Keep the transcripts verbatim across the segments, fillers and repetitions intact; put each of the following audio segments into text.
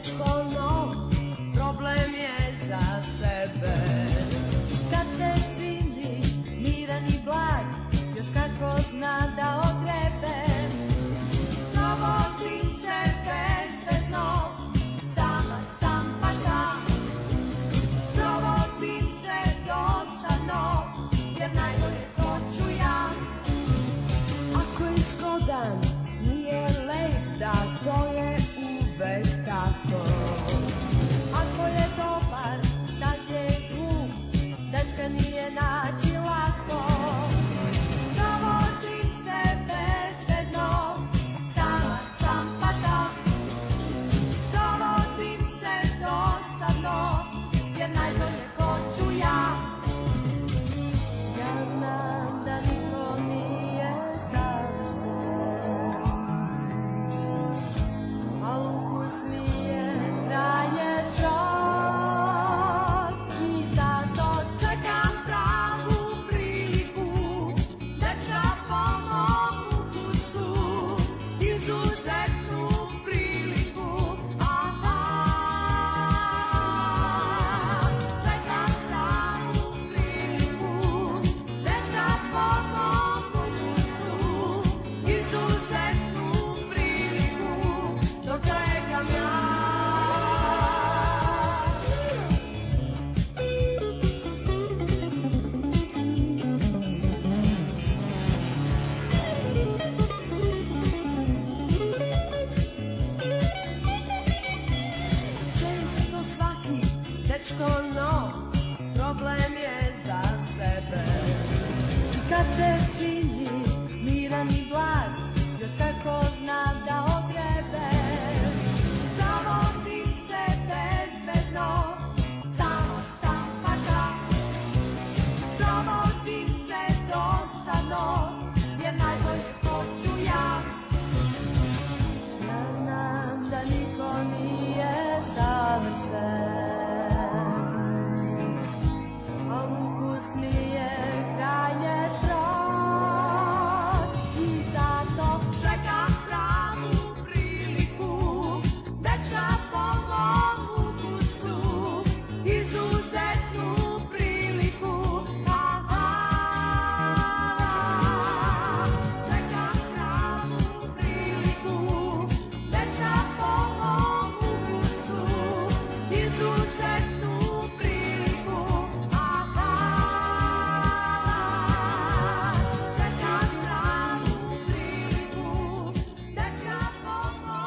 dečko nov, problem je za sebe. Kad se čini miran i blag, još kako zna da ogrebe. Provodim se bezvezno, sama sam pa šta. Provodim se dosadno, jer najbolje to ću ja. Ako je zgodan, nije lep, da to je uvek tako. Ako je dobar, tad je glup, dečka nije naći lako. Provodim se bezvezno, sama sam pa šta. Provodim se dosadno, jer najbolje hoću ja. Ja znam da niko nije savršen, a ukus mi je krajnje strog. I zato čekam pravu priliku, dečka po mom ukusu, izuzetnu priliku. Aha, čekam pravu priliku, dečka po mom ukusu, izuzetnu priliku, dočekam ja. Često svaki dečko nov, problem je za sebe. I kad se čini miran i blag, još kako zna da ogrebe. Provodim se bezvezno, samo sam pa šta. Provodim se dosadno, jer najbolje hoću ja. Ja znam da niko nije savršen, a ukus mi je krajnje strog. I zato čekam pravu priliku, dečka po mom ukusu, izuzetnu priliku. Aha, čekam pravu priliku, dečka po mom ukusu, izuzetnu priliku. Aha, čekam pravu priliku, dečka po mom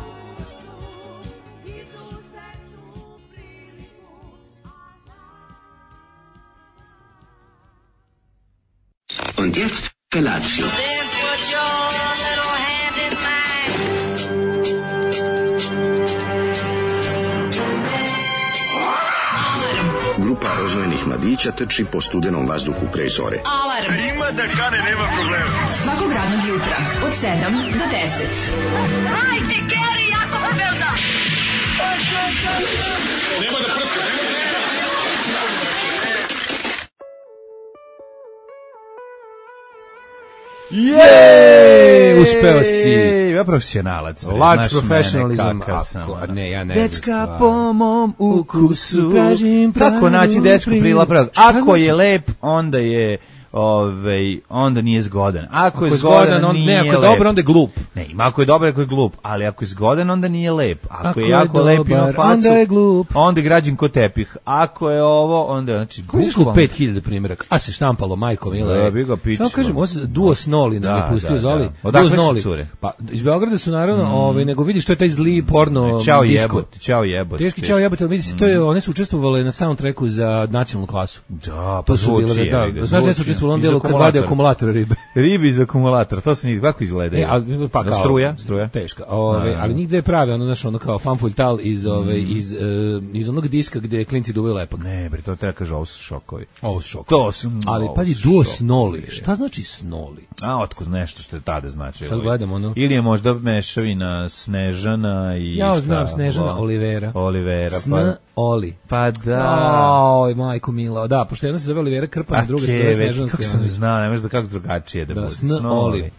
ukusu, izuzetnu priliku. Und jetzt Felatio. Then put your little hand in mine. Grupa rozvojenih mladića trči po studenom vazduhu pre zore. Alarm. Ima da kane, nema problema. Svakog radnog jutra od sedam do deset. Hajde, Geri, jako se velda. Nema da prska, nema da prska. Jej, uspeo si. Ja profesionalac. Large professionalism. Ne, ja ne. Dečka po mom ukusu. Kako naći dečku prilapra? Ako je lep, onda je Ove, onda nije zgodan. Ako, ako je zgodan, zgodan on, nije ne, ako je lep. dobar, onda je glup. Ne, ima ako je dobar, ako je glup, ali ako je zgodan, onda nije lep. Ako, ako je jako je lep i ima facu, onda je glup. Onda je građen ko tepih. Ako je ovo, onda znači bukvalno pet hiljada primjeraka. A se štampalo majko mile. Da, bi ga pičilo. Samo kažem, ovo Duo Snoli nam je pustio Zoli. Odakle su cure? Pa iz Beograda su naravno, mm. ovaj nego vidiš što je taj zli porno. Ćao jebote, ćao jebote. Teški ćao jebote, vidi se, to je, one su učestvovale na soundtracku za nacionalnu klasu. Da, pa zvuči. Da, znaš da su učestvovali on delu kad vade akumulator ribe. Ribi iz akumulatora, to se ni kako izgledaju. E, a, pa kao, struja, struja. Teška. Ove, ali nigde je pravi, ono znaš, ono kao fanful tal iz ove mm. iz uh, iz onog diska gde klinci duvaju lepak. Ne, bre, to treba kaže, ovo su šokovi. Ovo su šokovi. To su. Ali pazi, Duo Snoli. Šta znači Snoli? A otkud nešto što je tada znači. Sad gledamo ono. Ili je možda mešavina Snežana i ja šta? znam Snežana Olivera. Olivera, Sn pa Oli. Pa da. Oj, majko mila. Da, pošto jedna se zove Olivera Krpan, druga se zove Snežanska. Kako sam znao, ne može da kako drugačije da, da bude. Sn Oli.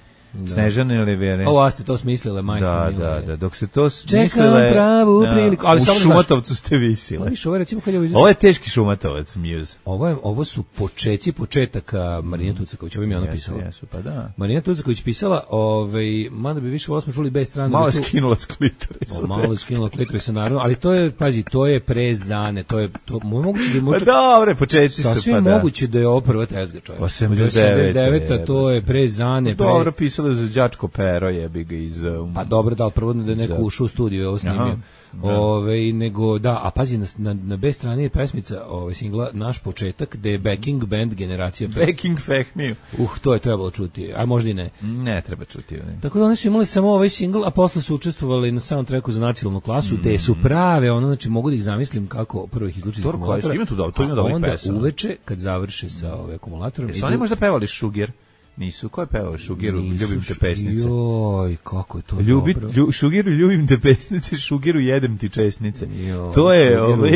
Snežane Olivere. Ovo ste to smislile, majke. Da, mile. da, da, dok se to Čekam smislile... pravu priliku. Ali u samo da Šumatovcu ste visile. Viš, ovo je recimo kad je ovo Ovo je teški Šumatovac, Muse. Ovo, je, ovo su počeci početaka Marina Tucaković, ovo mi je ona pisala. Jesu, jesu, pa da. Marina Tucaković pisala, ovaj, mada bi više volao smo čuli bez strane. Malo da je tu- skinula s klitorisa. O, malo je skinula klitorisa, naravno, ali to je, pazi, to je prezane, to je, to, moguće da je Pa močak, dobre, početci su, sasvim pa da. moguće da je ovo prva tezga, čovjek. osamdeset devete, osamdeset devete, to je prezane. Pre... Dobro, pisalo je za đačko pero, jebi ga iz... Um, Pa dobro, da, ali prvo da je neko za- ušao u studiju i ovo snimio. Aha, da. Ove, nego, da, a pazi, na, na, na B strani je pesmica ove, singla Naš početak, gde je backing band generacija pesma. Backing Fehmiju. Uh, to je trebalo čuti, a možda i ne. Ne treba čuti. Ne. Tako da oni su imali samo ovaj singl, a posle su učestvovali na soundtracku za nacionalnu klasu, gde su prave, ono, znači mogu da ih zamislim kako prvo ih izluči iz Dobro, koje su, akumulatora. ima tu dobro, to ima a dobrih onda pesama. uveče, kad završe sa ovaj akumulatorom, Jesu oni možda pevali Šuger? Nisu, ko je pevao Šugeru? Ljubim te pesnice. Joj, kako je to Ljubi, dobro. lju, šugiru, ljubim te pesnice, Šugiru, jedem ti česnice. Joj, To je, Šugeru, ovaj...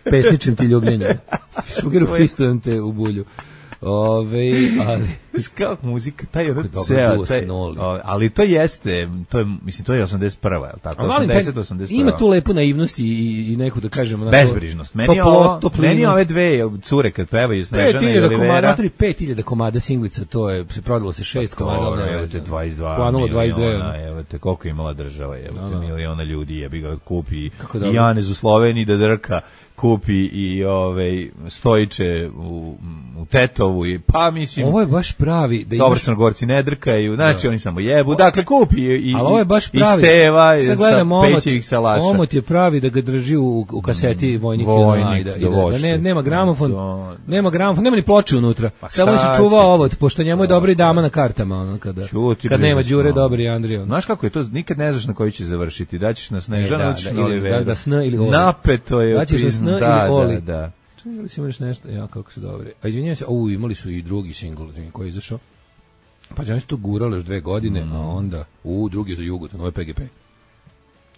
pesničim ti ljubljenje. Šugeru fistujem te u bulju. Ove, ali... Kako muzika, taj ono dobro ceo, duo taj, Snoli. o, ali to jeste, to je, mislim, to je osamdeset prva, je li tako? A volim taj- osamdeset, osamdeset prva. ima tu lepu naivnost i, i, i neku da kažemo... onako, Bezbrižnost. Meni, je toplo- ovo, toplinu. meni ove dve cure kad pevaju Snežana pet i hiljada komada, Olivera. natori pet hiljada komada singlica, to je, se prodalo se šest komada, ali Dobro, nema evo veze. te dvadeset dva Planulo dvadeset dve, miliona, ono. evo te koliko je imala država, evo Da, te da. miliona ljudi, jebi ga kupi Kako i dobro. Janez u Sloveniji da drka, kupi i ovaj Stojiće u, u Tetovu i pa mislim Ovo je baš pravi da dobro imaš... Crnogorci ne drkaju, znači oni samo jebu. Dakle kupi i Ali ovo je baš i pravi. Steva i Sad sa gledam omot, Pećevih salaša. omot je pravi da ga drži u, u kaseti Vojnik, Vojnik, Vojnik da, i da, da da vošti. ne, nema gramofon, Da. nema gramofon, nema ni ploče unutra. Pa Samo šta se čuva će? ovod, pošto njemu je dobra i dama na kartama, ono kada. Ćuti, kad bre, nema za Đure sno. Dobri i Andrija. ono. Znaš kako je to, nikad ne znaš na koji će završiti. Daćeš na Snežanu, E, da, daćeš da, na ili- Oliveru. da, da, sn ili Oli. Napeto je. Daćeš na prizn- sn da, ili Oli. Da, da. Čekaj, da li si imaš nešto? Ja, kako su dobri. A izvinjavam se, u, imali su i drugi singl koji je izašao. Pa oni su to gurali još dve godine, a onda, u, drugi je za Jugot, ovo je P G P.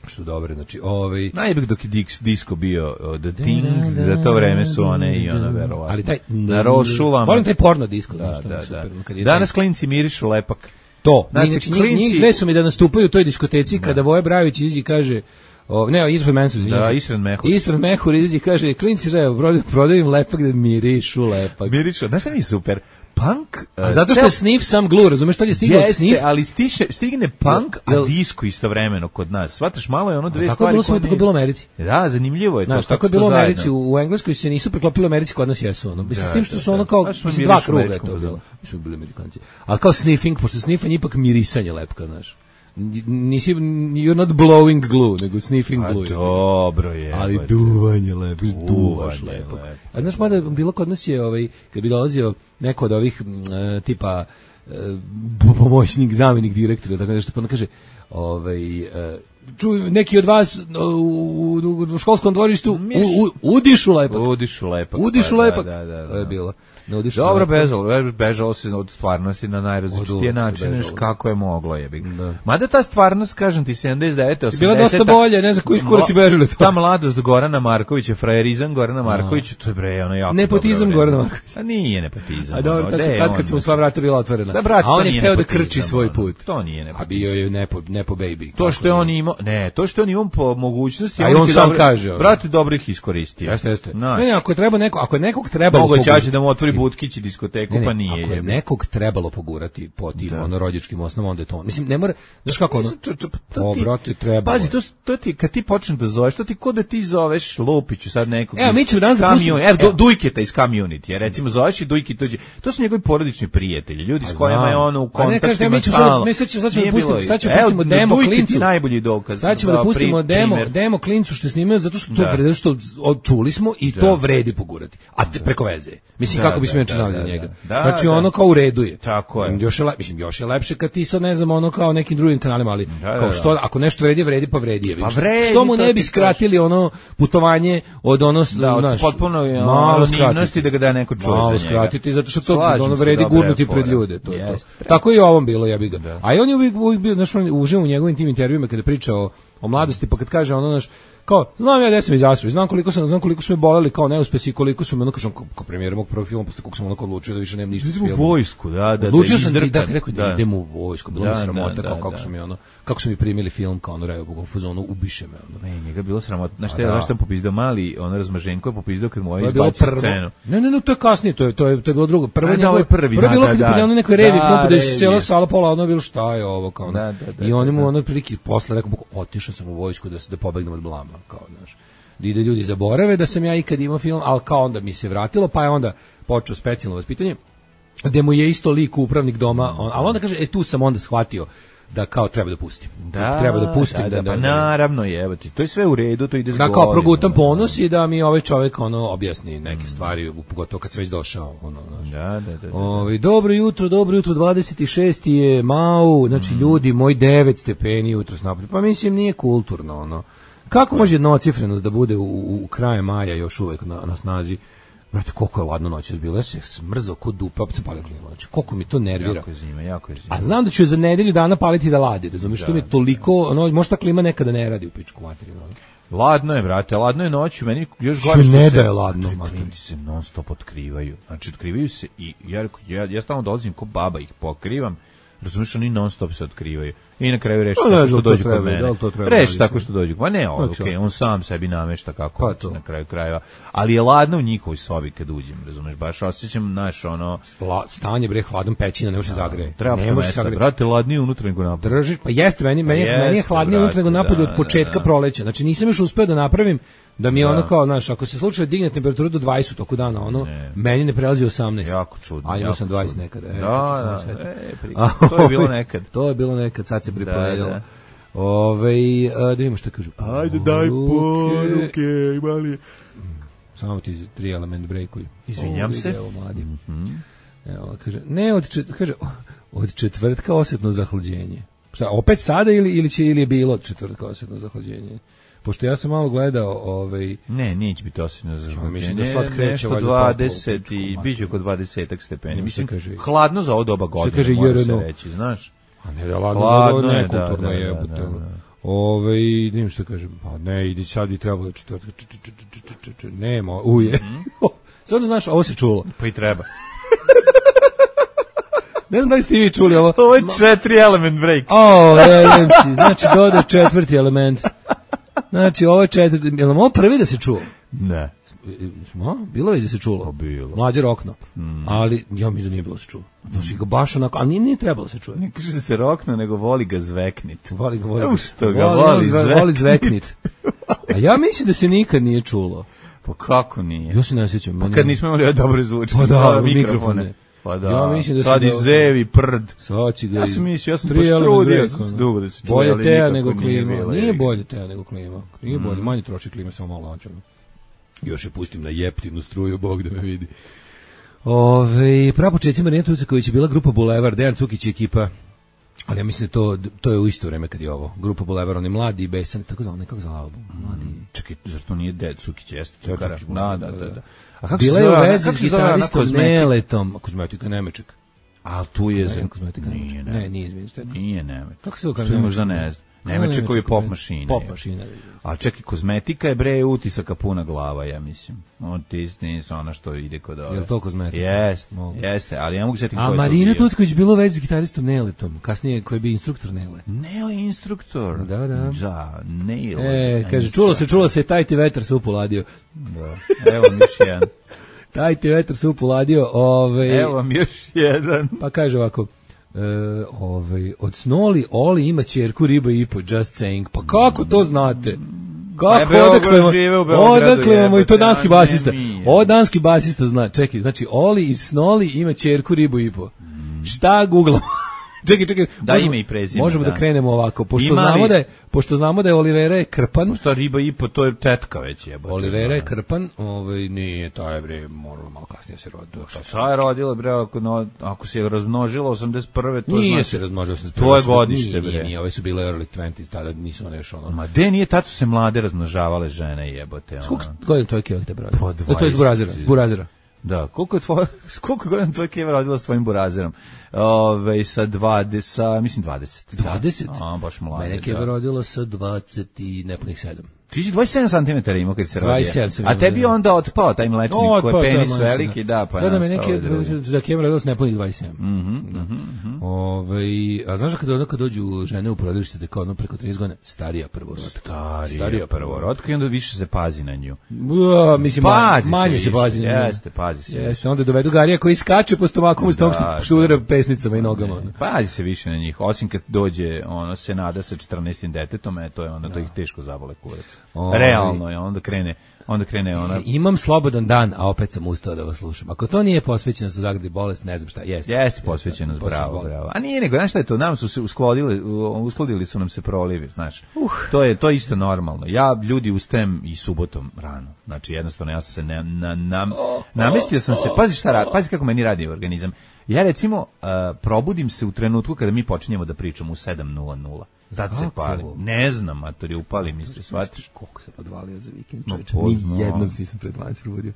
Što su dobre, znači, ovaj... Najbolje dok je Dix, disco bio uh, The Thing, za to vreme su one i ona verovatno. Ali taj... Na rošulama. Volim taj porno disko, Da, znaš, to mi da, je da. super. Kad je Danas taj- klinci mirišu lepak. To, Znači, znači, njih, klinci- njih dve su mi da nastupaju u toj diskoteci kada Voje Brajović izađe i kaže, o, ne, Isran Mensur, Da, Isran Mehur. Isran Mehur izađe i kaže, klinci, ževo, prodaju, prodaju im lepak da mirišu lepak. Mirišu, znaš šta mi je super? Punk... uh, A zato što ceo- je sniff sam glu, razumeš, to je stiglo od Jeste, sniff. ali stiše, stigne punk, a Jel- disco istovremeno kod nas. Shvataš, malo je ono dve Tako je stvari bilo koje sve, tako je ne- bilo u Americi. Da, zanimljivo je to. Znaš, kako tako je su to bilo u zajedno. Americi, u, u Engleskoj se nisu preklopili u Americi, kod nas jesu, ono. Mislim, Da, s tim što da, su da. ono kao, Znaš, smo mislim, bili dva u kruga je američkom to fazonu. bilo. Mi smo bili Amerikanci. Ali kao sniffing, pošto sniffanje ipak mirisanje lepka, znaš. Nisi, you're not blowing glue, nego sniffing A glue. dobro je. Ali pa, duvanje lepo, duvaš Duvanje lepo. lepo. A znaš, mada bilo kod nas je, ovaj, kad bi dolazio neko od ovih m, e, tipa e, pomoćnik, zamjenik direktora, tako nešto, pa onda kaže, ovaj, e, čuj, neki od vas u, u, u školskom dvorištu u, u, udišu lepak. Udišu lepak. Udišu pa, lepak. Da, da, da, To je da. bilo. Ne udišu Dobro, lepak. bežalo, bežalo se od stvarnosti na Od najrazličitije uvek se načine, bežalo. znaš kako je moglo, jebi ga. Da. Mada ta stvarnost, kažem ti, sedamdeset devete, osamdesete Bila dosta bolje, ne znam koji kurac si bežali to. Ta mladost Gorana Markovića, frajerizam Gorana Markovića, to je bre, ono jako Nepotizam dobro vreme. Gorana Markovića. A nije nepotizam. A dobro, ono, tako, gde je tad on, kad su mu sva vrata bila otvorena. Da, brate, a on to je nije hteo da nepotizam, krči svoj ono. put. To nije A nepotizam. bio je nepo, nepo baby. To što je on imao, ne, to što je on imao po mogućnosti, A i on ih je sam dobro- kaže, ono. brate, dobro ih iskoristio. Jeste, jeste. Znaš, Ne, ne, ako je treba neko, ako je nekog trebalo mogo pogurati- će da mu otvori Butkić i diskoteku, Ne, ne, pa nije. ako je jebi. nekog trebalo pogurati po tim Da. ono rođačkim osnovama, onda je to. Mislim, ne mora, znaš kako ono, To- to- to o, ti- brate, trebalo Pazi, je. to, to ti, kad ti počneš da zoveš, to ti ko da ti zoveš Lupiću sad nekog. Evo, iz mi ćemo danas da Community- pustimo- Evo, evo. do- Dujketa iz Community, recimo zoveš i Dujki dođe. To su njegovi porodični prijatelji, ljudi s A kojima znam. je ono u A ne, kažete, kontaktima mi ćemo stalno. sad- mi sad ćemo- sad ćemo Nije da pustimo- bilo- sad ćemo Evo, pustimo demo Dujke ti klincu. najbolji dokaz. Sad ćemo da pri- pustimo demo, primer. demo klincu što je snimio zato što to Da. vredi, što od- čuli smo i to vredi pogurati. A te, preko veze. Mislim Da, kako bismo da, inače da, znali da, za da. njega. Da, Znači da. ono kao u redu je. Tako je. Još je, le- mislim još je lepše kad ti sad ne znam ono kao nekim drugim kanalima, ali Da, da, kao da. što ako nešto vredi, vredi pa vredi je. Pa vredi, Što mu to ne bi ti skratili ono putovanje od ono Da, od znaš, potpuno je, ono, malo anonimnosti skratiti. da ga da neko čuje Malo za njega. skratiti zato što to Slažem ono se, vredi dobra je gurnuti fora. pred ljude, to je to. Jeste. Tako je i ovom bilo, ja bih ga. A i on je uvijek, uvijek bio, znaš, on uživa u njegovim tim intervjuima kada priča o, o mladosti, pa kad kaže ono, znaš, kao, znam ja gde sam izašao, znam koliko sam, znam koliko su me boleli kao neuspesi i koliko su me, ono kažem, kao premijer mog prvog filma, posle kako sam onako odlučio da više nemam ništa s Idemo u filmom. vojsku, da, da. Odlučio da sam da, izdrkan. da, rekao da, Da. idemo u vojsku, bilo mi Da, sramota, da, kao da, kako da. su mi ono, kako su mi primili film, kao ono, revo, u fazonu, ubiše me, ono. Ne, njega je bilo sramotno. Znaš A šta je, da. znaš šta je popizdao mali, on razmaženko je popizdao kad mu ovaj To je bilo izbacio prvo. scenu. Ne, ne, ne, to je kasnije, to je to je to je bilo drugo. Prvo A, da, njegovo- ovo je prvi, prvo je da, bilo da, kad da. je prijavljeno nekoj revi Da, film, gde se revije. cijela sala pola ono bilo šta je ovo kao. ono. Da, da, da, I oni da, mu da. ono prilike posle rekao, otišao sam u vojsku da se da pobegnem od blama, kao, znaš. Da ide ljudi zaborave da sam ja ikad imao film, al kao onda mi se vratilo, pa je onda počeo specijalno vaspitanje, gde mu je isto lik upravnik doma, on, ali onda kaže, e tu sam onda shvatio da kao treba da pustim. Da, treba da pustim. da, da, da, pa da, da. naravno je, evo ti, to je sve u redu, to ide s Da kao godinama. progutam ponos i da mi ovaj čovjek ono objasni neke stvari, pogotovo kad se već došao. Ono, znaš. Da, da, da. da. Ovi, dobro jutro, dobro jutro, dvadeset šesti je Mau, znači ljudi, moj devet stepeni jutro napolju. Pa mislim, nije kulturno, ono. Kako može jednocifrenost da bude u, u, u kraju maja još uvek na, na snazi? Brate, koliko je ladno noćas bilo, ja se smrzao kod dupa, opet se palio klima, znači, koliko mi to nervira. Jako je zima, jako je zima. A znam da ću je za nedelju dana paliti da ladi, razumiješ, što mi je toliko, ono, možda klima nekada ne radi u pičku materiju. Ono. Ladno je, brate, ladno je noću, meni još Što gore što ne se... da je ladno, Ti mater. klinci se non stop otkrivaju. Znači, otkrivaju se i ja, ja, ja stalno dolazim ko baba, ih pokrivam, razumiješ, oni non stop se otkrivaju. I na kraju reši Pa ne tako znam, što to dođu treba, kod mene. da li to treba Reši raditi? tako što dođu. Pa ne, ovo, Znači, okej, on sam sebi namešta kako Pa hoće to. na kraju krajeva. Ali je ladno u njihovoj sobi kad uđem, razumiješ, baš osjećam, naš, ono... La, stanje bre hladom pećina, ne može se zagreje. Treba ne po može se mesta, zagreje. brate, ladnije unutra nego napolje. Držiš, pa jeste, meni, meni, jeste, meni je hladnije unutra nego brate, napolju da, od početka da, da. proleća. Znači nisam još uspeo da napravim da mi je Da. ono kao, znaš, ako se slučajno digne temperaturu do dvadeset u toku dana, ono, Ne. meni ne prelazi osamnaest. Jako čudno. A imao jako sam dvadeset čudno. nekada. E, Da, kad sam da, se setio. e, pri- A, to je bilo ovaj, nekad. To je bilo nekad, sad se pripovedilo. Da, da. Ove, a, da vidimo šta kažu. Ajde, daj poruke, imali... Samo ti tri element breakuju. Izvinjam Ovo se. ide, Evo, mladi. Evo, kaže, ne, od, čet, kaže, od četvrtka osjetno zahlađenje. Šta, opet sada ili, ili, će, ili je bilo od četvrtka osjetno zahlađenje? Pošto ja sam malo gledao, ovaj, Ne, neće biti osjetno za mislim žaljenje. da sad kreće Nešto valjda dvadeset toplo, i pičku biće oko dvadesetak stepeni. Što Mislim, kaže- hladno za ovo doba godine, kaže mora se J R N O. reći, znaš. a ne, da ladno, Hladno ladno je, nekulturno da, da, jebote. da, ono. da. Ove, idem što kažem, pa ne, idi sad bi trebalo četvrtka, č, č, č, č, č, č, č, nema, uje. Sad da znaš, ovo se čulo. Pa i treba. Ne znam da li ste i vi čuli ovo. Ovo je četiri element break. O, elemci, znači doda četvrti element. Znači, ovo je četvrti, je li ovo prvi da se čuo? Ne. Smo, bilo je da se čulo. Pa bilo. Mlađe rokno. Ali, ja mislim da nije bilo da se čuo. To si ga baš onako, ali nije, nije trebalo da se čuje. Ne kaže da se rokno, nego voli ga zveknit. Voli ga, voli Evo ga. što ga voli zveknit. Voli zveknit. A ja mislim da se nikad nije čulo. Pa kako nije? Ja se ne sjećam. Pa meni- kad nismo imali ove dobre zvučke. Pa da, ove mikrofone. Pa da, Ja mislim da sad su i da- zevi, prd. Sad će ga Ja i- sam mislio, ja sam tri baš element trudio, break, sam se ono. dugo da se čuje, Bolje ali teja nikako nego nije klima. bilo, Nije jebi ga. bolje teja nego klima. Nije bolje, manje troši klima, samo malo lančano. Još je pustim na jeptinu struju, Bog da me vidi. Ove, prapočetci Marina Tucaković je bila grupa Bulevar, Dejan Cukić i ekipa. Ali ja mislim da to, to je u isto vreme kad je ovo. Grupa Bulevar, oni mladi i besan, tako zvala, nekako zvala album. Mladi. Čekaj, zašto nije Ded Cukić, jeste Dejan Cukara? Cukić, Da, da, da, da. da. da. A kako Bila se je u zove ona- vezi kako s se zove ona gitaristom kozmetik? Neletom. Kozmetika Nemeček. A tu je Ne, za... kozmetika Nije, Nemeček. ne. Ne, nije, izvinite. Nije Nemec. Kako se zove To je Nemeček? možda ne znam. Nemeček koji je pop mašina. Pop je. mašina. A čekaj, kozmetika je bre utisaka puna glava, ja mislim. Otis nisu ona što ide kod ove. Je li to kozmetika? Jeste, Mogu. jeste, ali ja mogu setiti A Marina Tutković bilo u vezi s gitaristom Neletom, kasnije koji je bio instruktor Nele. Nele instruktor. Da, da. Da, Nele. E, kaže, čulo se, čulo se, taj ti vetar se upoladio. Da. Evo vam još jedan. Taj ti vetar se upoladio, ovaj, Evo vam još jedan. pa kaže ovako, e, ovaj, od Snoli Oli ima ćerku riba i po, just saying. Pa kako to znate? Pa je Kako, Beograd odakle vam- žive u Beogradu, odakle vam, i to jebote, danski a basista. ne mi, Ovo danski basista zna, čekaj, znači Oli iz Snoli ima ćerku ribu i po. Šta googlamo? Čekaj, čekaj. Da, možemo- ime i prezime, Možemo da. da. krenemo ovako, pošto Ima li- znamo da je, pošto znamo da je Olivera je Krpan. Šta riba i po, to je tetka već jebote. Olivera je Krpan, ovaj nije taj bre, moralo malo kasnije se roditi. Šta je rodila bre, ako, no, ako se je razmnožila osamdeset prve to Nije znači... se razmnožio se. To je godište, Nije, bre. Nije, nije, ove su bile early dvadeset, tada nisu one još ono. Ma de nije, tad su se mlade razmnožavale žene jebote. ono. Koliko godina tvoj keva te brate? Po To je dvadeset. iz Burazira, iz Burazira. Da, koliko je tvoja, s koliko godina tvoja keva rodila s tvojim burazerom? Ove, sa dvadeset, sa, mislim dvadeset. dvadeset? A, baš mlade, Mene da. keva rodila sa dvadeset i nepunih sedam. Ti si dvadeset sedam centimetara imao kad se rodio. dvadeset sedam sam A imao, tebi da. onda otpao taj mlečnik O, koji otpao, je penis da, manjšina. veliki, da, pa Da, da me nastao neki, drugi. da kemera radost ne puni dvadeset sedam. Mhm, mhm, mhm. Ovaj, a znaš da kada, ono kad dođu žene u porodilište, da kao ono preko trideset godina, starija prvorotka. Starija, Starija prvorotka i onda više se pazi na nju. Ja, mislim, Pazi manje, manje se više, pazi na nju. Jeste, pazi se. Jeste, onda dovedu Garija koji skače po stomaku, s tom Da, što, što udara pesnicama i nogama. ono. Pazi se više na njih, osim kad dođe ono Senada sa četrnaestim detetom, e, to je onda to ih teško zabole kurac. Ovaj. Realno je, onda krene, onda krene ona... E, Imam slobodan dan, a opet sam ustao da vas slušam. Ako to nije posvećenost u zagradi bolest, ne znam šta, jeste. Jeste posvećenost, bravo, bolest. bravo. A nije nego, znaš šta je to, nam su se uskladili, uskladili su nam se prolivi, znaš. Uh. To je to je isto normalno. Ja ljudi ustajem i subotom rano. Znači jednostavno ja sam se ne, na, na, namestio sam se, pazi šta radi, pazi kako meni radi organizam. Ja recimo uh, probudim se u trenutku kada mi počinjemo da pričamo u sedam nula nula. Tad se pali. Ne znam, matori, upali mi se, shvatiš. Koliko se podvalio za vikend, No, čovječe. pozno. Ni jednom si sam pred dvanaest probudio.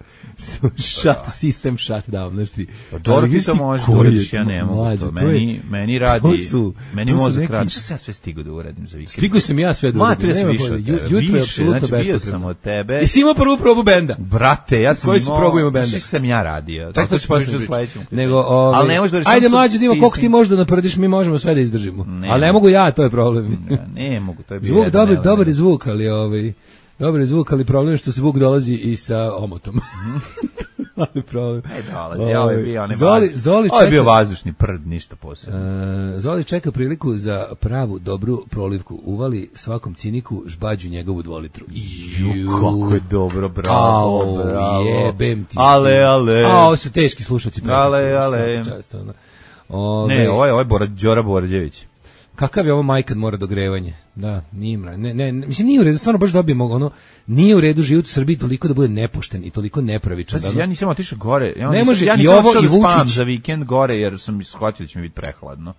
Shut, system shut down, znaš ti. Pa dobro ti to možeš da uradiš, ja ne mogu Mlađe, to. to je- Meni, meni radi, to su- meni to su mozak neki- radi. Šta sam ja sve stigao da uradim za vikend? Stigao sam ja sve da Ma, uradim, ja sam nema više bolje. od Ju- tebe. Jutro je Više, apsolutno znači, bio sam bespotrebno. od tebe. Jesi imao prvu probu benda? Brate, ja sam Koji si imao... probu imao benda? Šta sam ja radio? Tako to ću posle pričam pričati. sledećem. Nego, ovaj, Ali ne možeš da rečeš, ajde samo mlađe, da ima ti koliko si- ti možeš da naprediš, mi možemo sve da izdržimo. Ne. Ali ne mogu ja, to je problem. Ja, ne mogu, to je bio Zvuk, jedan dobar, element. dobar je zvuk, ali ovaj, dobar je zvuk, ali problem je što zvuk dolazi i sa omotom. Ali problem. Ne dolazi, ovo je bio onaj Zoli, vazdušni- Zoli ovo je bio čeka- vazdušni prd, ništa posebno. E, Zoli čeka priliku za pravu dobru prolivku. Uvali svakom ciniku žbađu njegovu dvolitru. Ju, kako je dobro, bravo, Au, bravo. jebem ti. Ale, ale. A, ovo su teški slušaci. Ale, ale. Ove, Ne, ovo je, ovo je Bora, Đora Borađević. Kakav je ovo majkad mora dogrevanje? Da, nije mra. Ne, ne, ne, mislim nije u redu, stvarno baš dobijemo ono, nije u redu život u Srbiji toliko da bude nepošten i toliko nepravičan. Pazi, da, ja nisam otišao gore. Ja Ne nisam, može ja i nisam ovo otišao i da spavam Vučić. za vikend gore jer sam shvatio da će mi biti prehladno.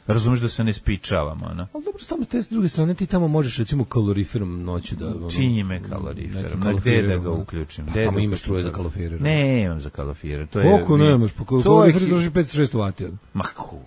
Razumeš da se ne spičavam, ono. ali dobro, tamo te s druge strane ti tamo možeš recimo kaloriferom noću da... Ono, Činjime nekim kaloriferom. Na gde kaloriferom, da ga ono. uključim? A Gde tamo da imaš uključim struje za to? kalorifer. Ne, imam za kalorifer. To je, Koliko mi- nemaš? Pa to je kalorifer ki- drži petsto šest vati. Ma kur...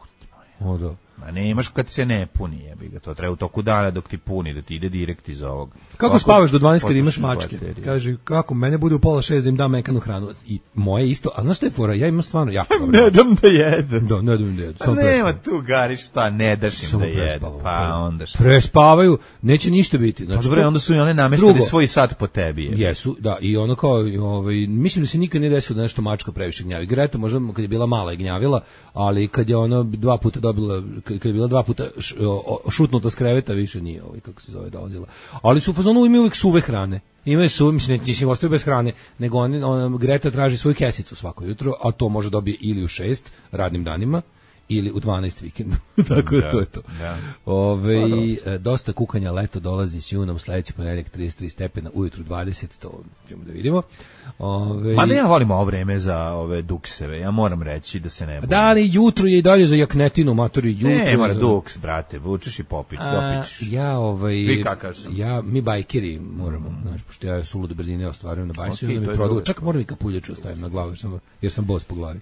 O, da. Ma nemaš kad se ne puni, jebi ga. To treba u toku dana dok ti puni, da ti ide direkt iz ovog. Kako Ovako spavaš do dvanaest kad imaš potrošiš mačke? bateriju. Kaže, kako, mene bude u pola šest da im dam mekanu hranu. I moje isto, a znaš šta je fora? Ja imam stvarno jako dobro. Ne dam da jedem. Da, ne dam da jedu. Pa samo nema prespavaju. tu gari šta, ne daš im Samo da jedu. prespavaju. Pa onda šta. Prespavaju, neće ništa biti. Pa Znači, dobro, to- onda su i one namestili Drugo. svoj sat po tebi. jebi. Jesu, da, i ono kao, i ovaj, mislim da se nikad nije desilo da nešto mačka previše gnjavi. Greta možda kad je bila mala je gnjavila, ali kad je ono dva puta dobila, kad je bila dva puta š, o, šutnuta s kreveta, više nije, ovaj, kako se zove, dolazila. Ali su u fazonu imaju uvijek suve hrane. Imaju su, mislim, ne nisi ostaju bez hrane, nego oni, ona, Greta traži svoju kesicu svako jutro, a to može dobije ili u šest radnim danima, ili u dvanaest vikendu. Tako da, Da, to je to. da. Ove, e, dosta kukanja, leto dolazi s junom, sledeći ponedeljak trideset tri stepena, ujutru dvadeset, to ćemo da vidimo. Ove, Ma da ja volim ovo vreme za ove dukseve, ja moram reći da se ne bojim. da, ali jutro je i dalje za jaknetinu, matori, jutro. Ne, mora za... duks, brate, vučeš i popit, A, dopićeš. ja, ovaj, Vi kakav sam? ja, mi bajkeri moramo, znaš, pošto ja sulude brzine ostvarujem na bajsu, Ok, i onda to mi je produ, dobro. čak moram i kapuljaču ostavim na glavu, jer sam, jer sam bos po glavi.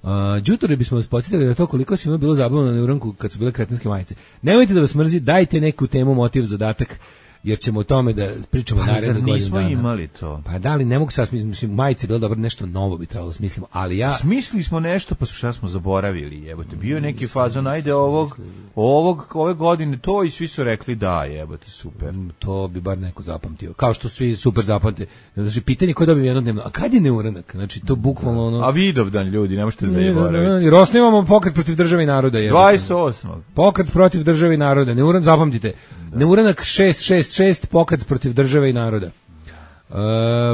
Uh, Đutore bismo vas podsjetili na to koliko si ima bilo zabavno na uranku kad su bile kretenske majice. Nemojte da vas mrzi, dajte neku temu, motiv, zadatak, jer ćemo o tome da pričamo Pa naredne zar godine nismo dana. imali to? Pa da li, ne mogu sad smisliti, mislim, majice je bilo dobro, nešto novo bi trebalo da smislimo, ali ja... Smislili smo nešto, pa šta smo zaboravili, jebote. Bio je neki fazon, ajde ovog, ovog, ove godine to i svi su rekli da, jebote, super. To bi bar neko zapamtio. Kao što svi super zapamte. Znači, pitanje ko dobije jednodnevno, a kad je neuranak? Znači, to bukvalno ono... A Vidovdan, ljudi, ne možete zaboraviti. Jer osnivamo pokret protiv države i naroda. jebote. dvadeset osmog Pokret protiv države i naroda. Neuranak, zapamtite. Neuranak šest šest šest, pokret protiv države i naroda. E,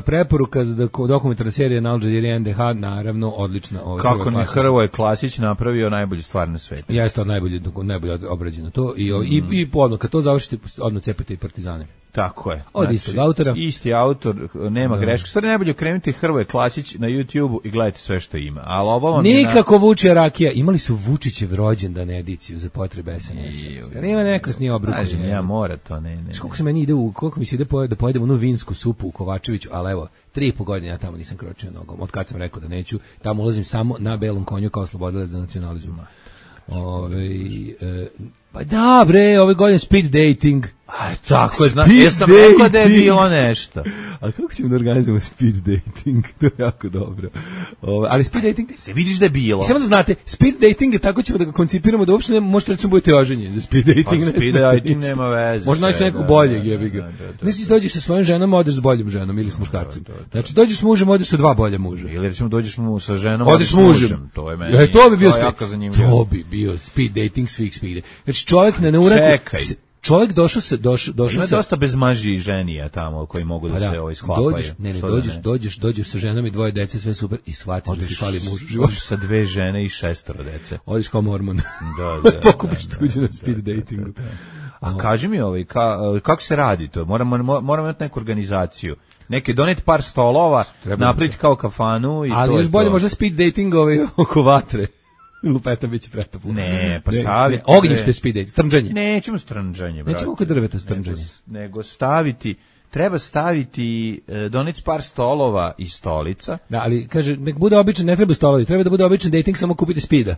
preporuka za dok- dokumentarna serija na Al Jazeera N D H, naravno, odlična. Ovaj, Kako prva ne klasa. Hrvoje Klasić napravio najbolju stvar na svetu. Ja isto najbolje, najbolje obrađeno to. I, i, i podno, kad to završite, odmah cepete i Partizane. Tako je. Od istog autora. Isti autor, nema Da. greške. Stvari najbolje okrenuti Hrvoje Klasić na YouTubeu i gledajte sve što ima. Ali ovo vam je na- Nikako Vučija rakija. Imali su Vučićev rođendan ediciju za potrebe S N S. Iju. Zar ima neko s nije obrukom? Kažem, ja mora to, ne, ne. Znaš koliko se meni ide u, koliko mi se ide pojede, da pojedem onu vinsku supu u Kovačeviću, ali evo, tri i po godine ja tamo nisam kročio nogom. Od kad sam rekao da neću, tamo ulazim samo na belom konju kao slobodilac za nacionalizam. Ove, e, pa da bre, ove godine speed dating. Aj, tako je, zna, Speed ja sam rekao da je dating. bilo nešto. A kako ćemo da organizujemo speed dating? To je jako dobro. Ove, ali speed dating... Se vidiš da je bilo. Samo da znate, speed dating je tako ćemo da ga koncipiramo da uopšte ne možete recimo budete oženjeni. Da speed dating Pa ne speed smete dating ništa. nema veze. Možda naći sve, nekog da, boljeg, da, jebi ga. da, da, da, Ne si da. dođeš sa svojom ženom, odeš s boljom ženom ili s muškarcem. Znači dođeš s mužem, odeš sa dva bolje muža. Ili recimo dođeš mu sa ženom, Odeš s mužem. To je meni. E, to bi bio speed. jako zanimljivo. To bi bio speed dating svih speed. Znači čovjek ne neuranku. Čekaj. Čovjek došao se došao došao Ima se dosta bezmaži i ženija tamo koji mogu da, Pa se ovaj sklapaju. dođeš, ne, ne, Što da dođeš, ne? dođeš, dođeš sa ženom i dvoje dece, sve super i shvatiš da ti fali muž u životu. Odeš sa dve žene i šestoro dece. Odeš kao mormon. Da, da. Pokupiš da, tuđe da, na da, speed da, da, datingu. da. A kaži mi ovaj, ka, kako se radi to? Moramo, moramo imati neku organizaciju. Neke doneti par stolova, Treba napraviti kao kafanu i Ali to je još bolje to. možda speed dating ovaj oko vatre. Lupeta biće pretapu. Ne, pa staviti. Ognjište speed dating, strnđanje. Nećemo strnđanje, brate. Nećemo oko drveta strnđanje. Nego, nego staviti, treba staviti, e, doneti par stolova i stolica. Da, ali kaže, nek bude običan, ne treba stolovi, treba da bude običan dating, samo kupite speeda.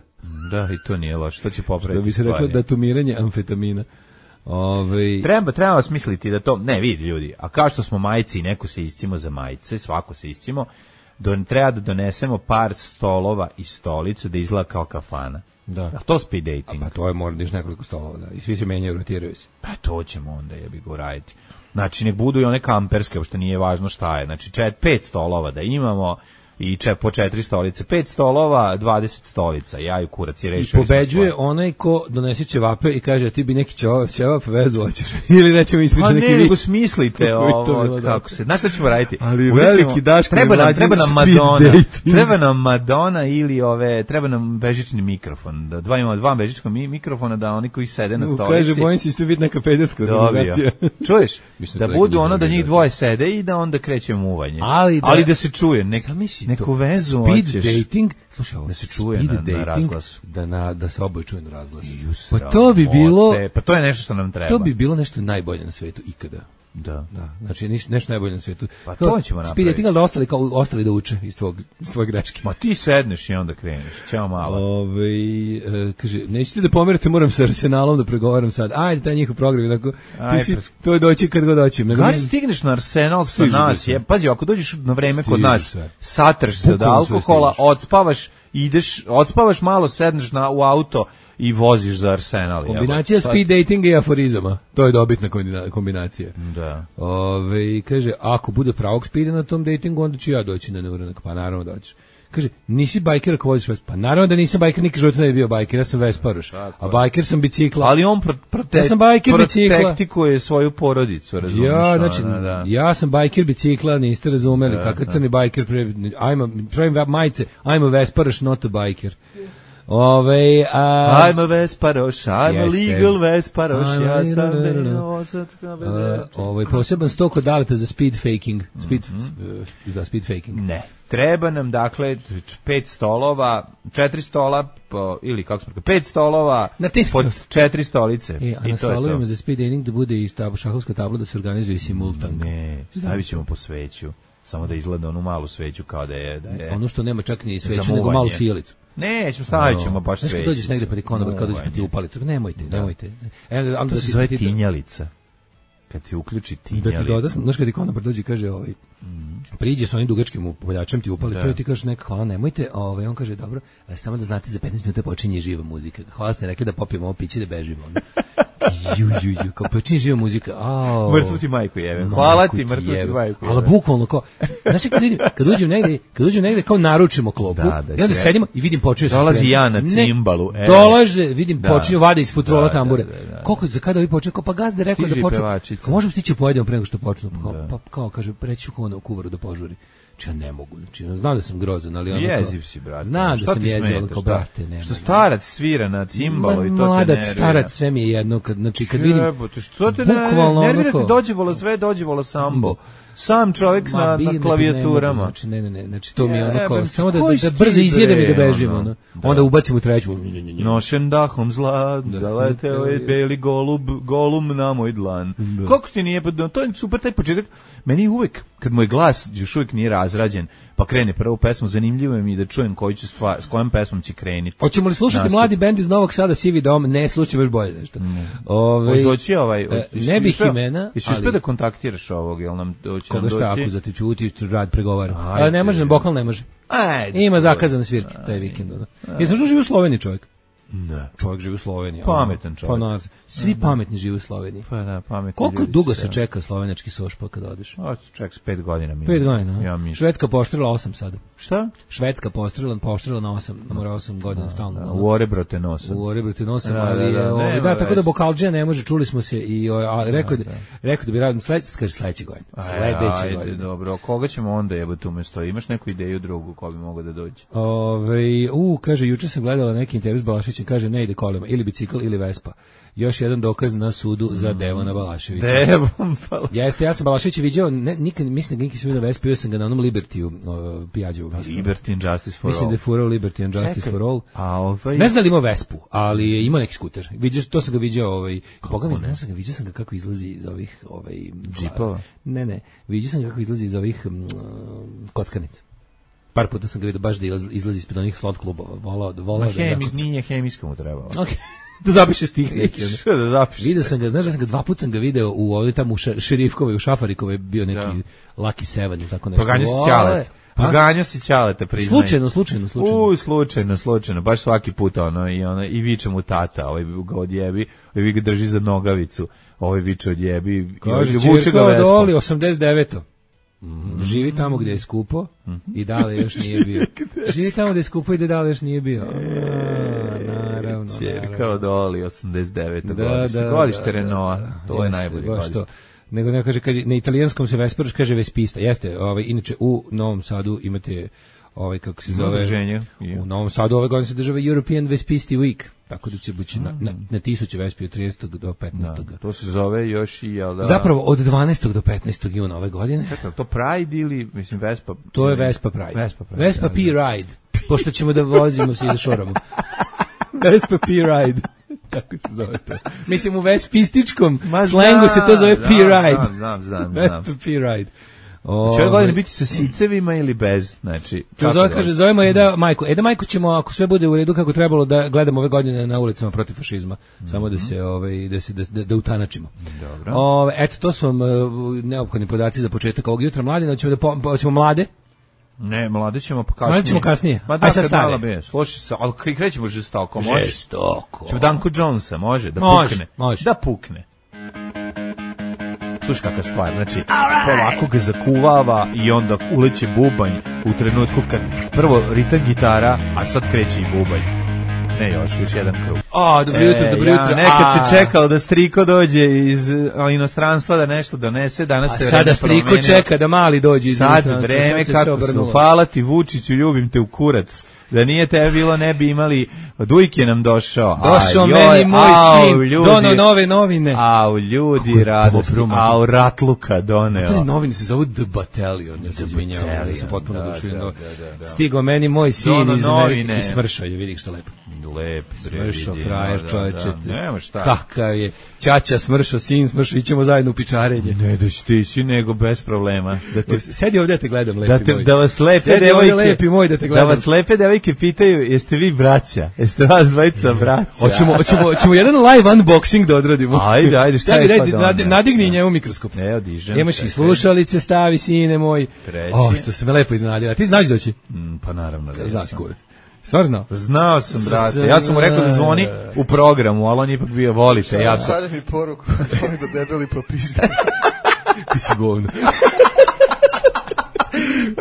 Da, i to nije loše, to će popraviti. Da bi se reklo stvari. datumiranje amfetamina. Ove, Treba, treba vas misliti da to, ne vidi ljudi, a kao što smo majci i neko se iscimo za majice, svako se iscimo, don, treba da donesemo par stolova i stolice da izgleda kao kafana. Da. A to speed dating. Pa to je mora još nekoliko stolova, da. I svi se menjaju, rotiraju se. Pa to ćemo onda jebi go raditi. Znači nek budu i one kamperske, uopšte nije važno šta je. Znači čet, pet stolova da imamo i če, po četiri stolice. Pet stolova, dvadeset stolica. Ja i kurac i I rešili. pobeđuje onaj ko donese ćevape i kaže ti bi neki ćevap, ćevap vezu hoćeš. Ili nećemo Pa ispričati ne, neki nego vic. smislite Kako bi to ovo, bilo kako dobro. se, znaš šta ćemo raditi? Ali Uzet ćemo- veliki Daško treba i nam, mlađi treba nam speed Madonna, dating. treba nam Madonna ili ove, treba nam bežični mikrofon, da dva imamo dva bežička mi, mikrofona, da oni koji sede na U, stolici. Kaže, bojim se isto biti neka pederska Dobio. organizacija. Čuješ? Mislim Da da je budu njihova ono da njih organizacija. dvoje sede i da onda kreće muvanje. Ali da- Ali da se čuje, nek, Zamisli neku to. vezu Speed hoćeš. dating, slušaj ovo, Da se čuje speed na- na dating, razglasu. Da, na, da se oboje čuje na razglasu. Ju, Pa to bi sramote. bilo, Pa to je nešto što nam treba. to bi bilo nešto najbolje na svetu ikada. Da. Da, znači niš, nešto najbolje na svetu. Pa Kao, to ćemo speed napraviti. dating, ali da ostali, kao, ostali da uče iz tvog, iz tvoje greške. Ma ti sedneš i onda kreneš. Ćao malo. Ove, e, kaže, nećete da pomerite, moram sa Arsenalom da pregovaram sad. Ajde, taj njihov program, onako, ti Ajde, si, pres- to je doći kad god doćim. Nego Gari ne- stigneš na Arsenal sa Stižu nas, sve. je, pazi, ako dođeš na vreme kod Stižu nas, sve. satrš se od Bukvalno sve alkohola, stižeš. odspavaš, ideš, odspavaš malo, sedneš na, u auto i voziš za Arsenal. Kombinacija jebote. speed datinga i aforizama. To je dobitna kombina- kombinacija. Da. Ove, kaže, ako bude pravog speeda na tom datingu, onda ću ja doći na neuranak. Pa naravno doćeš. Kaže, nisi bajker ako voziš Vespa. Pa naravno da nisam bajker, nikad života ne bi bio bajker, ja sam Vesparoš. A bajker sam bicikla. Ali on pro, prote, Ja sam bajker bicikla. protektikuje svoju porodicu, razumiješ? Ja, znači, ono, da. ja sam bajker bicikla, niste razumeli, kakav crni bajker, pre, I'm a, pravim majice, I'm a Vesparoš, not a biker. Ove, a... I'm a Vesparoš, I'm a Jeste. legal Vesparoš, I'm ja a- sam da, da, da. deo osatka Uh, bebe. ovaj poseban sto kod Daleta za speed faking. Speed, Mhm. uh, za speed faking. Ne. Treba nam, dakle, pet stolova, četiri stola, po, ili kako smo rekli, pet stolova, Na tim pod četiri stolice. E, a I na to je to. stolovima za speed dating da bude i tab, šahovska tabla da se organizuje i simultan. Ne, stavit ćemo po sveću. Samo da izgleda onu malu sveću kao da je... Da je Ono što nema čak ni sveću, za nego muvanje. malu sjelicu. Nećemo, stavit ćemo baš Znaš kad sveću. dođeš negde pa ti konobar, kad dođeš pa ti Muvanje. upali. to- Nemojte, nemojte. E, onda To da se ti- zove ti- tinjalica. Kad ti uključi Da ti tinjalicu. doda, znaš kad ti konobar dođe i kaže ovaj, priđe sa onim dugačkim upaljačem ti upali, Da. to je ti kažeš neka hvala, nemojte, ovaj, on kaže dobro, e, samo da znate za petnaest minuta počinje živa muzika. Hvala ste rekli da popijemo ovo piće da bežimo. ono. Ju, ju, ju, kao počinje živa muzika. Ao. Mrtvu ti majku jebe. Majku Hvala ti, ti mrtvu ti jebe. majku Ali jebe. bukvalno kao, znaš kad vidim, kad uđem negde, kad uđem negde kao naručimo klopu, Da, da, i onda sve. sedimo i vidim počinje se Dolazi sprema. ja na Ne, cimbalu, e. Dolaže, vidim Da. počinje vade iz futrola Da, tambure. da, da, da. Koliko za kada vi počinje, kao pa gazda je rekao Stiže da počne. pevačica. Kao možemo stići pojedemo pre nego što počnu. Kao, pa kao kaže preći ću kao na kuvaru da požuri. Znači ja ne mogu. Znači ja znam da sam grozan, ali ono kao- Jeziv si, brate. Znam da Šta sam ti jeziv, ali smeta, kao šta? brate, ne. Što starac svira na cimbalu i to te Mladac, nervira. starac, sve mi je jedno kad znači kad vidim Jebote, što te bukvalno nervira? Nervira onako- te dođe vola sve, dođe vola sambo. sam čovjek Ma, na, bi, na ne, klavijaturama. ne mogu, znači, ne, ne, ne, znači to mi je ono kao, Jebem, samo da, da, koji da si brzo ti, izjedem i da bre, bežim, ono. ono. Da. Onda ubacim u treću. Nošen dahom zla, zaleteo je beli golub, golum na moj dlan. Da. Koliko ti nije, to je super taj početak. Meni uvek, kad moj glas još uvijek nije razrađen, pa krene prvu pesmu, zanimljivo je mi da čujem koju ću stvar, s kojom pesmom će krenuti. Hoćemo li slušati Nastup. mladi bend iz Novog Sada, Sivi dom? Ne, slušaj baš bolje nešto. Ove, Hoće doći ovaj... e, jesi ne bih uspeo- imena, Jesi ali- uspeo da kontaktiraš ovog, jel nam doći nam Koga šta, doći? ako za te čuti, rad pregovara. Ajde. Ali ne može, bokal ne može. Ajde. Ima zakazane svirke taj vikend. Jesi što živi u Sloveniji čovjek? Ne. Čovjek živi u Sloveniji. Pametan ono. čovjek. Pa, naravno, svi pametni žive u Sloveniji. Pa da, pametni Koliko ljudi dugo su, se da. čeka slovenački sošpa kad odeš? O, ček, s pet godina mi. Pet godina. Ja a? mislim. Švedska poštrila osam sada. Šta? Švedska poštrila, poštrila na osam, na mora osam godina stalno. ono. U orebrote nosa. U Orebrte nosam, Da, ali da, da, je, ovaj, nema da, tako da veze. Bokalđija ne može, čuli smo se i o, a, rekao da, rekao da bi radio sledeće, kaže sledeće godine. Sledeće Ajde, godine. dobro. Koga ćemo onda jebati umesto? Imaš neku ideju drugu ko bi mogao da dođe? Ove, u, kaže, juče sam gledala neki intervju s Balaševićem, kaže, ne ide kolima, ili bicikl ili Vespa. Još jedan dokaz na sudu za Devona Balaševića. Devom, pa... Jeste, ja sam Balaševića viđao, ne, nikad, mislim da nikad sam vidio Vespa, bio sam ga na onom Libertiju, o, Pijađevu. Liberty and Justice for Mislim all. da je furao Liberty and Justice Čekaj, for all. A ovaj... Ne znam da li ima Vespu, ali je imao neki skuter. Viđao, to sam ga viđao, ovaj, Boga mi, ne znam ga, viđao sam ga kako izlazi iz ovih, ovaj, Džipova? Ne, ne, viđao sam ga kako izlazi iz ovih mm, kockanica. Par puta sam ga vidio baš da izlazi, izlazi ispred onih slot klubova. Volao, Ma volao da hemi, zakocka. nije hemijska mu trebalo. Okay. Da zapiše stih neki. ono. Što da zapiš? Video sam ga, znaš da sam ga dva puta sam ga video u ovdje tamo u ša- Šerifkovoj, u Šafarikovoj bio neki Da. Lucky Seven ili tako nešto. Proganjao si Vole. Ćaleta. A? Proganjao si Ćaleta, priznaj. Slučajno, slučajno, slučajno. U, slučajno, slučajno. Baš svaki put ono i ono i viče mu tata, ovaj ga odjebi, ovaj ga drži za nogavicu, ovaj viče odjebi, i Kaže, ovaj vuče ga Čirko vespom. Doli, osamdeset deveto Živi tamo gdje je skupo i dale još nije bio. Živi tamo gdje je skupo i da dale još nije bio. A, naravno, Ćerka naravno. od Oli, osamdeset deveto Da, godište. da, Godište da, Renaulta, da, to je jeste, najbolje baš godište. to. Nego ne kaže, kaže na italijanskom se Vesparoš kaže Vespista. Jeste, ovaj inače u Novom Sadu imate ovaj kako se zove Udruženje. u Novom Sadu ove godine se država European Vespisti Week. Tako da će biti na, na, na tisuće Vespi od tridesetog do petnaestog Da, to se zove još i, jel da... Zapravo od dvanaestog do petnaestog juna ove godine. Čekaj, to Pride ili, mislim, Vespa... To je Vespa Pride. Vespa Pride, Vespa da, P da. Ride. Pošto ćemo da vozimo se i da šoramo. Vespa P Ride. Tako se zove to. Mislim, u vespističkom Ma slengu se to zove znam, P Ride. Znam, znam, znam. Vespa znam. P Ride. Će ove godine biti sa sicevima ili bez? Znači, To kako zove, da- kaže, zovemo Eda Majko. Eda Majko ćemo, ako sve bude u redu kako trebalo, da gledamo ove godine na ulicama protiv fašizma. Samo da se, ovaj, da se, da, da, da utanačimo. Dobro. Ove, eto, to su vam uh, neophodni podaci za početak ovog jutra. Mladine, hoćemo da po, hoćemo mlade. Ne, mlade ćemo pa kasnije. Mlade ćemo kasnije. Ma Aj da, sad kad stare. malo be, slušaj se, ali kre- krećemo žestoko, može? Žestoko. Ćemo Danko Jonesa, može? Da Može, pukne. može. Da pukne. Slušaj kakva stvar, znači, polako ga zakuvava i onda uleće bubanj u trenutku kad prvo ritam gitara, a sad kreće i bubanj. Ne još, još jedan krug. A, dobro jutro, E, dobro ja, jutro. nekad A, se čekalo da striko dođe iz a, inostranstva da nešto donese, danas A se sada vreme striko promenilo. čeka da mali dođe iz Sad inostranstva, vreme sad se sve kako su, obrnulo. hvala ti Vučiću, ljubim te u kurac. Da nije tebe bilo, ne bi imali, Dujke nam došao. Došao A, meni joj, moj au, sin, ljudi, dono nove novine. Au, ljudi Kako je radosti, dobro, man. au, ratluka Te doneo. novine se zovu The Battalion, ja se izvinjavam, ja sam Battalion, potpuno da, oduševljen. da, do- da, da, da. Stigo meni moj sin Dono iz novine. Amerike i smršao je, vidi što lepo. Lep, bre, Smršao vidi, frajer, da, čoveče. da, nema šta. Kakav je. Ćaća smršao, sin smršao, ićemo zajedno u pičarenje. Ne da ćete ići, nego bez problema. Da te Sedi ovdje da te gledam, lepi Da, te, moj. da vas lepe Sedi ovdje, devojke, lepi moj, da te gledam. da vas lepe devojke pitaju, jeste vi braća? Jeste vas dvojica braća? Hoćemo, hoćemo, hoćemo jedan live unboxing da odradimo. Ajde, ajde, šta Daj, je daj, pa nad- doneo? nadigni njemu mikroskop. Evo, dižem. Imaš i čekaj. slušalice, stavi, sine moj. Treći. O, što se me lepo iznenadio. A ti znaš doći? Mm, pa naravno da Znaš, sam. kurac. Stvar znao? Znao sam, brate. Ja sam mu rekao da zvoni u programu, ali on je ipak bio volite. Ja sam... Šalje mi poruku, zvoni da debeli popizda. Ti si govno.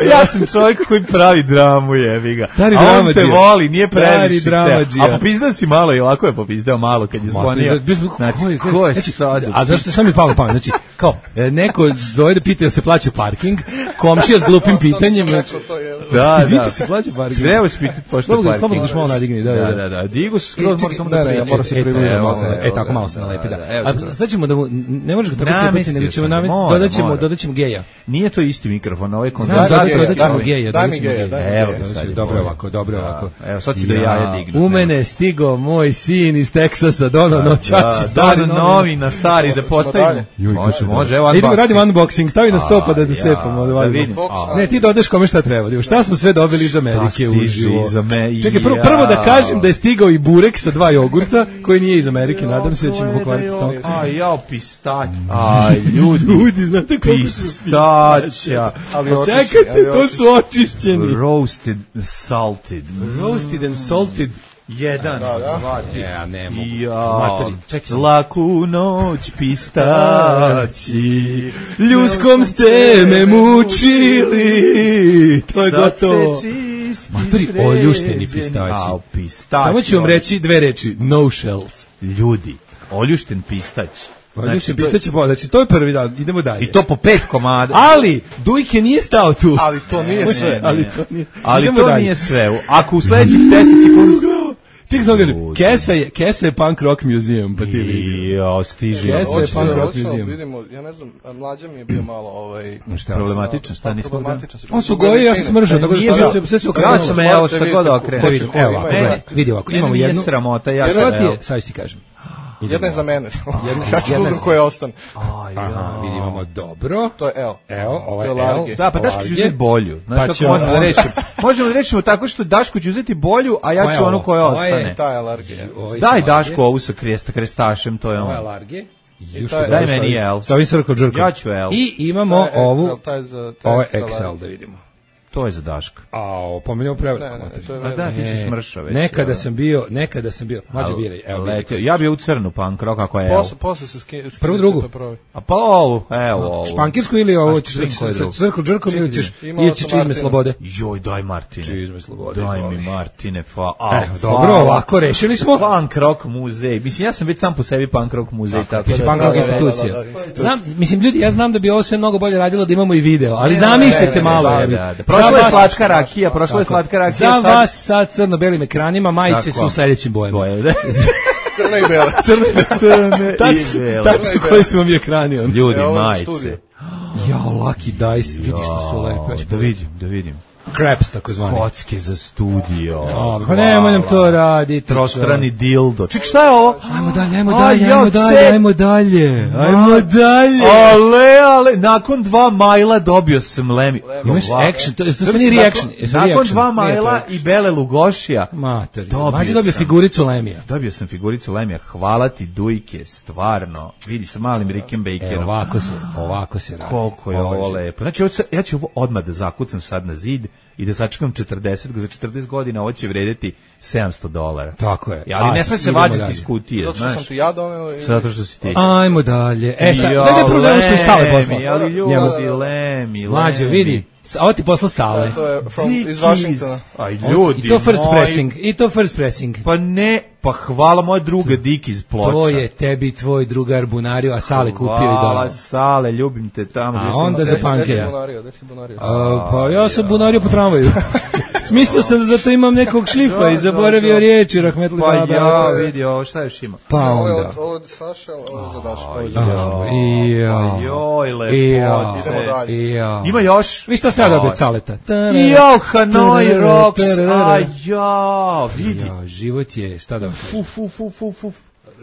Ja sam čovjek koji pravi dramu, jebi ga. Stari A on te dramadžija. voli, nije Stari previše. te- dramadžija. A popizdao si malo i ovako je popizdao malo kad je zvonio. Znači, ko je sad? A zašto sam mi palo pamet? Znači, kao, e, neko zove da pita da se plaća parking, komšija s glupim pitanjem. Sam rekao to je. Da, Izvinite da. se, Mlađe Parkinson. Trebaš pitati pošto Slobodno, Parkinson. slobodno još malo nadigni, da, da, Da, da. da, da. Digu se skroz, moram samo da ne, ne, pričam. mora se E, približiti evo, malo. e, tako malo se nalepi, da. Evo, A sad ćemo da mu, ne možeš ga tako cepati, Namestio nego ćemo sam, namestiti, mora, dodat ćemo, mora. dodat ćemo geja. Nije to isti mikrofon, ovaj Znam, kondenzator. zato geja, dodat ćemo daj mi- geja, daj dodat mi ćemo geja, geja. daj mi Evo, geja. sad je Dobro bolje. ovako, dobro ovako. Evo, sad ću do jaja dignuti. U mene je stigo moj sin iz Teksasa, Dono Noćači, Da, stari da, novi. novi na stari, da Ćemo postavimo. dalje? Može, može, evo Idemo unboxing. radimo unboxing, stavi na sto pa da da ja, cepamo. da vidim. A. Ne, ti dodaš kome šta treba. Evo, šta smo sve dobili iz Amerike stiže uživo. iz Ame- Čekaj, prvo, ja. prvo da kažem da je stigao i burek sa dva jogurta, koji nije iz Amerike, nadam se da ćemo pokvariti stomak. A, jao, pistać. Aj, ljudi. Ljudi, znate koliko su Pistaća. Ali očišćeni, Čekajte, ali to su očišćeni. Roasted, salted. Roasted and salted. Jedan, dva, tri. Ja, ne mogu. Jao, Materi, čekaj sam. laku noć pistaći. Ljuskom ste me mučili. To je Sad ste gotovo. čisti, Matori, sređeni. oljušteni pistaći. Au, pistaći. Samo ću vam reći dve reči. No shells. Ljudi, oljušten pistać. Oljušten pistaći, znači to je prvi dan. Idemo dalje. I to po pet komada. Ali, Dujke nije stao tu. Ali to nije sve. Ali to nije. Ali Idemo to dalje. nije sve. Ako u sledećih deset sekundi... Čekaj samo kažem, Ljudi. Kesa je, Kesa je punk rock museum, pa ti vidi. Jo, stiže. Jeste, Hoćete punk da rock hoćemo, museum. vidimo, ja ne znam, Mlađa mi je bio malo ovaj... Šta? Problematično, šta nismo da... Problematičan. On su goji, ja sam smržao, tako da Nije stavio za- se, sve se Ja okrenulo. sam, evo, šta god da okrenem. Da vidim, evo ovako, Ima- gledaj, vidi ovako, imamo Mene jednu. nije sramota, ja Prva ću, ti evo. je, sad ću ti kažem. Jedna je za mene. Ja ću jedna drugu je- koja ostane. Aha, vidi, imamo dobro. To je L. Evo, ovo je To je L. large. Da, pa Daško ću uzeti bolju. Znaš Pa kako ćemo možemo da onda- rešimo? Možemo da rešimo tako što Daško će uzeti bolju, a ja Koja je ću onu ovo? koja Ovo je- ostane. Ta je alergija. Ovo je Daj large. Daško ovu sa kresta, krestašem, to je Ovo je on. large. ta je- Daj meni L. Sa ovim circle jerkom. Ja ću L. I imamo Ta je ovu, X L, ta je za- ta je ovo je za X L, large. da vidimo. To je za Daška. A, pomenjamo preveliko. Ne, ne, ne, to je A da, ti si E, smršao već. Nekada sam bio, nekada sam bio, mlađe biraj, evo Letio. biraj. Ja bi u crnu punk rock, ako je L. Posle, posle se skine. Prvu, drugu? A pa ovu, evo ovu. Špankirsku ili ovo A ćeš šta- sa koja je druga? circle jerkom ili ćeš, Ima ili ovo ćeš sa čizme Martinom. slobode? Joj, daj Martine. Čizme slobode, Daj izvoli. mi Martine, fa. A, Evo, dobro, ovako, rešili smo. Punk rock muzej. Mislim, ja sam već sam po sebi punk rock muzej. Tako Biće da... punk rock da, da, institucija. da, da, da. Znam, mislim, ljudi, ja znam da bi ovo sve mnogo bolje radilo da imamo i video, ali zamišljajte malo. Da, jebi. da, da. Za Prošla je vas- slatka rakija, prošla je slatka rakija. Za sad- vas sa crno-belim ekranima, majice Tako. su u sledećim bojama. Boje, da? Crne i bele. Crne Tačno, i bele. tačno koji su vam i ekrani. on. Ljudi, Evo je majice. studio. Jao, Lucky Dice, vidi što su lepe. Da vidim, da vidim. Craps, tako zvani. Kocke za studio. A, pa nemoj nam to raditi. Trostrani dildo. Ček, šta je ovo? Ajmo dalje, ajmo A, dalje, ja, ajmo dalje, cep. ajmo dalje, ajmo dalje. Ale, ale, nakon dva majla dobio sam lemi. Imaš Hva- action, to, to su Nakon- meni reaction. jesu Nakon reaction? dva Nije to majla action. i bele lugošija. Mater, Dobio mađe dobio sam. figuricu Lemija. Dobio sam figuricu Lemija. Hvala ti, Dujke, stvarno. Vidi sa malim Rickem E, Bakerom. ovako se, ovako se radi. Koliko je ovo Ovo je- lepo. Znači, ovo, sa- ja ću ovo odmah da zakucam sad na zid i da sačekam četrdeset, za četrdeset godina ovo će vredeti sedamsto dolara. Tako je. Ja, ali ne Aj, sme se idemo vaditi dalje. iz kutije, Zato što sam znaš. ti ja doneo i... Zato što si ti. Ajmo dalje. E, sad, Jo, gledaj problem što je Sale Lemi, poslao. ali ljudi, Njemu. Lemi, Mlađo, Lemi. vidi, sa- ovo ti poslao Sale. To je from, iz Dickies. Washingtona. Aj, ljudi I to first moji. pressing, i to first pressing. Pa ne, pa hvala moja druga Dik iz Ploča. To je tebi tvoj drugar bunario, a Sale kupio i Hvala, donao. Sale, ljubim te tamo. A gdje sam onda na za sreći. punkera. Gde si bunario, gde si bunario? A, pa ja sam bunario po tramvaju. Mislio sam da zato imam nekog šlifa i zaboravio da. riječi, rahmetli Pa baba. ja, vidi ovo, šta još ima? Pa Ovo je onda. od, ovo je od Saša, ovo je za Daško. Ovo je za A, Daško. i ja. Pa joj, I ja. lepote. Idemo dalje. I ja. Ima još? Vi šta sad dobio Caleta? Jo, Hanoi Rocks, a ja, vidi. Ja, život je, šta da... Fu, fu, fu, fu, fu.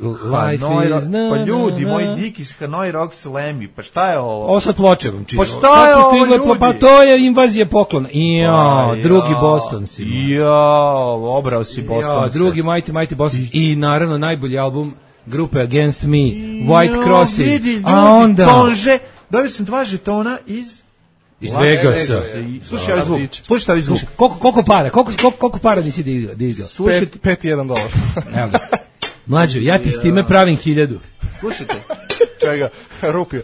Life Hanoi is... Rocks. na, Pa ljudi, na, moj na. Dik iz Hanoi Rocks Lemmy, pa šta je ovo? Ovo sad ploče vam čitam. Pa šta je Sad su ovo, stigle ljudi? plo- Pa to je invazija poklona. Ja, Pa, drugi ja. Boston si. Ja, obrao si Boston. Ja, drugi Mighty Mighty Boston. I naravno najbolji album grupe Against Me, White Crosses. Vidi, ljudi, A onda... Tonže, dobio sam dva žetona iz... Iz Las Vegasa. Vegasa. I- Slušaj ovaj zvuk, slušaj ovaj zvuk. Koliko, koliko para? Koliko, koliko, koliko para nisi digao? digao? Slušajte, Pet, pet i jedan dolar. Evo ga. Mlađo, ja ti s time pravim hiljadu. slušajte. Čega? Rupio.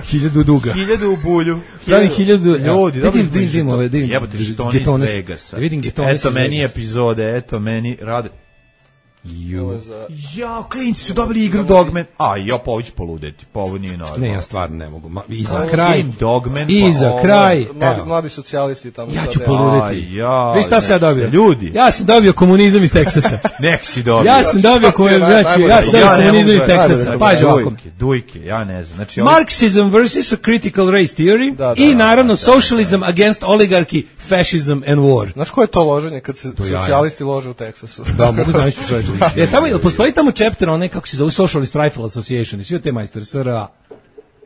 Hiljadu duga. Hiljadu u bulju. Pravim hiljadu... Ljudi, Vidim, dobro vidim, vidim ove, vidim. Jebote, žetoni iz Getones. Vegasa. Vidim getone Eto iz meni Vegasa. epizode, eto meni rade. Ovo je za... Ja, klinci su dobili igru Dogman. A, ja, pa ovo ću poludeti, pa ovo nije normalno. Ne, ja stvarno ne mogu. Ma, I za Ovo kraj, Game Dogman, i pa za ovo- kraj, Mladi, evo, mladi socijalisti tamo. ja sad, ću evo. poludeti. Aj, ja, Viš šta sam ja znači, dobio? ljudi. Ja sam dobio komunizam iz Teksasa. Nek si dobio. Ja sam dobio komunizam, naj- znači, ja najbolje. sam dobio Ja ne komunizam mogu iz da- Teksasa. najbolje. Paži ovako. Dujke, dujke, ja ne znam. Znači, ovo- Marxism versus a critical race theory Da, da, i da, naravno socialism against oligarchy, fascism and war. Znaš ko je to loženje kad se jaja. socijalisti lože u Teksasu? Da, mogu zamisliti čovječe. E, tamo, jel postoji tamo chapter, onaj, kako se zove, Socialist Rifle Association, i svi od te majstore, S R A.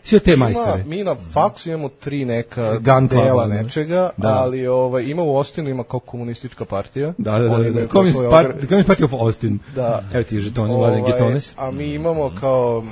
Svi od te majstore. Ima, mi na faksu imamo tri neka Gun club, dela ne? nečega, Da. ali ovaj, ima u Austinu, ima kao komunistička partija. Da, da, da, Oni da, imaju da. kao Communist svoj Part- ogr- Communist Party of Austin. Da. Evo ti žetoni, Vladan Ovaj, Getones. a mi imamo kao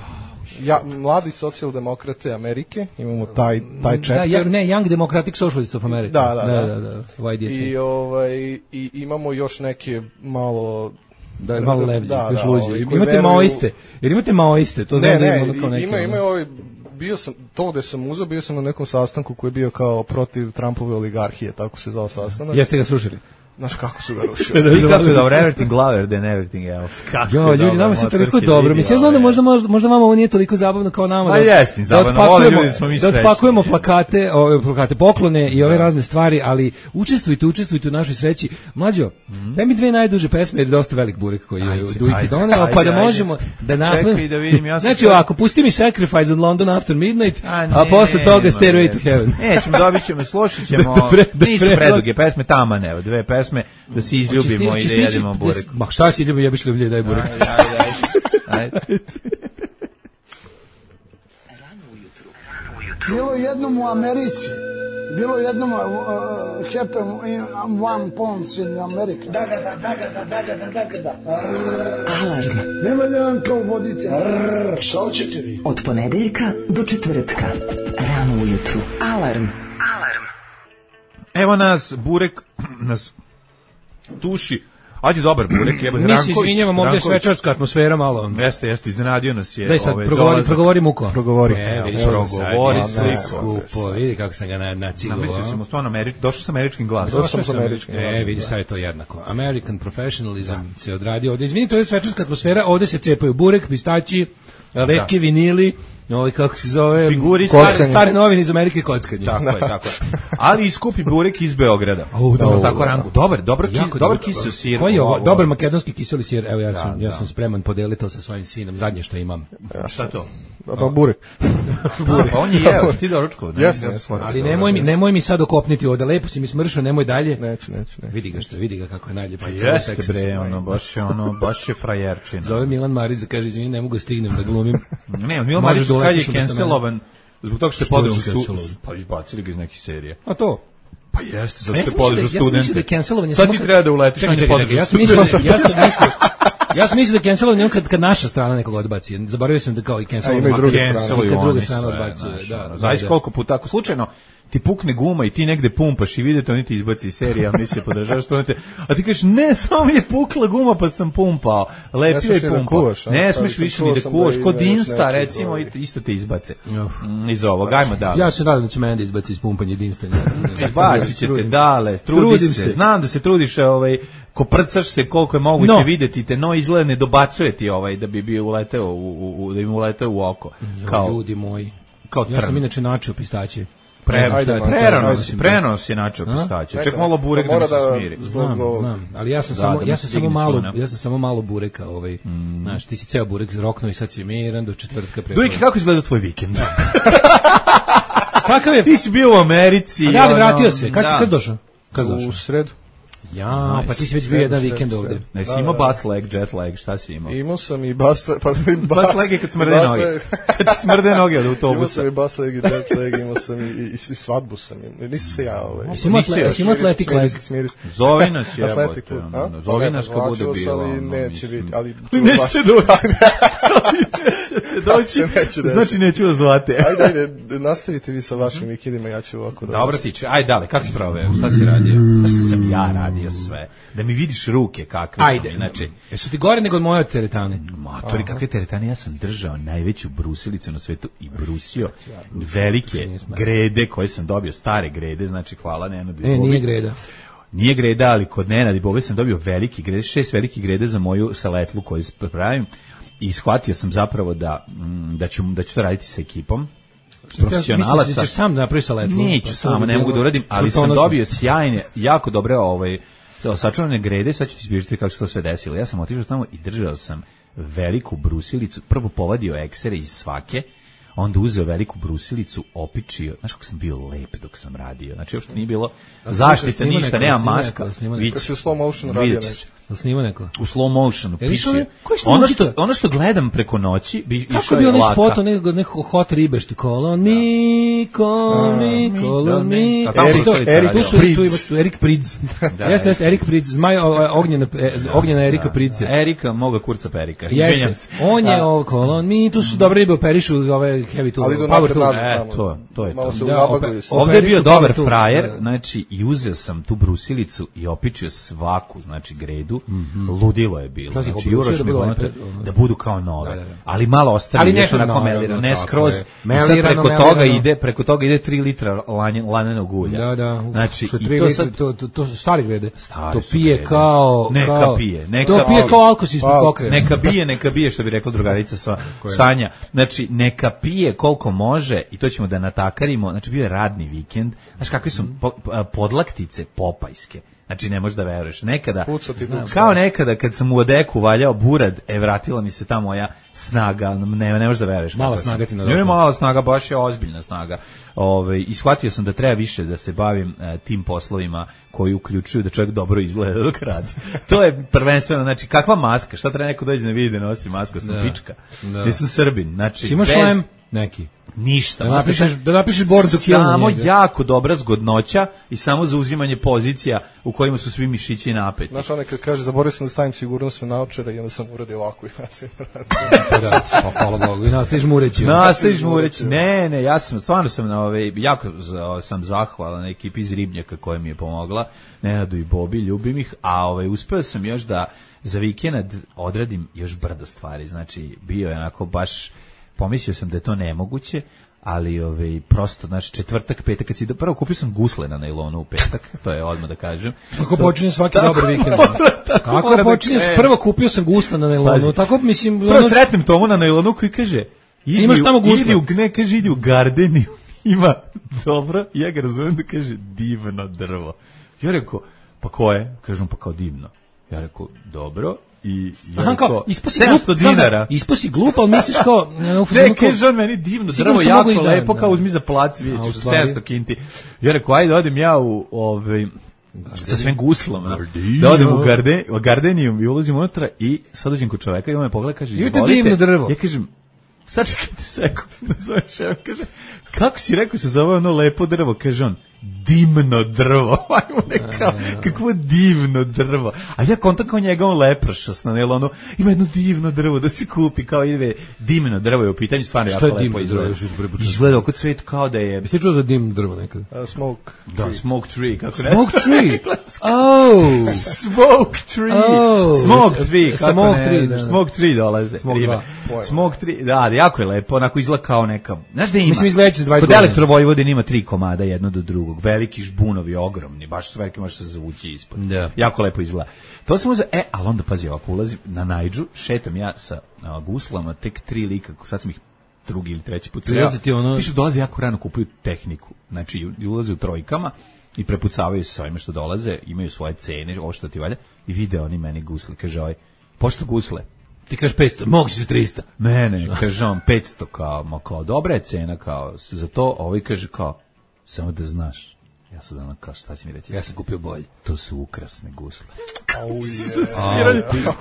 ja, mladi socijaldemokrate Amerike, imamo taj, taj Da, chapter. ja, ne, Young Democratic Socialists of America. Da, da, da. da, da, Y D S A. I, ovaj, I imamo još neke malo... Da, je malo levlje, Da, još da, luđe. ovaj, koji Imate veruju- maoiste, jer imate maoiste, to znam Ne, da ne, ima ono kao neke. ima, ima ovaj, bio sam, to gde sam uzeo, bio sam na nekom sastanku koji je bio kao protiv Trumpove oligarhije, tako se zvao sastanak. Jeste ga srušili? Znaš kako su ga rušili. I kako je dobro, everything louder than everything else. Kako Jo, je ljudi, dobro, nama se toliko motorke dobro. vidi, Mislim, ja znam da ove. možda, možda, možda vama ovo nije toliko zabavno kao nama. Ma da- jeste, da zabavno, otpakujemo- vole ljudi, smo mi Da srećni. otpakujemo plakate, ove plakate, poklone i ove razne stvari, ali učestvujte, učestvujte u našoj sreći. Mlađo, daj mi dve najduže pesme jer je dosta velik burek koji je Ajde, Dujki ajde, doneo, pa ajde, da ajde. možemo da Čekaj napravimo. da vidim, ja sam Znači sad- ovako, pusti mi Sacrifice on London After Midnight, a, ne, posle toga ma, Stairway ne. to Heaven. Nećemo, dobit ćemo, slušat ćemo, Da pre- da nisu pre- preduge pesme, taman, evo, dve pesme, da se izljubimo i da jedemo burek. Ma šta si ljubim, jebiš ljublje, daj burek. Ajde, ajde, ajde. Ajde. Bilo jednom u Americi, bilo jednom uh, happen in one pounds in America. Da, da, da, da, da, da, da, da, da, da. Alarm. Nema da vam kao vodite. Arr, šta hoćete vi? Od ponedeljka do četvrtka. Rano ujutru. Alarm. Alarm. Evo nas, burek nas tuši. Ađe dobar burek, jebote. Mi se Ranković, izvinjavamo, ovdje je Ranković. svečarska atmosfera malo. Jeste, jeste, iznenadio nas je. Daj sad, ovaj, progovori, dolazak. progovori muko. Progovori. E, vidiš, Evo, ovo sad progovori, je sliku. skupo, vidi kako sam ga na, nacigovao. Namislio sam u stvarno Ameri... došao sam američkim glasom. Došao sam s američkim E, glasom, vidi, da. sad je to jednako. American professionalism se odradio ovdje. Izvini, to je svečarska atmosfera, ovdje se cepaju burek, pistači, retke vinili, ovaj kako se zove, Figuri stare, kockanje. stare novine iz Amerike kockanje. Tako je, tako je. Ali i skupi burek iz Beograda. Au, da, Dobro, da, tako da. rangu. Dobar, dobar kis, Jako dobar dobro. kiseo sir. Koji je ovo? Ovo- Dobar makedonski kiseli sir. Evo ja Da, sam, ja da. sam spreman podeliti to sa svojim sinom. Zadnje što imam. Šta to? Pa burek. Pa on je jeo, ti doručkov. ne? Jesam, jesam. Ali nemoj mi, nemoj mi sad okopniti ovde. Lepo si mi smršao, nemoj dalje. Neću, neću, neću. Vidi ga što, vidi ga kako je najljepši. Pa u celom jeste Teksasu. bre, ono, baš je ono, baš je frajerčina. Zove Milan Marić da kaže, izvini, ne mogu da stignem da glumim. Ne, Milo Možeš Marić da kad je uletiš umesto cancelovan, zbog toga što je Što podeo je stu... cancelovan? Pa izbacili ga iz nekih serije. A to? Pa jeste, zato Ja što sam je mislio da- podeo ja sam mislio da je studente. cancelovanje Sad samo ti kad- treba da uletiš, Čekaj, on je čekaj, podeo čekaj, ja sam mislio da, ja sam mislio, ja sam mislio da cancelovanje on kad, kad naša strana nekog odbaci. Zaboravio sam da kao i A cancelovanje. ima i druge strane. Canceluju I kad druga oni strana sve, odbacuje, znaš, da, ono, da, Zavis da. koliko puta, ako slučajno ti pukne guma i ti negde pumpaš i vidite, oni ti izbaci iz serije, a mi se podržavaš to, te, a ti kažeš, ne, samo mi je pukla guma pa sam pumpao, lepio smiješ je ni da pumpao. kuvaš, a? Ne Pa smiješ sam više čuo ni da sam kuvaš, da kod imaš Insta, neki recimo, ovaj- i- isto te izbace. Uf. Mm, Iz ovog, ajmo dalje. Ja se nadam da će mene da izbaci iz pumpanja jedinstvenja. Izbacit će te Trudim se. dale, trudi Trudim se. se. Znam da se trudiš, ovaj, koprcaš se koliko je moguće No. videti te, no izgleda ne dobacuje ti ovaj, da bi bio uleteo u, u, u- da im uleteo u oko. Kao Kao, ljudi moji. kao Ja sam trn. inače načeo pistaće. Pre, Ajde, man, prenos, ajde. prenos je načeo pistaće. Ček malo burek da mora mi se da- smiri. Znam, Zbog- znam, ali ja sam Da, samo da mu ja se sam samo digne malo cuna. ja sam samo malo bureka, ovaj. Znaš, ti si ceo burek roknuo i sad si miran do četvrtka pre. Dujke, kako izgleda tvoj vikend? Kakav je? Ti si bio u Americi. A da, ali ono, vratio se. Kad si da. kad došao? Kad došao? U sredu. Ja, pa ti si već bio jedan Sredu, vikend sredu, ovde. sredu. Ne, si Da, imao da. bus leg, jet leg, šta si imao? Imao sam i bas, pa i bas, Bus leg je kad smrde bas noge. leg. Kad ti smrde noge od Imao autobusa. sam i bas leg i jet leg, imao sam i, i, i svadbu sam imao. Nisam se ja ovaj. Jesi imao Nisi atle- još. jesi imao atletic leg? Smiris. Zovi nas jebote. Atletiku, ono, a? ono, Zovi Pa nas ne, kad bude vraćao sam, bilo. ali ono, neće mislim. biti, ali Nećete doći. Doći, neće desiti. znači neću vas zvati. Ajde, ajde, nastavite vi sa vašim vikendima, ja ću ovako da... Dobro vas- tiče, ajde dale, kako si proveo, šta si radio? Šta sam ja radio sve? Da mi vidiš ruke kakve su Ajde, mi, znači, Jesu ti gore nego od moje teretane? matori, kakve teretane, ja sam držao najveću brusilicu na svetu i brusio velike grede koje sam dobio, stare grede, znači hvala Nenadu i E, Bobi. nije greda. nije greda, ali kod Nenada i Bobe sam dobio veliki grede, šest veliki grede za moju saletlu koju pravim i shvatio sam zapravo da, da, ću, da ću to raditi sa ekipom profesionalaca. Misliš da ćeš sam da napraviš saletlu? Neću samo, ne mogu da uradim, ali sam dobio sjajne, jako dobre ovaj, sačuvane grede, sad ću ti izbježiti kako se to sve desilo. Ja sam otišao tamo i držao sam veliku brusilicu, prvo povadio eksere iz svake, onda uzeo veliku brusilicu, opičio, znaš kako sam bio lep dok sam radio, znači uopšte nije bilo zaštite, ništa, nema maska. Kako si u slow motion radio nešto? Da snima neko? U slow motionu, piše. Ono ono što, ono što gledam preko noći, bi išao je laka. Kako bi onaj spot, neko, neko hot ribe što kolon mi, kolon mi, kolon mi. Erik Pridz. Jeste, jeste, Erik Pridz, zmaj ognjena Erika Pridze. Erika, moga kurca perika. Jeste, on je kolon mi, tu su dobre ribe, operišu ove heavy tool, power tool. E, to, to je to. Ovdje je bio dobar frajer, znači, i uzeo sam tu brusilicu i opičio svaku, znači, gredu. Mm-hmm. Ludilo je bilo. Znači, Juroš mi govorio da budu kao nove. Da, da, da. Ali malo ostali, nešto onako melirano, ne skroz. I sad preko toga ide, preko toga ide tri litra lanenog ulja. Da, da. Znači, što i to litri, sad... to, to, to su stari grede. Stari to pije grede. Kao... Neka kao, pije. Neka to pije kao alkos ispod kokrena. Neka bije, neka bije, što bi rekla drugarica sa Sanja. Znači, neka pije koliko može i to ćemo da natakarimo. Znači, bio je radni vikend. Znaš, kakve su podlaktice popajske. Znači, ne možeš da veruješ. Nekada, kao nekada kad sam u odeku valjao burad, e, vratila mi se ta moja snaga, ne, ne možeš da veruješ. Mala snaga ti nadošla. Ne, mala snaga, baš je ozbiljna snaga. Ove, I shvatio sam da treba više da se bavim e, tim poslovima koji uključuju da čovjek dobro izgleda dok radi. To je prvenstveno, znači, kakva maska, šta treba neko dođe na vidi da nosi masku, sam da. Pička. Da. Ja sam Srbin, znači, imaš bez... šlem? Neki. Ništa. Da napišeš, da napišeš born to kill. Samo jako dobra zgodnoća i samo zauzimanje pozicija u kojima su svi mišići napeti. Znaš, onaj kad kaže, zaboravio sam da stavim sigurnosne naočare i onda sam uradio ovako i nas je radio. Da, pa hvala Bogu. I nastaviš mureći. Nastaviš mureći. Ne, ne, ja sam, stvarno sam na ove, jako sam zahvalan ekipi iz Ribnjaka koja mi je pomogla. Nenadu i Bobi, ljubim ih, a ovaj, uspeo sam još da za vikend odradim još brdo stvari. Znači, bio je onako baš... Pomislio sam da je to nemoguće, ali ovaj, prosto, znači, četvrtak, petak, kad si da, prvo kupio sam gusle na nailonu u petak, to je odmah da kažem. Kako počinje svaki dobar vikend? Kako počinje, da prvo kupio sam gusle na nailonu, Pazi. Tako mislim... Prvo ono... sretnem Tomu na nailonu koji kaže, idi, imaš tamo gusle? Idi u, ne, kaže, idi u Gardeniju, ima, dobro, ja ga razumem da kaže, divno drvo. Ja rekao, pa ko je? Kažem, pa kao divno. Ja rekao, dobro. I aha, kao, isposi glup, dinara. Isposi glup, ali misliš kao... Ne, kaže on meni divno, drvo jako lepo, kao uzmi za plac, vidjet ću, sedamsto kinti. Ja rekao, ajde, odem ja u, ovaj, sa svim guslama, da odem u garde, Gardenijum i ulazim unutra i sad dođem kod čoveka i on me pogleda, kaže, izvolite. Divno drvo. Ja kažem, sad čekajte sekund, nazove šef, kaže, kako si rekao se zove ono lepo drvo, kaže on, dimno drvo, ajmo nekao, kakvo divno drvo, a ja kontam kao njega on lepršas na nelonu, ima jedno divno drvo da se kupi, kao ide, dimno drvo je u pitanju, stvarno jako lepo izgleda, izgleda oko cvet kao da je... Jeste čuo za dimno drvo nekada? Uh, smoke Da, tree. Smoke tree, kako ne? Smoke tree, oh! Smoke tree, oh. Smoke tree, kako smoke ne? Tree, da, da. Smoke tree dolaze. Smoke dva. Smoke tree, da, jako je lepo, onako izgleda kao neka, znaš da ima? Mislim izgledaće s dvadeset godina. Kod Elektrovojvodine ima tri komada, jedno do drugog, veliki žbunovi, ogromni, baš su veliki, može se zavući ispod. Yeah. Jako lepo izgleda. To sam uzeo, e, ali onda, pazi, ovako ulazim na Najdžu, šetam ja sa a, guslama, tek tri lika, sad sam ih drugi ili treći put sreo. Ono... Ti što dolaze jako rano, kupuju tehniku, znači ulaze u trojkama i prepucavaju se sa ovime što dolaze, imaju svoje cene, ovo što ti valja, i vide oni meni gusle, kaže ovaj, pošto gusle? Ti kažeš petsto, mogu si za tristo. Ne, ne, kaže on petsto, kao, ma kao, dobra je cena, kao, za to, ovaj kaže kao, samo da znaš. Ja sam da kao, šta si mi reći? Ja sam kupio bolje. To su ukrasne gusle. Oh,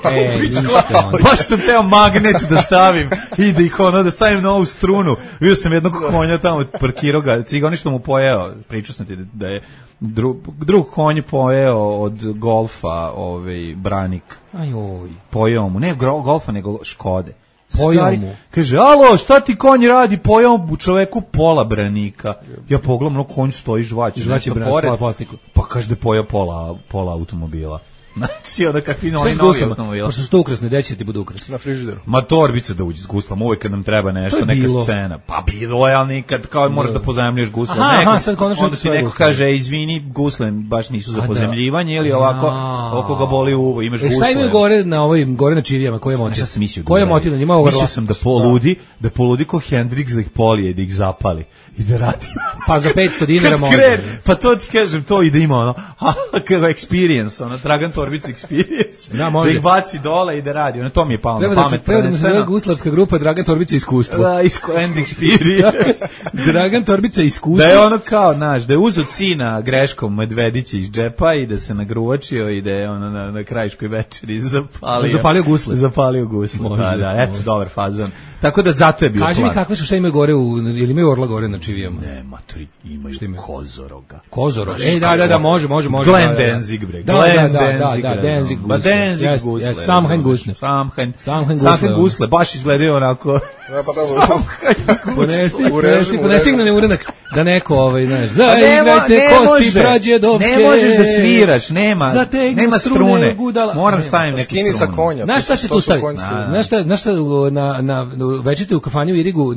yeah. Baš sam teo magnet da stavim i da ih ono, da stavim na ovu strunu. Vidio sam jednog konja tamo, parkirao ga, cigani što mu pojeo, pričao sam ti da je drug, drug konj pojeo od golfa, ovaj, branik. Ajoj. Pojeo mu, ne golfa, nego Škode. Pojao mu. Kaže, alo, šta ti konj radi? Pojao mu čoveku pola branika. Ja pogledam, no konj stoji žvaći. Žvaći branik, pola plastiku. Pa kaže da je pojao pola, pola automobila. Znači, onda kakvi Šta oni s novi guslama? automobili. Pošto su to ukrasne, gde će ti budu ukrasne? Na frižideru. Ma torbica da uđe s guslom, uvijek kad nam treba To nešto, je neka bilo. scena. Pa bilo je, ali nikad, kao moraš da pozajemljuješ gusle. Aha, Neko- aha, sad konačno onda ti svoje neko gusle. kaže, "E, izvini, gusle baš nisu za A da. pozajemljivanje, ili ovako, Ja. oko ga boli uvo, imaš E, gusle. šta imaju gore na ovim, gore na čivijama, koje motiv? Šta sam mislio? da Koje uradi? motiv na njima overlap? Mislio sam da poludi, da poludi ko Hendrix da ih polije, da ih zapali i da radi. Pa za petsto dinara Kad može. krene, pa to ti kažem, to i da ima ono, kako experience, ono, Dragan Torbica experience. Da, može. Da ih baci dole i da radi, ono, to mi je palo Treba na da se pamet. treba da mu se zove prvenstveno. guslarska grupa Dragan Torbica iskustvo. Da, isko, and experience. Dragan Torbica iskustvo. Da je ono kao, znaš, da je uzo cina greškom medvedića iz džepa i da se nagruvačio i da je ono na, na krajiškoj večeri zapalio. Zapalio gusle. Zapalio gusle, Može, da, da, eto, može. dobar fazon. Tako da zato je bio Kaži mi plan. kakve su, šta imaju gore u, ili imaju orla gore na čivijama? Ne, maturi, imaju Šta imaju? kozoroga. Kozorog. Znaš Ej, da, da, da, kako? može, može, može. Glenn da, da, da. Danzig, bre. Da, Glenn da, da, da, Danzig, da, razumem. Danzig Ba, gusle. Danzig Jest, gusle. jest, Samhain razumeš. gusle. Samhain. Samhain Samhain gusle, gusle, baš izgledaju onako. Ja, pa da, Ponesi, U režim, ponesi, u ponesi režim. na neurenak, da neko, ovaj, znaš, Pa ne mo- zaigrajte ne kosti može. brađedovske. Ne možeš da sviraš, nema, Zategnu nema strune strune. gudala. Moram Nema. stavim neke Skini sa strune. konja. Znaš to šta su- se to tu su stavi? konjski- Znaš šta, znaš šta u- na, na, večete u kafani u Irigu uh,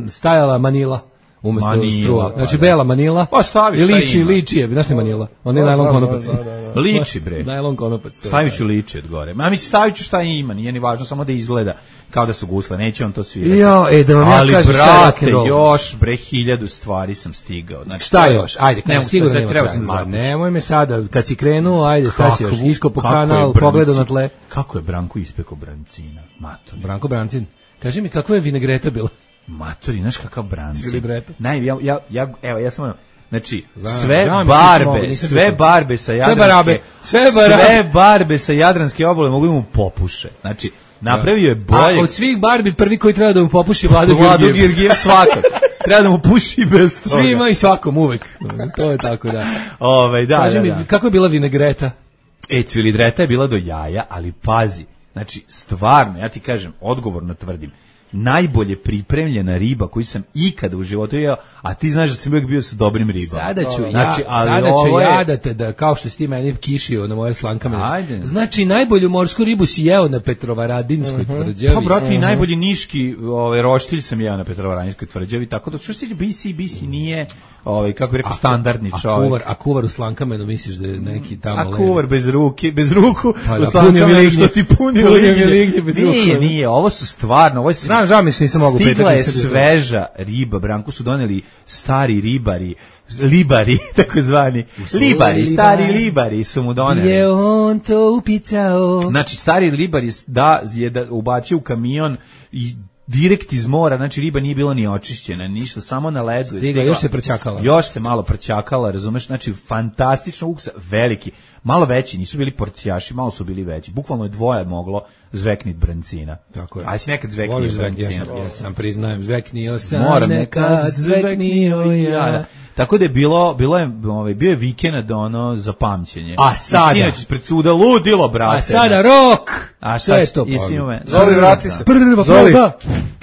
stajala Manila umesto Manila, struva. pa Znači da. bela Manila. Pa staviš I šta liči, ima. liči je, znaš li Manila? On je Da, najlon da, konopac. da, da, da. Liči, bre. Najlon konopac. to je. Stavit ću liči od gore. Ma mislim, stavit ću šta ima, nije ni važno, samo da izgleda kao da su gusle, neće on to svirati. Jo, e, da vam ja Ali, kažem šta je brate, rock'n'roll. još, bre, hiljadu stvari sam stigao. Znači, Šta to je- još? Ajde, Ne kaže mogu sigurno sad, nema treba kraja. sam da Ma, zapušim. nemoj me sada, kad si krenuo, ajde, šta si još? Kakvu- Iskopo kako je kanal, Branci- pogledao na tle. Kako je Branko ispekao brancina? Matori. Branko Brancin. Kaži mi, kakva je vinegreta bila? Matori, znaš kakav brancin? Cili brete. Naj, ja, ja, ja, evo, ja sam ono, znači, Znam, sve znam, nisam barbe, mogao, nisam sve bio. barbe sa Jadranske, barabe, sve barabe. sve barbe sa Jadranske obale mogu da mu popuše. Znači, napravio je bolje. A od svih Barbi prvi koji treba da mu popuši Vlado Vlado Georgijev. Georgijev svakak. Treba da mu puši bez toga. Svima i svakom uvek. To je tako, da. Ove, da, Kaži da, mi, da. kako je bila vinegreta? E, cvilidreta je bila do jaja, ali pazi, znači, stvarno, ja ti kažem, odgovorno tvrdim, najbolje pripremljena riba koju sam ikada u životu jeo, a ti znaš da sam uvijek bio sa dobrim ribama. Sada ću, Znači, ja, ali sada ću ovo je- ja da te, da, kao što si ti meni kišio na moje slankame. Ajde. Znači, najbolju morsku ribu si jeo na Petrovaradinskoj tvrđavi. Pa, brate, i najbolji niški ovaj, roštilj sam jeo na Petrovaradinskoj tvrđavi, tako da što se tiče B C, B C nije, ovaj, kako bi rekao, standardni a čovjek. kuvar, a kuvar u slankamenu misliš da je neki tamo A leži? kuvar bez ruke, bez ruku, Pa u da, slankamenu punio mi lignje. što ti punio Punio mi lignje. lignje bez Nije, ruku. nije, ovo su stvarno, ovo je Znam, žao mi se, nisam mogao Stigla petati, je nisam bio sveža riba, Branku su doneli stari ribari, libari, tako zvani, libari, libar. stari libari su mu doneli. Je on to upicao? Znači, stari ribar je, da, je da ubacio u kamion i direkt iz mora, znači riba nije bila ni očišćena, ništa, samo na ledu. je Stigla, još se prćakala. Još se malo prćakala, razumeš, znači fantastično ukusa, veliki, malo veći, nisu bili porcijaši, malo su bili veći, bukvalno je dvoje moglo zveknit brancina. Tako je. Aj si nekad zveknio Voliš zvek, brancina. ja sam, ja sam priznajem, zveknio sam Moram nekad, zveknio ja. Da. Tako da je bilo, bilo je, ovaj, bio je vikend ono za pamćenje. A sada? I sinoć ispred suda ludilo, brate. A sada rok! A Sve šta je si- to jesi pa. imao me- Zoli, vrati se. Prva Zoli. proba!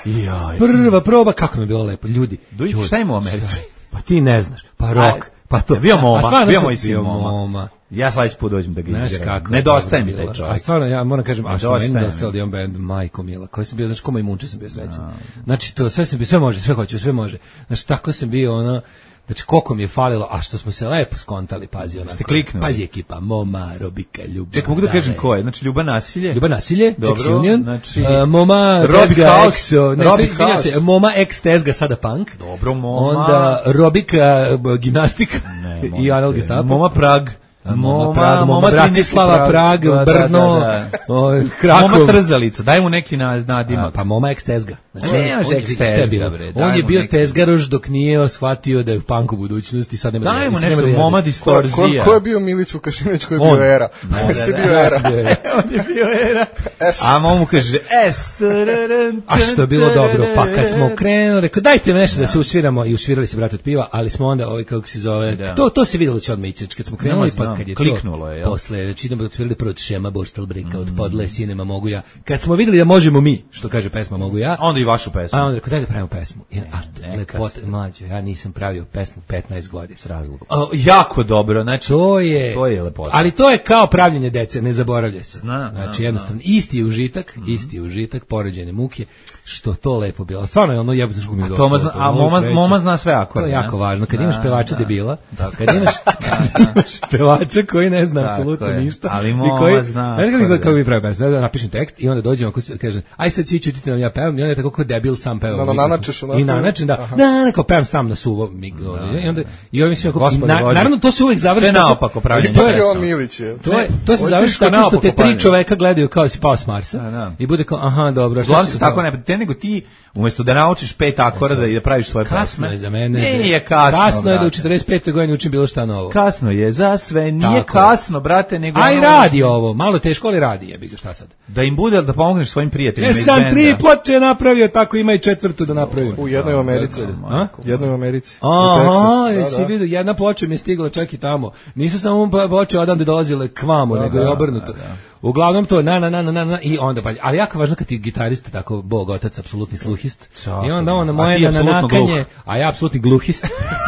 Jaj. Prva proba, kako mi je bilo lepo, ljudi. Duj, Ljudi. šta ima u Americi? Pa ti ne znaš, pa Aj, rok, pa to. je bio Moma, A stvarno bio smo- moj sin bio Moma. Moma. Ja sledeći put dođem da ga Znaš izgrabim. kako je Nedostaje dobro mi taj bilo. čovjek. A stvarno, ja moram kažem, a što Nedostaje meni mi. nedostajao Dion Band, majko mila, koji sam bio, znači, koma i munče sam bio srećan. Znači, to sve sam bio, sve može, sve hoću, sve može. Znači, tako sam bio, ono, znači, koliko mi je falilo, a što smo se lepo skontali, pazi, onako. Ste kliknuli? Pazi ekipa, Moma, Robika, Ljuba. Čekaj, mogu da Dale. kažem ko je? Znači, Ljuba nasilje? Ljuba nasilje, Dobro, Ex-Union, znači- uh, Moma, Robi Tezga, House, Ex, ne, Robi izvinjam House. se, Moma, Ex, Tezga, sada Punk. Dobro, Moma. Onda Robika, b- gimnastika Ne, i molim Anal te. Gestapo. Moma Prag. Moma, Prag, Moma, trinaesti Bratislava, Prag, Da, da, Brno, da, da. o, Moma Krakov. Trzalica, daj mu neki na- A, nadimak. pa Moma ex-tezga. Znači, Ne, on- nemaš on je- ex-tezga, šta je bilo? bre, On daj je mu bio neki- tezgaroš dok nije shvatio da je punk u budućnosti, sad nema da Daj jede, mu sad nešto, nema da jede. Moma Ko, ko, distorzija. ko je bio Milić Vukašinović, ko je On. bio Era? Da, Jeste da, bio da, ja Era? sam bio Era. On je bio era. S. A Momu kaže, es. tararán, A što je bilo dobro, pa kad smo krenuli, rekao dajte nešto da se usviramo i usvirali se brat od piva, ali smo onda ovaj kako se zove, Da. to to se videlo će odmah ići, kad smo krenuli Nema, pa znam, kad je kliknulo to, je, jel? posle, znači idemo otvorili prvo od Šema Borstelbrika, mm. od Podle Sinema mogu ja. Kad smo vidjeli da možemo mi, što kaže pesma mogu ja. Onda i vašu pesmu. A onda rekao, daj da pravimo pesmu. I, a, lepota, mlađe, ja nisam pravio pesmu petnaest godina. S razlogom. A, jako dobro, znači, to je, to je lepota. Ali to je kao pravljenje dece, ne zaboravlja se. Zna, znači, zna, jednostavno, zna. isti je užitak, mm. isti je užitak, poređene muke, što to lepo bilo. Stvarno je ono jebote što mi je došlo. Zna, a moma, moma zna sve akorde. To je jako važno. Kad da, imaš pevača da. debila, kad imaš, kad imaš pevača koji ne zna apsolutno ništa. Ali moma koji, zna. Ne kako kako mi pravi pesmu. Da napišem tekst i onda dođemo ako kaže aj sad svi ćutite nam ja pevam i onda je tako kao debil sam peva. No, no, nanačeš onako. I nanačem da. Da, neko pevam sam na suvo migo. I onda i ovim svima naravno to se uvek završi naopako pravljenje. To je on Milić. To je to se završi tako što te tri čoveka gledaju kao si pao s Marsa i bude kao aha dobro. Glavno se tako ne te nego ti umesto da naučiš pet akorda i da praviš svoje pesme. Kasno je za mene. Nije kasno. Kasno je da u četrdeset petoj godini učim bilo šta novo. Kasno je za sve, nije tako kasno, brate, nego aj radi ovo, malo teško ali radi, jebi ga šta sad. Da im bude da pomogneš svojim prijateljima iz benda. Ja sam tri ploče napravio, tako ima i četvrtu da napravim. U jednoj u Americi. A? Jednoj u Americi. Aha, jesi vidio, jedna ploča mi je stigla čak i tamo. Nisu samo ploče odande dolazile k vamo, nego je obrnuto. Uglavnom to na na na na na i onda pa ali jako važno kad ti gitarista tako bog otac apsolutni sluhist i onda on moje na nakanje a ja apsolutni gluhist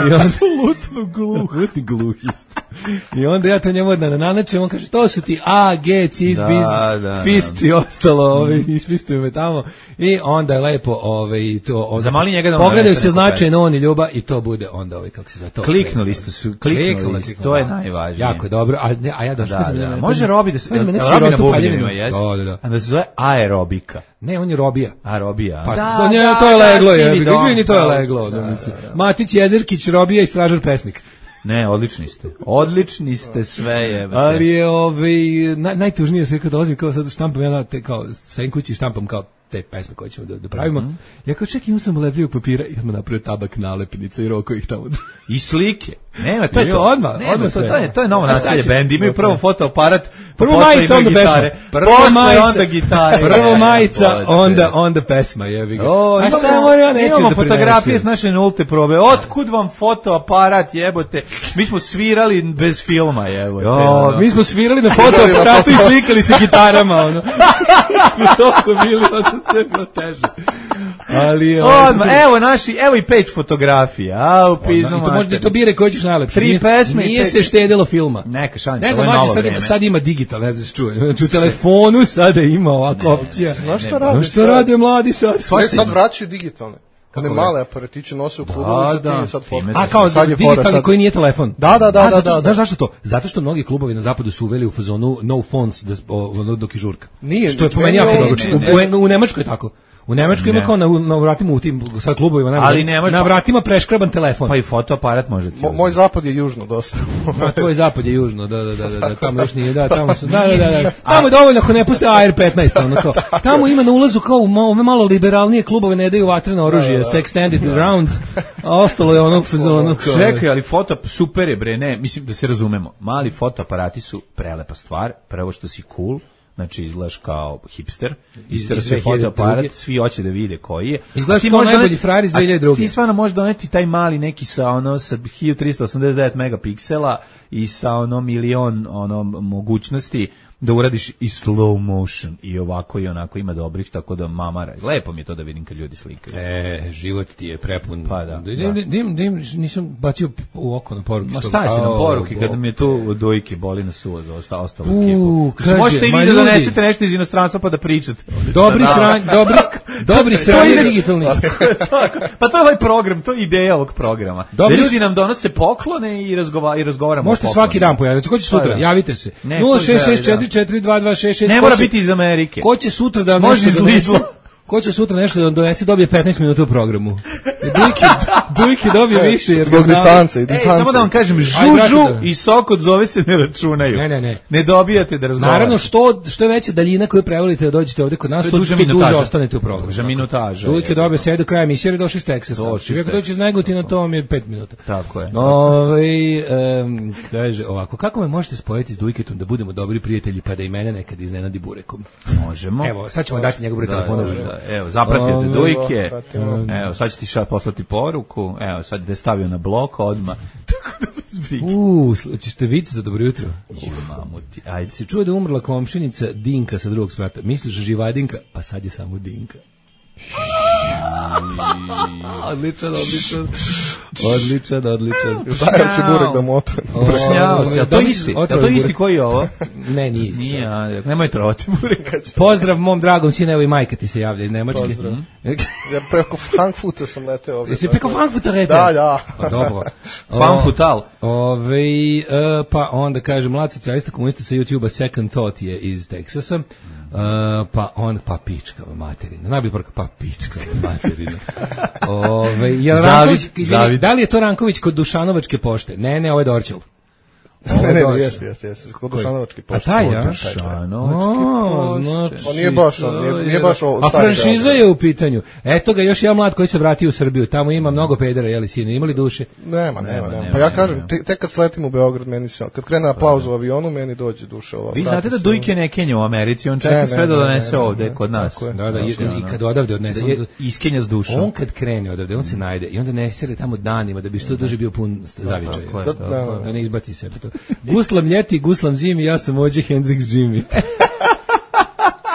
i on apsolutno gluh gluhist i onda ja to njemu na nanačem on kaže to su ti A G cis bis fist i ostalo ovi isfistuju me tamo i onda je lepo ovaj to zamali njega da pogledaju se značajno on i ljubav i to bude onda ovaj kako se za to kliknuli ste su kliknuli to je najvažnije jako dobro a a ja došao može Robi da se na bubnjevima, jes? Da, da, da. A da se zove aerobika. Ne, on je robija. Aerobija. Pa, da, to, nje, da, to je leglo, da, je. Izvini, to je leglo. Da, da, da, da. Matić Jezerkić, robija i stražar pesnik. Ne, odlični ste. Odlični ste sve, jebate. Ali je ovaj, naj, najtužnije sve kad dolazim, kao sad štampam, ja te, kao, sa kući štampam kao te pesme koje ćemo da, da pravimo. Mm -hmm. Ja kao čekaj, imam sam lepljivog papira i odmah napravio tabak nalepnica i roko ih tamo. I slike. Nema, to je to. Odmah, odmah to, to je to je novo naselje bend. Imaju prvo fotoaparat, prvo majica, onda pesma. Prvo majica, onda gitare. Prvo majica, onda onda pesma, jebi ga. A šta mora ja neću da imamo fotografije s naše nulte probe. Otkud vam fotoaparat, jebote? Mi smo svirali bez filma, jebote. Jo, mi smo svirali na fotoaparatu i slikali se gitarama, ono. Smo toliko bili, ono sve bilo teže. Ali odmah, evo naši, evo i peć fotografija. A u piznu mater. Možda to bire koji ćeš najlepše. Tri pesme. Nije se štedilo filma. Neka šalim, ne znam, mađe, sad, ima, sad ima digital, ne znaš čuje. Znači u telefonu sada ima ovako opcija. Znaš šta rade? Znaš šta rade mladi sad? Ne, sad vraćaju digitalne. One male aparatiće nose u klubovi, da, da, sad fotka. A kao digitalni koji nije telefon. Da, da, da, da, da. Znaš zašto to? Zato što mnogi klubovi na zapadu su uveli u fazonu no phones dok je žurka. Nije. Što je po meni jako dobro. U Nemačkoj je tako. U Nemačkoj ima kao na, na vratima u tim sa klubovima, na, ali nemaš, na vratima preškraban telefon. Pa i fotoaparat može. Mo, moj zapad je južno dosta. A tvoj zapad je južno, da, da, da, da, da tamo još nije, da, tamo su, da, da, da, da. Tamo je dovoljno ako ne puste A R petnaest, ono to. Tamo ima na ulazu kao u malo, malo liberalnije klubove, ne daju vatreno oružje, sa extended rounds, a ostalo je ono fazonu. Čekaj, ali foto, super je bre, ne, mislim da se razumemo, mali fotoaparati su prelepa stvar, prvo što si cool, znači izgledaš kao hipster, ister sve fotoaparat, svi hoće da vide koji je. Izgledaš kao najbolji frajer iz dve hiljade druge. Ti stvarno možeš doneti taj mali neki sa ono sa hiljadu trista osamdeset devet megapiksela i sa ono milion ono mogućnosti da uradiš i slow motion i ovako i onako, ima dobrih, tako da mamara. Lepo mi je to da vidim kad ljudi slikaju. E, život ti je prepun. Pa da. Dim, dim, dim, nisam bacio u oko na poruke. Ma šta će na poruke kad mi je tu dojke boli na suvo za ostalo ekipu. Možete i vi da donesete nešto iz inostranstva pa da pričate. Dobri sranj, dobri, dobri sranj digitalni. Pa to je ovaj program, to je ideja ovog programa. Da ljudi nam donose poklone i razgovaramo i razgovaramo. Možete svaki dan pojaviti. Ko će sutra? Javite se. nula šest šest četiri četiri dva dva šest šest. Ne mora biti iz Amerike. Ko će sutra da može iz Lidla? Ko će sutra nešto da donese, dobije petnaest minuta u programu. Dujki, Dujki dobije više jer zbog distance i distance. Ej, samo da vam kažem, žužu i sok od zove se ne računaju. Ne, ne, ne. Ne dobijate da razgovarate. Naravno, što što je veća daljina koju prevolite da dođete ovde kod nas, to duže ostanete u programu. Duže minutaža. Dujki dobije sve do kraja emisije, jer došli iz Teksasa. Čovjek dođe iz Negotina, to vam je pet minuta. Tako je. Ovaj um, kaže ovako, kako me možete spojiti s Dujketom da budemo dobri prijatelji pa da i mene nekad iznenadi burekom? Možemo. Evo, sad ćemo dati njegov broj telefona. Evo, zapratite Dujke, evo, sad će ti ša poslati poruku, evo, sad je stavio na blok odmah. Uuu, ćete vic za dobro jutro. Mamuti, ajde. Se čuje da je umrla komšinica Dinka sa drugog sprata. Misliš Živadinka? Pa sad je samo Dinka. Odličan, odličan. Odličan, odličan. Dajem si burek da mu otvorim. Bršnjao se, a to isti, a to isti koji je ovo? Ne, nije isti. Nije, a, nemoj trovati burek. Pozdrav mom dragom sinu, evo i majka ti se javlja iz Nemačke. Pozdrav. Ja preko Frankfuta sam leteo ovdje. Jesi preko Frankfuta leteo? Da, da. Pa dobro. Fanfutal. Ove, uh, pa onda kaže, mlad socijalista komunista sa YouTube-a Second Thought je iz Teksasa. Uh, pa on, pa pička materina. Najbolji porka, pa pička materina. Ove, je Ranković, izvini, da li je to Ranković kod Dušanovačke pošte? Ne, ne, ovo je Dorčel. Ne, ne, jeste, jeste, jeste, kod Dušanovačke pošte. A taj, ja? Dušanovačke pošte. On nije baš, on nije, nije baš ovo. A franšiza je u pitanju. Eto ga, još jedan mlad koji se vratio u Srbiju. Tamo ima mnogo pedera, jeli sine, imali duše? Nema, nema, nema. Pa ja kažem, tek kad sletim u Beograd, meni se, kad krene aplauz u avionu, meni dođe duša ova. Vi znate da Dujke ne kenja u Americi, on čeka sve da donese ovde, kod nas. Da, da, i kad odavde odnese. Iskenja s dušom. On kad krene odavde, on se najde i onda ne sere tamo danima da bi što duže bio pun zavičaja. Da ne izbaci sebe to. Guslam ljeti, guslam zimi, ja sam ođe Hendrix Jimmy.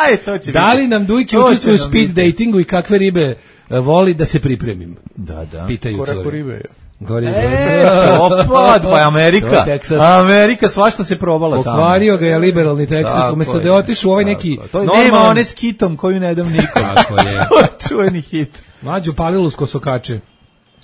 Aj, to će da li nam Dujke učestvuju u speed datingu i kakve ribe voli da se pripremim? Da, da. Pitaju Ko rekao cure. ribe je? Gore je. E, opad, pa je Amerika. Amerika svašta se probala tamo. Pokvario ga je liberalni Teksas, umjesto da je otišao u ovaj neki normalan... Nema one s kitom koju ne dam nikom. Tako je. Čuveni hit. Mlađu Palilu s kosokače.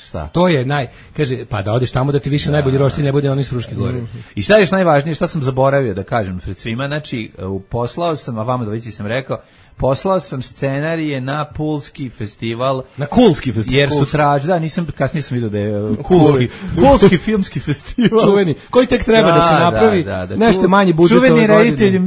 Šta? To je naj, kaže, pa da odeš tamo da ti više da, najbolji roštilj ne bude oni iz Fruške gore. Mm. I šta je još najvažnije, šta sam zaboravio da kažem pred svima, znači, poslao sam, a vama dvojici sam rekao, poslao sam scenarije na Pulski festival. Na Kulski festival. Jer su tražili, da, nisam, kasnije sam vidio da je Kulski, Kulski filmski festival. Čuveni, koji tek treba da, da se napravi, da, da, da. Nešto manji budžet ove godine. Čuveni reditelj,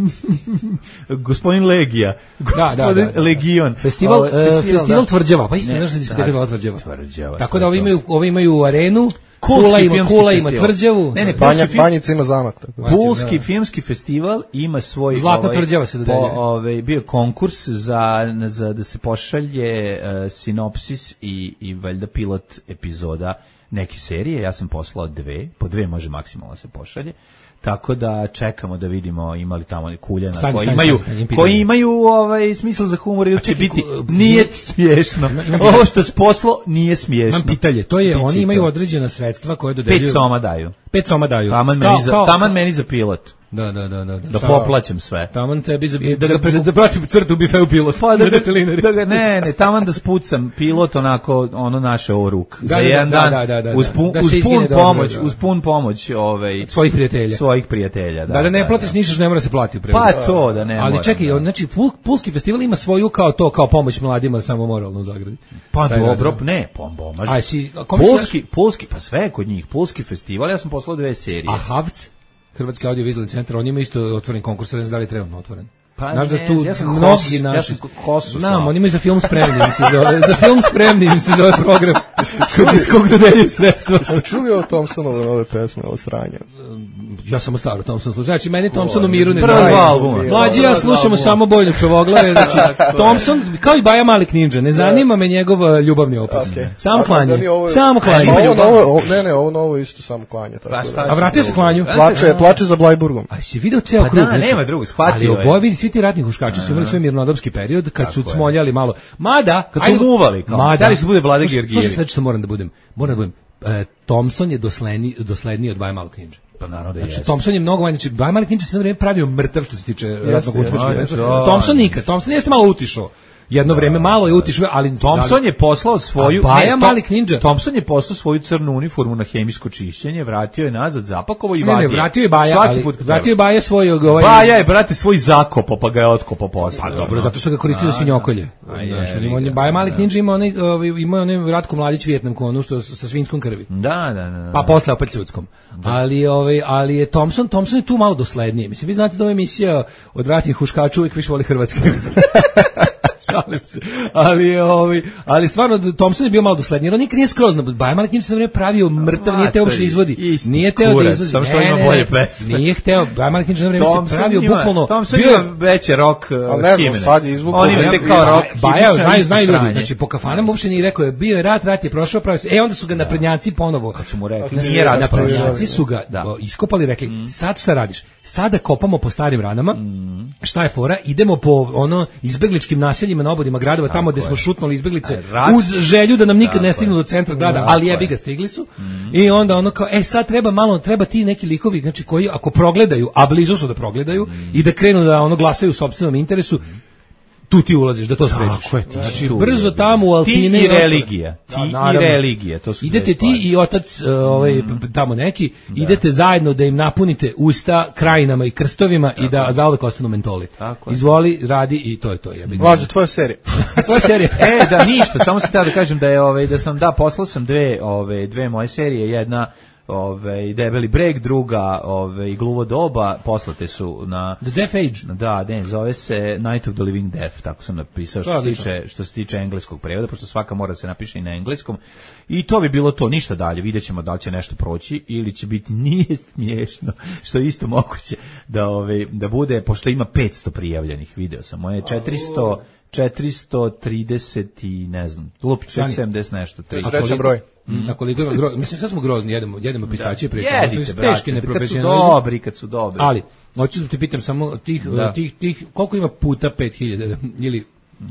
gospodin Legija. Da, da, da. Legion. Festival, uh, festival, festival da. Tvrđava, pa isto nešto se diskoteka zvala Tvrđava. Tvrđava. Tako da ovi imaju, ovi imaju arenu, Kula ima, Kula ima Tvrđavu. Ne, ne, Banja, Banjica ima zamak. Tako. Pulski da. Filmski festival ima svoj... Zlatna ovaj, Tvrđava se dodelje. Ovaj, bio konkurs za, za da se pošalje uh, sinopsis i, i valjda pilot epizoda neke serije. Ja sam poslao dve, po dve može maksimalno se pošalje. Tako da čekamo da vidimo imali tamo kuljena stani, koji stani, imaju stani, stani, koji imaju ovaj smisla za humor ili će biti nije smiješno. Ovo što je poslo nije smiješno. Mam pitanje, to je Bići oni imaju to. Određena sredstva koje dodeljuju. Pet soma daju. Pet soma daju. Taman meni za taman meni za pilot. Da, da, da, da. Da poplaćam sve. Taman tebi za da da, da, da pratim crtu bifeu pilot. Pa da, da, da ga ne, ne, taman da spucam pilot onako ono naše o ruk. Da, za jedan da, dan. Da, da, da, uz pun, da uz pun pomoć, dobro, uz pun pomoć ovaj svojih prijatelja. Svojih prijatelja, da. Da, da ne platiš ništa što ne mora se plati u prevodu. Pa to da ne. Ali čekaj, da. Znači Pulski festival ima svoju kao to kao pomoć mladima samo moralno u Zagradi. Pa taj, dobro, da, ne, pomaže. Aj si Pulski, Pulski, pa sve kod njih, Pulski festival, ja sam poslao dve serije. A Havc? Hrvatski audio-vizualni centar, on ima isto otvoren konkurs, ne znam da li je trenutno otvoren. Pa znaš ne, da tu ja sam mnogi hos, naši... Ja sam hosu. Znam, oni imaju za film spremni, im se zove, za film spremni im se zove program. Iz kog dodeljuju sredstva. Ste čuli o Thompsonove nove pesme, o sranje? Ja sam staro Thompson slušao. Znači, meni Thompson u miru ne zna. Mlađi ja slušamo samo Bojno Čovoglave. Znači, Thompson, kao i Baja Malik Ninja, ne zanima me njegov ljubavni opus. Samo klanje. Samo klanje. Ne, ne, ovo novo isto samo klanje. A vratio se klanju. Plače za Blajburgom. A si video ceo krug? Da, nema drugog, shvatio je. Ali oboje vidi, svi ti ratni huškači su imali svoj mirnodopski period, kad su smoljali malo. Mada, kad su muvali, kao, da li se bude Vlade Georgijević. Slušaj, znači što moram da budem, moram da budem, e, Thompson je dosledniji, dosledniji od Baja Malog Ninja. Pa naravno da je. Znači, Thompson je mnogo manje, znači, Baja Malog Ninja se na vreme pravio mrtav što se tiče ratnog huškača. Thompson nikad, Thompson jeste malo utišao. Jedno vreme malo je utišao, ali Thompson je poslao svoju Baja Malik Ninja. Thompson je poslao svoju crnu uniformu na hemijsko čišćenje, vratio je nazad, zapakovao i vadio. Ne, ne, vratio je Baja, ali vratio je Baja svoj ovaj Baja je brate svoj zakopo, pa ga je otkopao posle. Pa dobro, zato što ga koristio za svinjokolje. Znaš, on je Baja Malik Ninja ima onaj ima onaj Ratko Mladić Vijetnam konu što sa svinjskom krvi. Da, da, da. Pa posle opet ljudskom. Ali ovaj ali je Thompson, Thompson je tu malo dosledniji. Mislim vi znate da ova emisija od ratnih huškača uvijek više voli hrvatski. Šalim se. Ali, ovaj, ali stvarno, Thompson je bio malo dosledniji. On nikad nije skroz na Bajman, njim se vreme pravio mrtav, nije teo uopšte izvodi. Nije teo da izvodi. Samo što ima bolje pesme. Nije hteo. Bajman njim se vreme se pravio bukvalno. Thompson ima veće rock himene. On ima te kao rock. Baja, znaju, znaju ljudi. Znači, po kafanama uopšte nije rekao, je bio je rat, rat je prošao, pravio se. E, onda su ga naprednjaci ponovo. Kad su mu rekli, nije rat. Naprednjaci su ga iskopali, rekli, sad šta radiš? Sada kopamo po starim ranama. Šta je fora? Idemo po ono izbegličkim naseljima na obodima gradova, tako tamo gde smo šutnuli izbeglice rat, uz želju da nam nikad ne stignu do centra grada, ali jebi ga stigli su. Mm. I onda ono kao, e sad treba malo, treba ti neki likovi, znači koji ako progledaju, a blizu su da progledaju mm. i da krenu da ono glasaju u sopstvenom interesu, tu ti ulaziš da to sprečiš. Znači brzo tamo u Altine ti i religija, ti da, i religija, to su idete ti i otac ovaj mm. tamo neki, da. Idete zajedno da im napunite usta krajinama i krstovima tako. I da zauvek ostanu mentoli. Tako. Izvoli, radi i to je to. Mlađe, tvoja serija. Tvoja serija. E, da ništa, samo sam htio da kažem da je ovaj da sam da poslao sam dve, ove dve moje serije, jedna Ove, Debeli breg, druga ove, Gluvo doba, poslate su na The Death Age. Da, ne, zove se Night of the Living Death, tako sam napisao što se tiče, što se tiče engleskog prevoda, pošto svaka mora se napiše i na engleskom. I to bi bilo to, ništa dalje, vidjet ćemo da li će nešto proći ili će biti nije smiješno, što je isto moguće da, ove, da bude, pošto ima petsto prijavljenih, video sam, moje četiristo četiristo trideset i ne znam, lupi četiristo sedamdeset nešto. Treći broj. Na koliko ima gro... mislim sad smo grozni, jedemo jedemo pistacije pričamo. Jedite, teški neprofesionalizam. Kad su dobri, kad su dobri. Ali hoću da te pitam samo tih da. tih tih koliko ima puta pet hiljada ili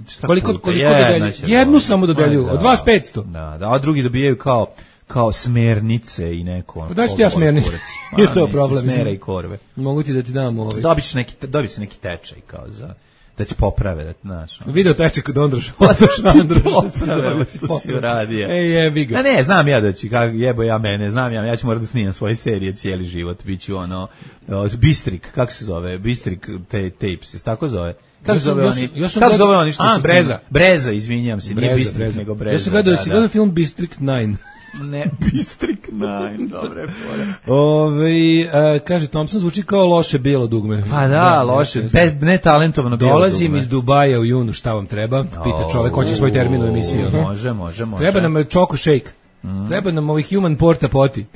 šta koliko puta? koliko dodelju? Jednu samo dodeljuju, da, od vas petsto. Da, da, a drugi dobijaju kao kao smernice i neko. Da ti ja smernice. Je to problem. Smera i korve. Mogu ti da ti dam ovaj. Dobiš neki dobi se neki tečaj kao za da će poprave, da znaš. Video tečaj kod Ondroša. Ondroša, što si uradio. Ej, jebi ga. A ne, znam ja da ću, kako jebo ja mene, znam ja, ja ću morati da snimam svoje serije cijeli život, bit ću ono, Bistrik, kako se zove, Bistrik te, Tapes, je tako zove? Kako zove oni? Kako zove oni što su Breza. Breza, izvinjam se, nije Bistrik, nego Breza. Ja sam gledao, si gledao film Bistrik devet. Ne, Bistrik devet, dobre fore. Ove, uh, kaže, Thompson zvuči kao loše bijelo dugme. Pa da, da loše, ne, ne talentovano bijelo dugme. Dolazim iz Dubaja u junu, šta vam treba? Pita čovek, hoće svoj termin u emisiji. Može, može, može. Treba nam Choco Shake. Mm. Treba nam ovih human porta poti.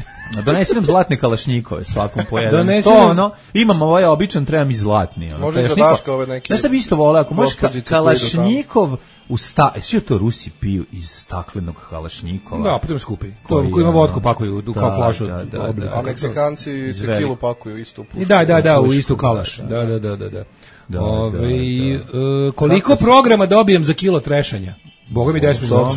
Donesi nam zlatne kalašnjikove svakom po jedan. To ono, imam ovaj običan, treba mi zlatni. Ono, može za Daška ove neki. Znaš šta bi isto voleo, ako možeš ka, kalašnjikov u sta... Svi to Rusi piju iz staklenog kalašnjikova. Da, potom skupi. Ko, ko ima vodku pakuju u kao flašu. Da, da, da, da. A Meksikanci tekilu pakuju isto. I da, da, da, u istu kalaš. Da, da, da, da. da. Da, Ove, da, da. Uh, koliko programa dobijem za kilo trešanja? Boga mi deset minuta.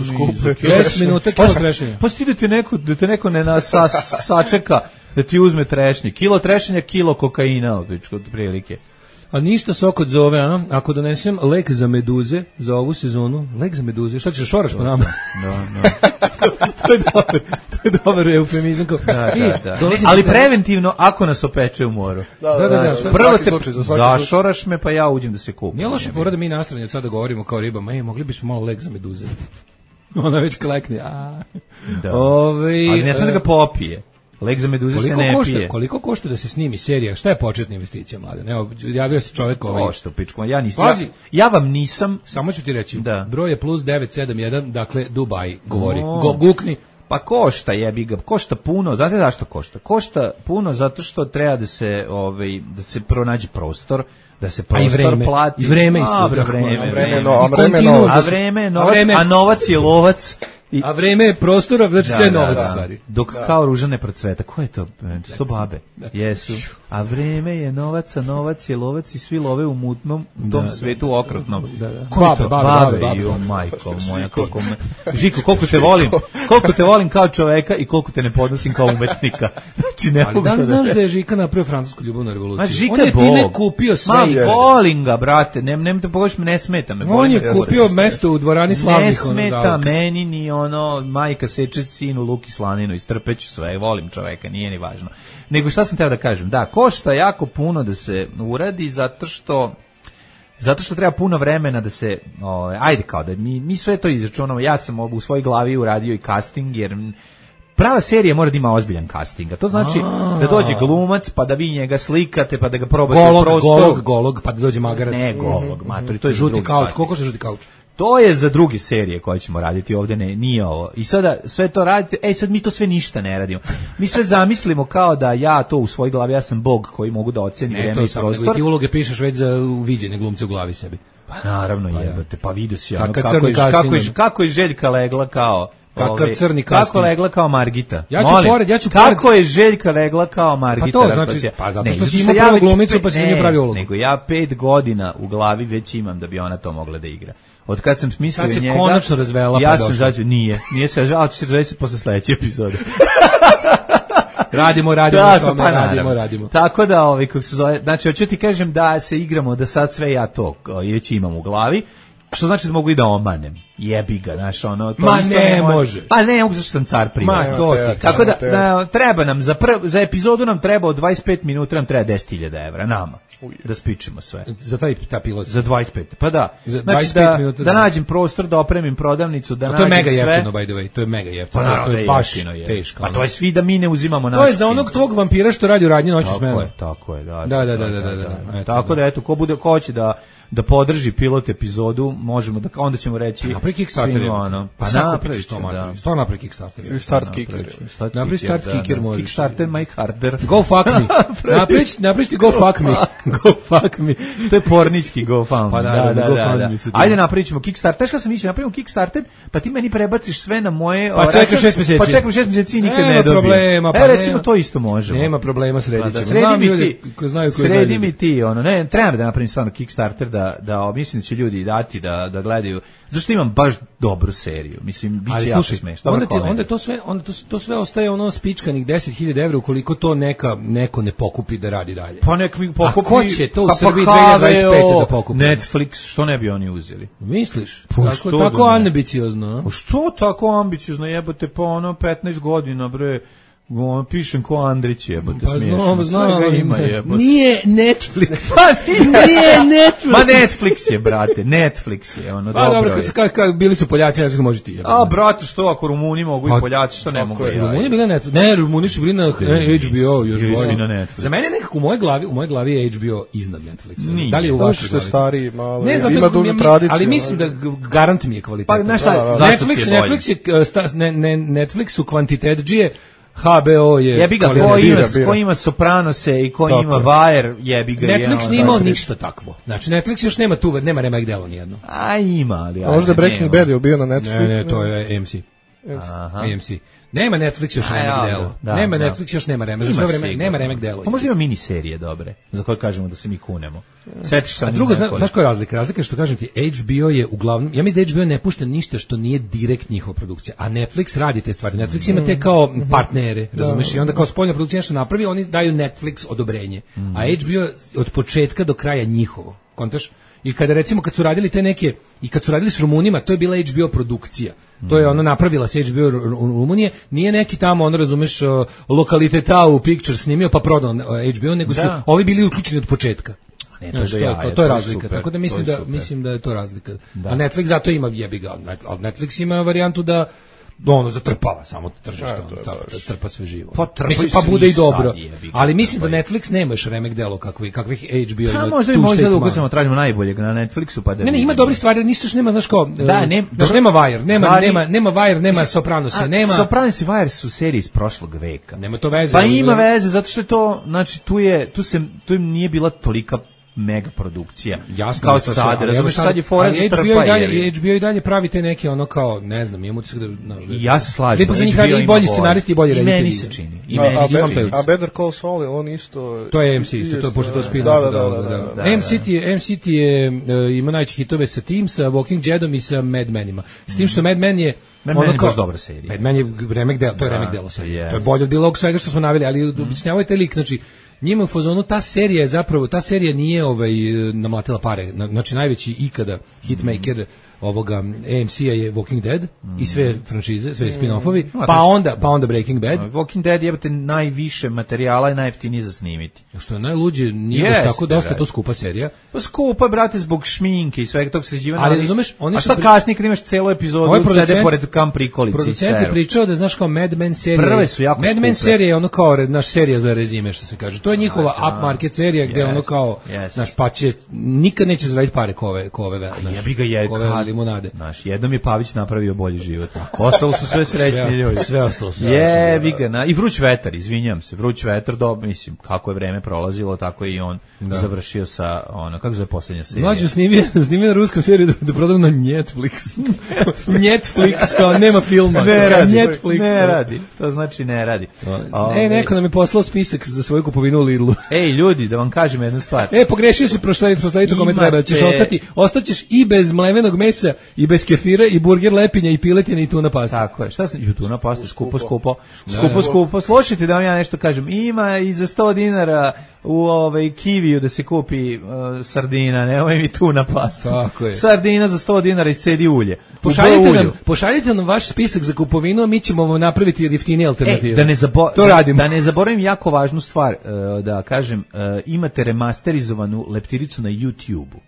deset minuta kilo trešanja. Pa sti da te neko, da te neko ne na, sa, sačeka da ti uzme trešnje. Kilo trešanja, kilo kokaina, od prilike. A ništa se oko zove, a? Ako donesem lek za meduze za ovu sezonu, lek za meduze, šta ćeš šoraš po nama? No, no. To je dobar, to je dobar eufemizam. Da, da, da. Ali preventivno, ako nas opeče u moru. Da, da, da. da, da. Prvo te slučaj, za zašoraš me, pa ja uđem da se kupim. Nije loše fora da mi nastranje od sada govorimo kao ribama, ej, mogli bismo malo lek za meduze. Ona već klekne, a. Da. Ove, ali ne sme da ga popije. Lek za meduze se ne košta, pije. Koliko košta da se snimi serija? Šta je početna investicija, mladen? Evo, javio se čovjek ovaj. Košta, pičko. Ja nisam. Ja, ja vam nisam. Samo ću ti reći. Da. Broj je plus devet sedam jedan, dakle Dubai govori. No. Go, gukni. Pa košta, jebi ga. Košta puno. Znate zašto košta? Košta puno zato što treba da se ovaj da se pronađe prostor, da se prostor plati. I vreme isto. A vreme, a vreme, no, a vreme, no, a vreme, novac, a novac je lovac. I, a vreme je prostora, znači sve novac u stvari. Dok da. Kao ruža ne procveta. Ko je to? To su babe. Da. Jesu. A vreme je novac, a novac je lovac i svi love u mutnom u tom da, svetu da, okrutnom. Da, da. Ko je to? Babe, babe, babe. Jo, majko moja, koliko me... Žiko, koliko te volim. Koliko te volim kao čoveka i koliko te ne podnosim kao umetnika. Znači, ne ali da li znaš da je Žika napravio francusku ljubavnu revoluciju? Ma, Žika on je time kupio sve. Ma, volim ga, brate. Ne, ne, te pogledaš, ne smeta me. On je kupio mesto u dvorani slavnih. Ne smeta meni ni ono, majka seče sinu Luki Slaninu, istrpeću sve, volim čoveka, nije ni važno. Nego šta sam teo da kažem? Da, košta jako puno da se uradi zato što zato što treba puno vremena da se o, ajde kao da mi, mi sve to izračunamo. Ja sam u svojoj glavi uradio i casting jer prava serija mora da ima ozbiljan casting. A to znači a da dođe glumac, pa da vi njega slikate, pa da ga probate golog, u prostoru. Golog, golog, pa da dođe magarac. Ne, golog, matori, to je žuti kauč. Koliko se žuti kauč? To je za druge serije koje ćemo raditi ovde, ne, nije ovo. I sada sve to radite, ej sad mi to sve ništa ne radimo. Mi sve zamislimo kao da ja to u svojoj glavi, ja sam Bog koji mogu da oceni ne, vreme i sam, prostor. Ne, ti uloge pišeš već za uviđene glumce u glavi sebi. Pa naravno pa jebate, pa vidio si ono, Kaka kako, je, kako, je, casting. kako je Željka legla kao... Kakav Ove, crni kako casting. legla kao Margita. Ja ću Molim, pored, ja ću kako pored... je Željka legla kao Margita. Pa to znači, pa zato što ne, si imao ja prvu već glumicu pe- pa si ne, nije pravi ulogu. Nego ja pet godina u glavi već imam da bi ona to mogla da igra. Od kad sam smislio Sad se njega... konačno razvela, ja pa sam došla. zađu, nije, nije se razvela, ali će se razvesti posle sledeće epizode. Radimo, radimo, Tako, tome, pa radimo, naravno. radimo. Tako da, ovaj, kako se zove, znači, hoću ti kažem da se igramo, da sad sve ja to o, već imam u glavi, što znači da mogu i da omanem. Jebi ga, znaš, ono... To Ma isto ne moje- može. Pa ne, mogu zašto sam car prima. Ma, to ti. Tako da, da, treba nam, za, prv, za epizodu nam treba od dvadeset pet minuta, nam treba deset hiljada evra, nama, da spičemo sve. Za taj ta pilot. Za dvadeset pet, pa da. Za Znači dvadeset pet da, minuta, da da. nađem prostor, da opremim prodavnicu, da A to nađem je mega sve. jeftino, by the way, to je mega jeftino. Pa naravno to da je je baš jeftino, je. teško. Pa ono. to je svi da mi ne uzimamo naš. To je za onog tog vampira što radi u radnji noću Tako smenu. je, tako je, da. Da, da, da, da, da, da. Eto, Tako da eto, ko bude ko hoće da da podrži pilot epizodu, možemo da onda ćemo reći napravi Kickstarter. svima ono. Pa Pa napravi što mater. Što napravi Kickstarter. Ili start kicker. Napravi start kicker možeš. Kickstarter my harder. Go fuck me. Napravi napravi ti go fuck me. Go fuck me. To je pornički GoFundMe. Pa da, naravno, da, da, GoFundMe da. su to. Ajde napravit ćemo Kickstarter. Znaš kako sam mislio, napravimo Kickstarter, pa ti meni prebaciš sve na moje... Pa o, čekaš račun- šest mjeseci. Pa čekam šest mjeseci i nikad Nema ne dobijem. problema, pa e, recimo, nema. to isto možemo. Nema problema, sredit Pa da, ćemo. sredi Znam mi ljude ti, koji znaju koji sredi znaju. mi ti, ono, ne, treba da napravim stvarno Kickstarter, da, da, mislim da će ljudi dati, da, da gledaju, zašto imam baš dobru seriju, mislim, bit će Ali jako slušaj, smešno. onda, ti, onda to sve onda to, to sve ostaje ono spičkanih deset hiljada evra ukoliko to neka neko ne pokupi da radi dalje. Pa nek mi pokupi... A ko će to u pa Srbiji H B O, dve hiljade dvadeset pete da pokupi? Netflix, što ne bi oni uzeli? Misliš? Pa tako što tako da ne? ambiciozno, a? Pa što tako ambiciozno, jebote, pa ono petnaest godina, bre, ono, pišem ko Andrić, jebote, Pa smiješno. znam, znam, Svega ali ima, ne. jebote. Nije Netflix. Pa nije, Nije Netflix. Ma Netflix je, brate, Netflix je, ono, Pa dobro, dobro kad, je. su- kad, kad bili su Poljaci, znači može ti. jebote. A, brate, što ako Rumuni mogu Pa, i Poljaci, što ne mogu je, ja? Rumuni bili na Netflix. Ne, Rumuni su bili na eh, H B O još Bili su bolje. i na Netflixu. Za mene nekako u mojoj glavi, u mojoj glavi je H B O iznad Netflixa. Nije. Da li je u Zato vašoj što je glavi? stariji malo. Ne znam, ima dužu tradiciju. ali mislim da g- garant mi je kvalitet. Pa, znaš šta, Da, da, da. zašto ti Netflix, je bolje? Netflix je uh, sta, ne, ne, Netflix su kvantitet džije, H B O je Jebi ga, kvalitet. ko ima, bira, bira. ko ima Sopranose i ko Tako ima je. Wire, jebi ga. Netflix je, nije ono, imao da. ništa takvo. Znači, Netflix još nema tu, nema remek delo nijedno. A ima, ali... A možda ajde, Breaking nema. Bad je bio na Netflixu. Ne, ne, to je A M C. Aha. A M C. Nema Netflix još A, remek ja, delo. da, Nema da. Netflix još nema remek. Za Ima sve vreme sigurno. nema remek delo. Pa možda ima miniserije dobre, za koje kažemo da se mi kunemo. Setiš se A drugo, zna, znaš koja je razlika? Razlika je što kažem ti, H B O je uglavnom, ja mislim da H B O ne pušta ništa što nije direkt njihova produkcija, a Netflix radi te stvari. Netflix ima te kao partnere, razumeš, i onda kao spoljna produkcija nešto napravi, oni daju Netflix odobrenje. A H B O od početka do kraja njihovo, kontaš? I kada recimo kad su radili te neke i kad su radili s Rumunima, to je bila H B O produkcija. To je ono napravila se H B O Ru- Ru- Rumunije, nije neki tamo ono razumeš uh, lokalitetau picture snimio pa prodao uh, H B O, nego su Da. ovi bili uključeni od početka. Ne, to Znaš, je to, je, jaje, to, to to je je razlika. super, Tako da to mislim je da super. mislim da je to razlika. Da. A Netflix zato ima jebi ga, ali Netflix ima varijantu da ono zatrpava samo tržište, ono, tako, da trpa sve živo. Pa trpaju mislim pa svi bude i sad, dobro. jebi ga, Ali mislim da trpaju. Netflix nema još remek delo kakvi kakvih H B O Pa ima. možda i tu možda štetu da malo. ukusimo tražimo najboljeg na Netflixu pa da Ne, ne, ima vidimo. dobri stvari, ništa što nema, znaš kao, Da, e, ne- znaš, dobro- nema Wire, nema, Ali- nema, nema Wire, nema Sopranos, A, nema, Sopranos i Wire su serije iz prošlog veka. nema to veze. Pa ali- ima veze, zato što je to, znači, tu je, tu se, tu im nije bila tolika mega produkcija. Jasno, kao da to sve, sad, ali razumeš, evo sad je fora ali za H B O trpa. i dalje, je. i H B O i dalje pravi te neke ono kao, ne znam, imam utisak da... znaš, da- I ja se slažem. da ipak za njih H B O radi i ima bolji scenaristi i bolji I reditelji. meni se čini. I A, meni a, se Better, čini. a Better Call Saul je on isto... To je A M C isto, to je pošto to spin Da, da, da, da, da, da. A M C je, A M C je uh, ima najveće hitove sa tim, sa Walking Deadom i sa Mad Menima. S tim što Mad Men je Mad ono Men je kao- baš dobra serija. Mad Men je remek delo, to je Da, remek delo to serije. jest. To je bolje od bilo ovog svega što smo naveli, ali objašnjavao je taj lik, znači njima u fazonu ta serija je zapravo, ta serija nije ovaj namlatila pare, Na- znači najveći ikada hitmaker ovoga A M C-a je Walking Dead i sve franšize, sve spin-offovi, Ma, pa to- onda, pa onda Breaking Bad. Walking Dead jebate najviše materijala i najjeftinije za snimiti. Što je najluđe, nije baš Jeste, tako, dosta brate. to skupa serija. Pa skupa, brate, zbog šminke i svega tog sređivanja. Ali, razumeš, oni a su šta pri- kasnije kad imaš celu epizodu, Ovaj sede producent- pored kam prikolici i Producent je seru. pričao da znaš kao Mad Men serija. Prve su jako Mad Men skupe. serija je ono kao re- naš serija za rezime što se kaže. To je njihova upmarket serija gde Yes, ono kao yes. naš pa će nikad neće zaraditi pare ko ove ko ove. A jebi ga je, ko ove kad limunade. Znaš, jednom je Pavić napravio bolji život. Ostalo su sve srećni ljudi. Sve ostalo su. Je, vi na i vruć vetar, izvinjam se, vruć vetar, do, mislim, kako je vreme prolazilo, tako je i on da. završio sa, ono, kako zove posljednja serija? Mlađo snimio, snimio na ruskom seriju da, da prodam na Netflix. Netflix, kao nema filma. Ne radi, Netflix, ne radi, to znači ne radi. E, neko nam je poslao spisak za svoju kupovinu u Lidlu. Ej, ljudi, da vam kažem jednu stvar. E, pogrešio si proslediti, proslediti kome treba, ćeš ostati, ostaćeš i bez mlevenog mesa, i bez kefira, i burger lepinja, i piletine, i tuna pasta. Tako je, šta sam, i tuna pasta, skupo, skupo, skupo, skupo, slušajte da vam ja nešto kažem, ima i za sto dinara u ovaj kiviju da se kupi uh, sardina, nemoj mi tuna pasta. Tako je. Sardina za sto dinara iscedi ulje. Pošaljite nam, pošaljite nam vaš spisak za kupovinu, a mi ćemo vam napraviti jeftinije alternative. E, da ne zabo to radimo. Da ne zaboravim jako važnu stvar, uh, da kažem, uh, imate remasterizovanu leptiricu na YouTubeu.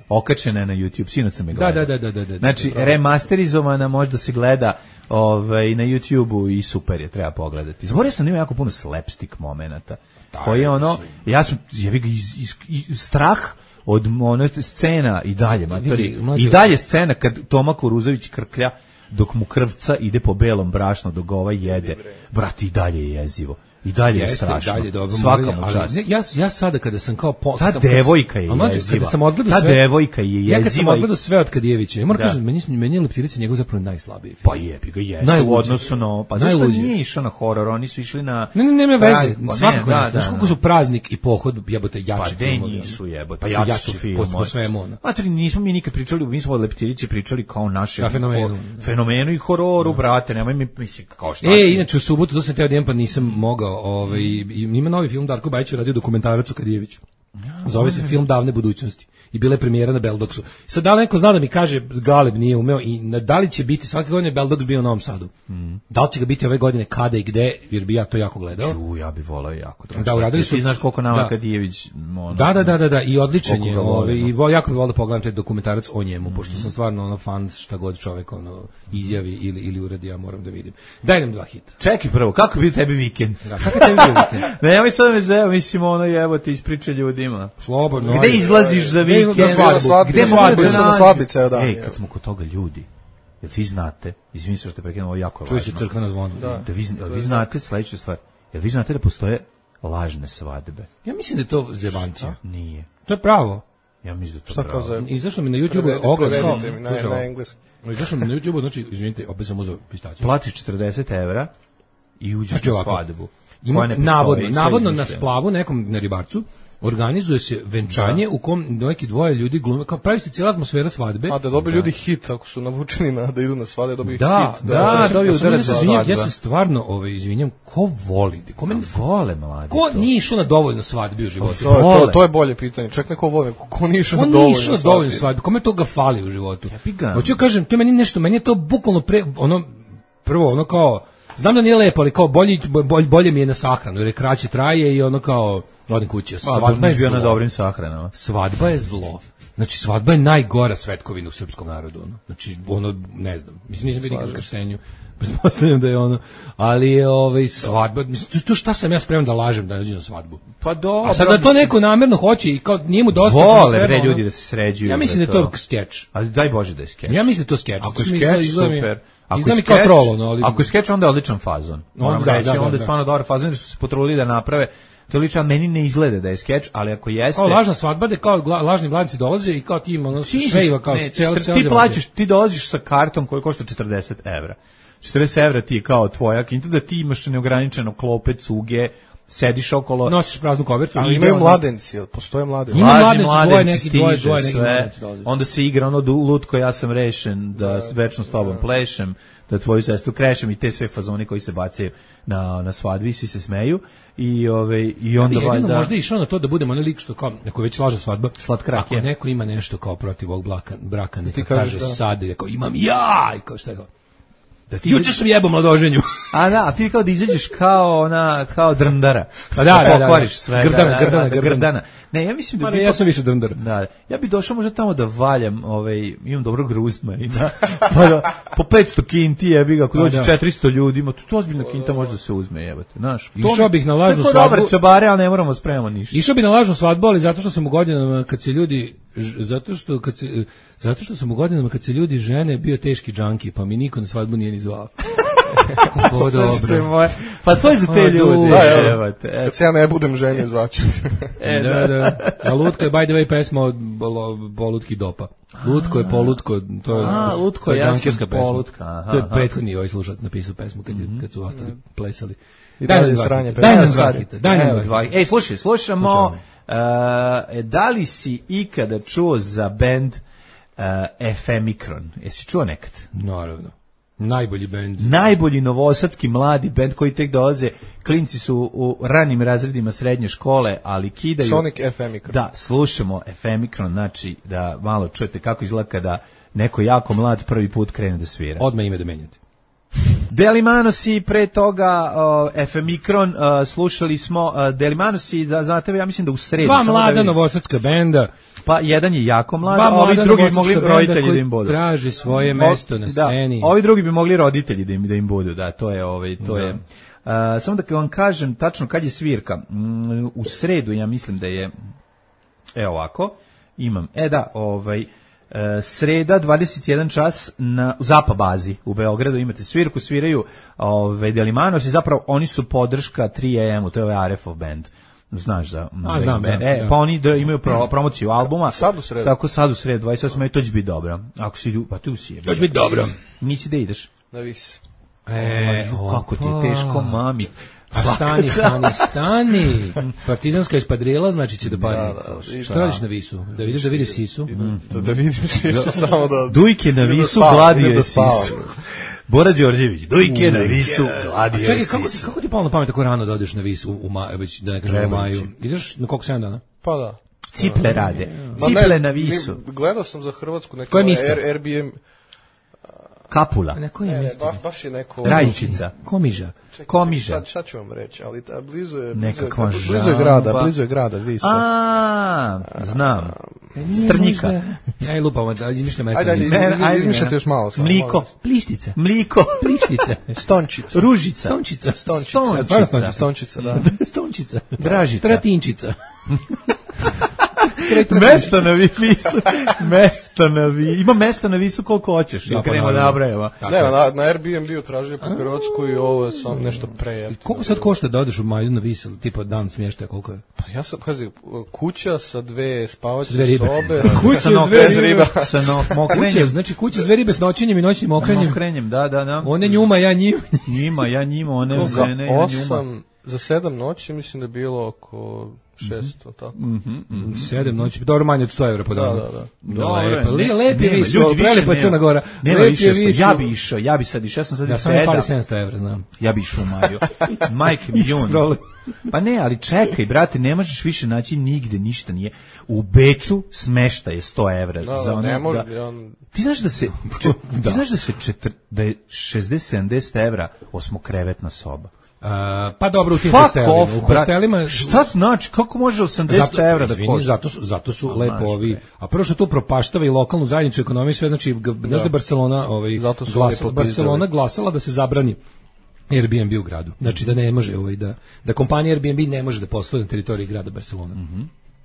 Okačena je na YouTube, sinoć sam je gledao. Da, da, da, da, da. Znači, da, da. remasterizovana možda se gleda ovaj, na YouTubeu i super je, treba pogledati. Zaboravio sam da ima jako puno slapstick momenata. Koji je ono, ja sam, ja bih iz, iz, iz, strah od one scena i dalje, matori, i dalje scena kad Toma Kuruzović krklja dok mu krvca ide po belom brašnu dok ga ovaj jede, brati, i dalje je jezivo. I dalje je strašno. Dalje dobro, svaka mu čast. Ja ja sada kada sam kao po, ta sam, devojka je jeziva. Kada sam odgledao ta sve. Ta devojka je jeziva. Ja kad sam odgledao sve od Kadijevića, ja moram kažem, meni meni je Leptirica njegov zapravo najslabiji. Pa jebi ga jeste u odnosu na, pa zašto nije išao na horor, oni su išli na Ne, ne, nema veze. Svakako ne. Znaš kako su Praznik i Pohod, jebote, jači filmovi. Pa nisu jebote. Pa jači su filmovi. Po svemu ono. Matri, nismo mi nikad pričali, mi smo o Leptirici pričali kao naše fenomenu. Fenomenu i hororu, brate, nemoj mi mislim kao šta. E, inače u subotu to sam teo da idem, pa nisam mogao, ovaj i ima novi film, Darko Bajić je radio dokumentarac o Kadijeviću. Zove se film Davne budućnosti i bila je premijera na Beldoksu. Sad da li neko zna da mi kaže Galeb nije umeo i da li će biti svake godine Beldoks bio u Novom Sadu? Mm. Da li će ga biti ove godine, kada i gde, jer bi ja to jako gledao. Ču, ja bi volao jako. Da, da uradili su. Ti znaš koliko nama da. Kadijević ono, da, da, da, da, da, i odličan je. Ovaj, i vo, jako bi volao da pogledam taj dokumentarac o njemu, mm. pošto sam stvarno ono fan šta god čovjek ono izjavi ili ili uradi, ja moram da vidim. Daj nam dva hita. Čekaj prvo, kako bi tebi vikend? Da, kako tebi bio vikend? Ne, ja mi sad me zeo, mislim ono jevo ti ispriča ljudima. Slobodno. Gde izlaziš za vikend? Gde svadbu? Gde na svadbi ceo dan. Ej, kad smo kod toga ljudi, jel vi znate, izvini se što te prekinem, ovo jako je važno. Čuje se crkvena zvona. Da. Da vi, jel vi znate sledeću stvar, jel vi znate da postoje lažne svadbe? Ja mislim da je to zebancija. Nije. To je pravo. Ja mislim da je to šta pravo. Za... I zašto mi na YouTubeu oglas kao... Na, na engleski. I zašto mi na YouTubeu, znači, izvinite, opet sam uzeo pistaće. Platiš četrdeset evra i uđeš znači, na svadbu. Ima, navodno, navodno na splavu nekom na Ribarcu organizuje se venčanje da. U kom neki dvoje ljudi glume, kao pravi se cijela atmosfera svadbe. A da dobiju da. Ljudi hit ako su navučeni na da idu na svadbe, dobiju da, hit. Da, da, da, dobiju udarac za svadbu. Ja se stvarno ovaj izvinjam, ko voli? Ko meni vole mladi? Ko nije išao na dovoljno svadbi u životu? To, to, to je bolje pitanje. Ček neko voli, ko nije išao na dovoljno svadbi? Ko nije išao na dovoljno svadbi? Kome toga fali u životu? Hoću kažem, to je meni nešto, meni je to bukvalno pre ono prvo ono kao znam da nije lepo, ali kao bolje, bolje, bolje mi je na sahranu, jer je kraće traje i ono kao odem kući. Svadba je bio na dobrim sahranama. Svadba je zlo. Znači, svadba je najgora svetkovina u srpskom narodu. Ono. Znači, ono, ne znam, mislim, nisam bio nikad u krštenju, pretpostavljam da je ono, ali je ovaj, svadba, mislim, to šta sam ja spreman da lažem da nađem na svadbu? Pa dobro. A sad da to neko namerno hoće i kao nije mu dosta. Vole, bre, ljudi da se sređuju. Ja mislim da je to skeč. Ali daj Bože da je skeč. Ja mislim da je to skeč. Ako je skeč, super. Ako je, skeč, prolo, ali... ako je skeč, onda je odličan fazon. Moram da, reći, da, da, onda je da. stvarno dobar fazon, jer su se potrudili da naprave. To lično meni ne izgleda da je skeč, ali ako jeste... Kao lažna svadba, da kao lažni mladinci dolaze i kao ti ima ono svejva kao ne, cijela, ti, cijela ti plaćaš, ti dolaziš sa kartom koji košta četrdeset evra. četrdeset evra ti je kao tvoja kinta, da ti imaš neograničeno klope, cuge, sediš okolo... Nosiš praznu kovertu. Ali imaju mladenci, postoje mladenci. Ima mladenci, mladenci dvoje neki, dvoje, dvoje neki mladenci dolaze. Onda se igra ono lutko, ja sam rešen, da, da večno s tobom da. Plešem, da tvoju sestru krešem i te sve fazone koji se bacaju na, na svadbi, svi se smeju. I ove i onda ja valjda možda išao na to da budemo onaj lik što kao neko već laže svadba slatkrak ako neko ima nešto kao protiv ovog braka braka neka kaže da. Sad je kao imam ja i kao šta je kao da ti juče sam jebao mladoženju. A da, a ti kao da izađeš kao ona kao drndara. Pa da, da, da, pokvariš sve. Grdana, da, da, grdana, da, grdana. Ne, ja mislim da bi ja sam više drndar. Da. Ja bih došao možda tamo da valjam, ovaj imam dobrog ruzma i da pa da, po petsto kinti jebi ga, ako dođe četiristo ljudi, ima to ozbiljna kinta može da se uzme, jebote, znaš. Išao bih na lažnu svadbu. Dobar čabare, al ne moramo spremamo ništa. Išao bih na lažnu svadbu, ali zato što sam u godinama kad se ljudi zato što kad se, zato što sam u godinama kad se ljudi žene bio teški džanki, pa mi niko na svadbu nije ni zvao. O, dobro. Pa to je za te ljude. Da, evo, kad se ja ne budem ženio, zvaću. E, da, da. A Lutko je, by the way, pesma od Polutki Dopa. Lutko je Polutko, to je, A, Lutko, to je ja džankirska pesma. Polutka, aha, to je aha. prethodni ovaj slušalac napisao pesmu kad, mm-hmm. kad su ostali plesali. I daj dalje nam sranje dva, daj nam dva Sad, hita, daj nam evo, dva. Ej, slušaj, slušamo, uh, da li si ikada čuo za bend uh, Efemikron? Jesi čuo nekad? Naravno. Najbolji bend. Najbolji novosadski mladi bend koji tek dolaze. Klinci su u ranim razredima srednje škole, ali kidaju. Sonic Efemikron. Da, slušamo Efemikron, znači da malo čujete kako izgleda kada neko jako mlad prvi put krene da svira. Odmah ime da menjate. Delimanosi, pre toga uh, Efemikron, uh, slušali smo uh, Delimanosi, da, znate, ja mislim da u sredu. Dva samo mlada da novosadska benda. Pa jedan je jako mlad, Dva a ovi mlada drugi bi mogli novosadska roditelji benda da im budu. traži svoje mesto na sceni. Da, ovi drugi bi mogli roditelji da im, da im budu, da, to je, ovaj, to Da. je. Uh, samo da vam kažem tačno kad je svirka. Mm, u sredu ja mislim da je, evo ovako, imam, e da, ovaj, Uh, sreda dvadeset jedan čas na u Zapa bazi u Beogradu imate svirku, sviraju ovaj Delimanos i zapravo oni su podrška tri A M-u, to je ovaj Arefov band. Znaš za A, znam, band. da, E, da. pa oni da imaju pro, promociju albuma. Sad u sredu. Tako sad u sredu dvadeset osam to će biti dobro. Ako si lju- pa tu si. To će biti dobro. Nisi da ideš. Na vis. E, Kako ti je teško, mami. A stani, stani, stani. Partizanska ispadrila, znači će da pari. Da, da, Šta radiš na visu? Da vidiš da vidiš sisu? Da, da vidim sisu, samo da... Dujke na idem da visu, spavam, gladio idem da je spavam. sisu. Bora Đorđević, Dujke na visu, gladio je Čekaj, kako ti, sisu. kako ti palo na pamet tako rano da odeš na visu u, u maju, već da ne kažem u Treba maju? ići. Ideš na koliko sedam dana? Pa da. Ciple rade. Ma ne, Ciple na mi- visu. Gledao sam za Hrvatsku neko Koje mjesto? Air, Airbnb. Kapula. A na koje Ne, ne, mjesto? baš, baš je neko... Rajčica. Komiža. Čekaj, Komiža. Sad, sad ću vam reći, ali ta, blizu je... Blizu je, Nekakva blizu je žamba. grada, blizu je grada, Visa. A, znam. Strnjika. Ja i lupam, da izmišljam mesto. Ajde, ajde, Ne, izmi- ajde, izmišljate ne. još malo. samo, Mliko. molim vas. Plištica. Mliko. Plištica. Stončica. Ružica. Stončica. Stončica. Stončica. Stvarno Stončica. Stončica, da. Stončica. Dražica. Tratinčica. Mesta na visu. Mesta na visu. Ima mesta na visu koliko hoćeš. Da, Ja pa krenemo da naravno. nabrajamo. Ne, na, na Airbnb-u tražio po Hrvatskoj i ovo je sam nešto prejeftino. Koliko sad košta da odeš u maju na visu, tipa dan smještaja, koliko je? Pa ja sam, pazi, kuća sa dve spavaće Sa dve ribe. sobe. Kuća Sa s no- dve bez ribe. riba. Sa no, Kuća, mokrenjem. znači kuća s dve ribe s noćenjem i noćnim okrenjem. Mokrenjem, da, da, da. One njuma, ja njim. Njima, ja njima, one Za žene, ja njuma. osam, za sedam noći mislim da je bilo oko šesto, tako. Sedam noći, dobro manje od sto evra po danu. Da, da, da. Dobro, lepo, ne, lep je nema, vis, ljudi, više prelepa je nema. Crna Gora. Nema Lep više, je vis. ja bi išao, ja bi sad išao, ja sam sad Ja iz sam mi peda. fali sedamsto evra, znam. Ja bi išao u maju. Majke mi jun. problem. Pa ne, ali čekaj, brate, ne možeš više naći nigde, ništa nije. U Beču smešta je sto evra. Da, za ono, ne može, da. on... Ti znaš da se, ti znaš da se četr, da je šezdeset sedamdeset evra osmokrevetna soba. Uh, pa dobro, u tim Fuck hostelima. off, U brate. hostelima... Šta znači, kako može osamdeset evra da izvini, košta? zato su, zato su A, lepo maš, ovi, bre. a prvo što to propaštava i lokalnu zajednicu, ekonomiju, sve, znači, g- znaš da je Barcelona, ovaj, Zato su glasa, lepo Barcelona pizdali. glasala da se zabrani Airbnb u gradu. Znači da ne može, ovaj, da, da kompanija Airbnb ne može da posluje na teritoriji grada Barcelona.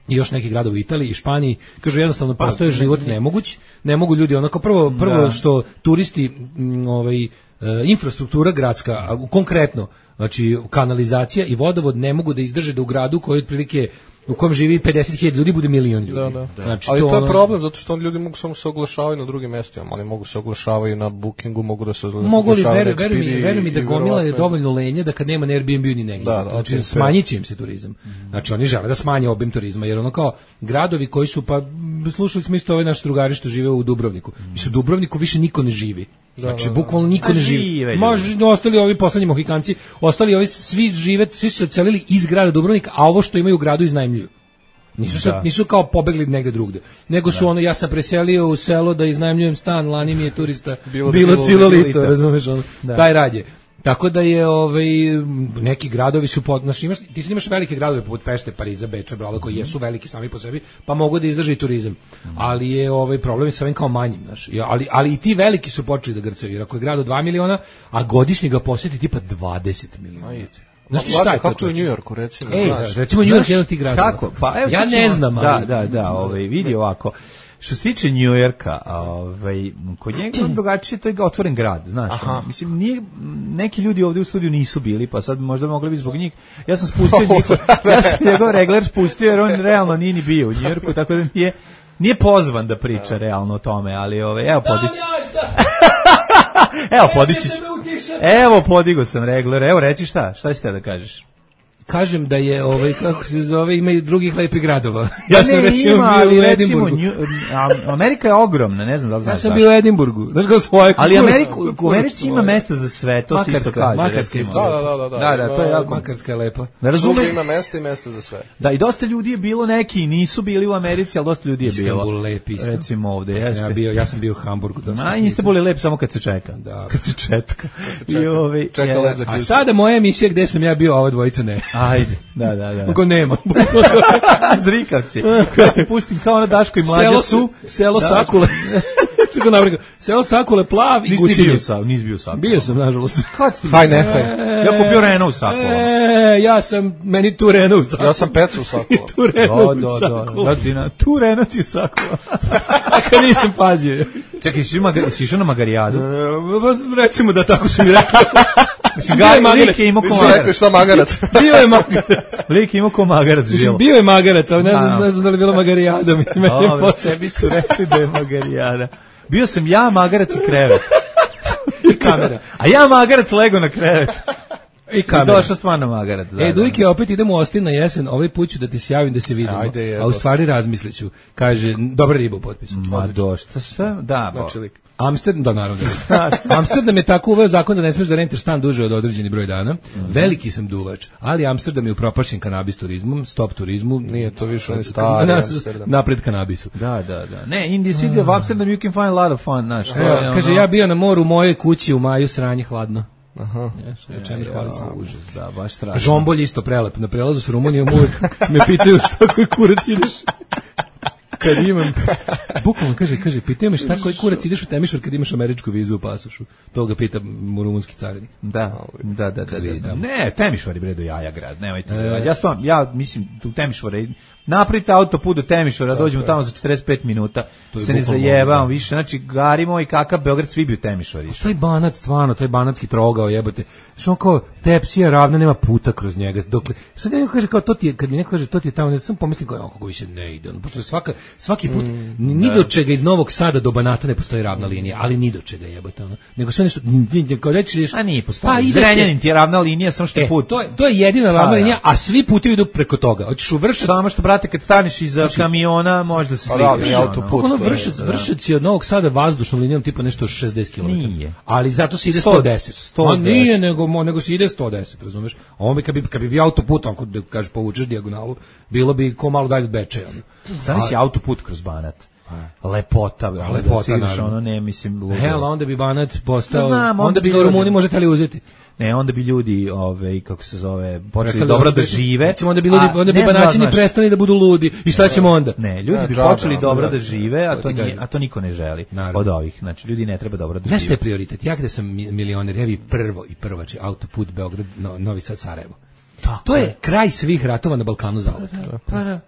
I još neki gradovi u Italiji i Španiji, kažu jednostavno postoje život nemoguć, ne mogu ljudi onako prvo prvo Da. što turisti m, ovaj e, infrastruktura gradska, a u- konkretno, znači kanalizacija i vodovod ne mogu da izdrže da u gradu koji otprilike u kom živi pedeset hiljada ljudi bude milion ljudi. Da, da. Znači, Ali to je ono- problem, zato što ljudi mogu samo se oglašavaju na drugim mestima. Oni mogu se oglašavaju na Bookingu, mogu da se Mogu li, oglašavaju na veruj, veruj mi, Expedia veruj mi da i gomila je verovatno- dovoljno lenje da kad nema na Airbnb ni negdje. Da, da, znači, to je smanjit će im se turizam. Znači, oni žele da smanje obim turizma, jer ono kao gradovi koji su, pa slušali smo isto ove naše drugari što žive u Dubrovniku. Mislim, u Dubrovniku više niko ne živi. Znači, bukvalno niko Ma ne živi. žive ljudi. Može, ostali ovi poslednji Mohikanci, ostali ovi svi žive, svi su se odselili iz grada Dubrovnika, a ovo što imaju u gradu iznajmljuju. Nisu, se, Da. nisu kao pobegli negde drugde. Nego su ono, ja sam preselio u selo da iznajmljujem stan, lani mi je turista Bilo bilo, cilo cilo lito, lito. razumeš, ono, Da. taj rad je. Tako da je ovaj neki gradovi su pod, znaš, imaš, ti sad imaš velike gradove poput Pešte, Pariza, Beča, Brala, koji jesu veliki sami po sebi, pa mogu da izdrže i turizam. Ali je ovaj problem sa ovim kao manjim, znaš. Ja, ali ali i ti veliki su počeli da grcaju, jer ako je grad od dva miliona, a godišnje ga posjeti tipa dvadeset miliona. Znaš ti šta je kako je u Njujorku, recimo? Ej, recimo Njujork je jedan od tih gradova. Kako? Pa, evo, ja ne znam. Ali... Da, da, da, ovaj, vidi ovako. Što se tiče Njujorka, ovaj, kod njega je drugačije, to je otvoren grad, znaš. Aha. Mislim, nije, neki ljudi ovdje u studiju nisu bili, pa sad možda mogli bi zbog njih. Ja sam spustio njihov, ja sam njegov regler spustio, jer on realno nije ni bio u Njujorku, tako da nije, nije pozvan da priča realno o tome, ali ovaj, evo podići. Evo podići. Evo podigo sam regler, evo reci šta, šta si te da kažeš? Kažem da je ovaj kako se zove ima i drugih lepih gradova. Ja sam ne, recimo ima, bio u recimo, Edinburgu. Nju, Amerika je ogromna, ne znam da li znaš. Ja sam bio u Edinburgu. Znaš kako svoje. Ali Ameriku, u Americi ima mesta za sve, to se isto kaže. Makarska, da, da, da, da. Da, da, to je jako. Makarska je lepa. Da razume, ima mesta i mesta za sve. Da, i dosta ljudi je bilo, neki nisu bili u Americi, ali dosta ljudi je bilo. Istanbul lep isto. Recimo ovde, jeste. Ja bio, ja sam bio u Hamburgu. A Istanbul je lep samo kad se čeka. Da. Kad se četka. I ovaj, čeka led za A sada moja emisija gde sam ja bio, a ova dvojica ne. Ajde, da, da, da. Kako nema. Zrikavci. Kada ti pustim kao na Daško i Mlađa selo su. Selo da. Sakule. Čekaj navrga. Selo Sakule plav i gusinje. Bio sam, nis bio sam. Bio sam, nažalost. Kad ti? Haj, nehaj. Ja kupio Renault u Sakulu. E, ja sam, meni tu Renault u Sakulu. Ja sam Pecu u Sakulu. Tu Renault u Sakulu. Da, da, da, tu Renault u Sakulu. A kad nisam pazio. Čekaj, si išao na Magarijadu? Recimo da tako su mi rekli. Mislim, Gaj Lik je imao ko magarac. Šta magarac? Bio je magarac. Lik je imao ko magarac. Mislim, bio je magarac, ali ne znam, ne znam da li je bilo Magarijada. Ove, tebi su rekli da je Magarijada. Bio sam ja, magarac i krevet. I kamera. A ja magarac lego na krevet. I kamera. I došao stvarno magarac. Da, e, Dujke, opet idemo u Ostin na jesen, ovaj put ću da ti se javim da se vidimo. Ajde, je, a u stvari razmisliću. Kaže, dobra riba u potpisu. Ma došta šta? Da, bo. Znači, Amsterdam, da, naravno. Amsterdam je tako uveo zakon da ne smeš da rentiš stan duže od određeni broj dana. Mm-hmm. Veliki sam duvač, ali Amsterdam je upropašćen kanabis turizmom, stop turizmu. Nije to više on je stari Amsterdam. Napred kanabisu. Da, da, da. Ne, in the city of Amsterdam you can find a lot of fun, znaš. Ja, kaže, ja bio na moru u mojoj kući u maju, sranje hladno. Aha. Ješ, ja, čemu hvali se užas, da, baš strašno. Žombolj isto prelep. Na prelazu s Rumunijom uvijek me pitaju šta koji kurac ideš. Kad imam, bukvalno kaže, kaže, pitaju me šta koji kurac ideš u Temišvar kad imaš američku vizu u pasošu. To ga pita rumunski carinik. Da, da, da, da, da. Ne, Temišvar je bre do jaja grad, nemojte. E, ja stvarno, ja mislim, u Temišvara napravite autoput do Temišvara, dođemo tamo za četrdeset pet minuta, se ne zajebamo više, znači garimo i kakav Beograd svi bi u Temišvar išao. Taj Banac, stvarno, taj banatski trogao, jebote, što on kao tepsija ravna, nema puta kroz njega, dokle, sad neko kaže kao to ti je, kad mi neko kaže to ti je tamo, ne sam pomislim kao, kako više ne ide, ono, pošto svaka, svaki put, mm, ni do čega iz Novog Sada do Banata ne postoji ravna linija, ali ni do čega jebote, ono, nego sve nešto, kao reći, a nije postoji, pa, Zrenjanin ti je ravna linija, samo što je put. To je, to je jedina ravna linija, a svi putevi idu preko toga, hoćeš u Vršac, samo što brate kad staneš iza znači, kamiona možda se sliđeš autoput. Ono Vršac, Vršac je od Novog Sada vazdušnom linijom tipa nešto šezdeset kilometara. Nije. Ali zato se ide sto deset. A nije nego nego se ide sto deset, razumeš? On bi kad bi kad bi bio autoput, ako da kažeš povučeš dijagonalu, bilo bi ko malo dalje od Bečeja. Zamisli autoput kroz Banat. Lepota, lepota, da ono ne mislim ludo. Hel, onda bi Banat postao, znam, onda bi ga Rumuni možete li uzeti. Ne, onda bi ljudi, ove, kako se zove, počeli dobro da žive. Recimo, onda bi ljudi, onda bi Banaćani prestali da budu ludi. I šta ćemo onda? Ne, ljudi bi počeli dobro da žive, a to nije, a to niko ne želi od ovih. Znači, ljudi ne treba dobro da žive. Znaš šta je prioritet? Ja gde sam milioner, ja bi prvo i prvači autoput Beograd, Novi Sad, Sarajevo. Tako to je, je kraj svih ratova na Balkanu zauvek.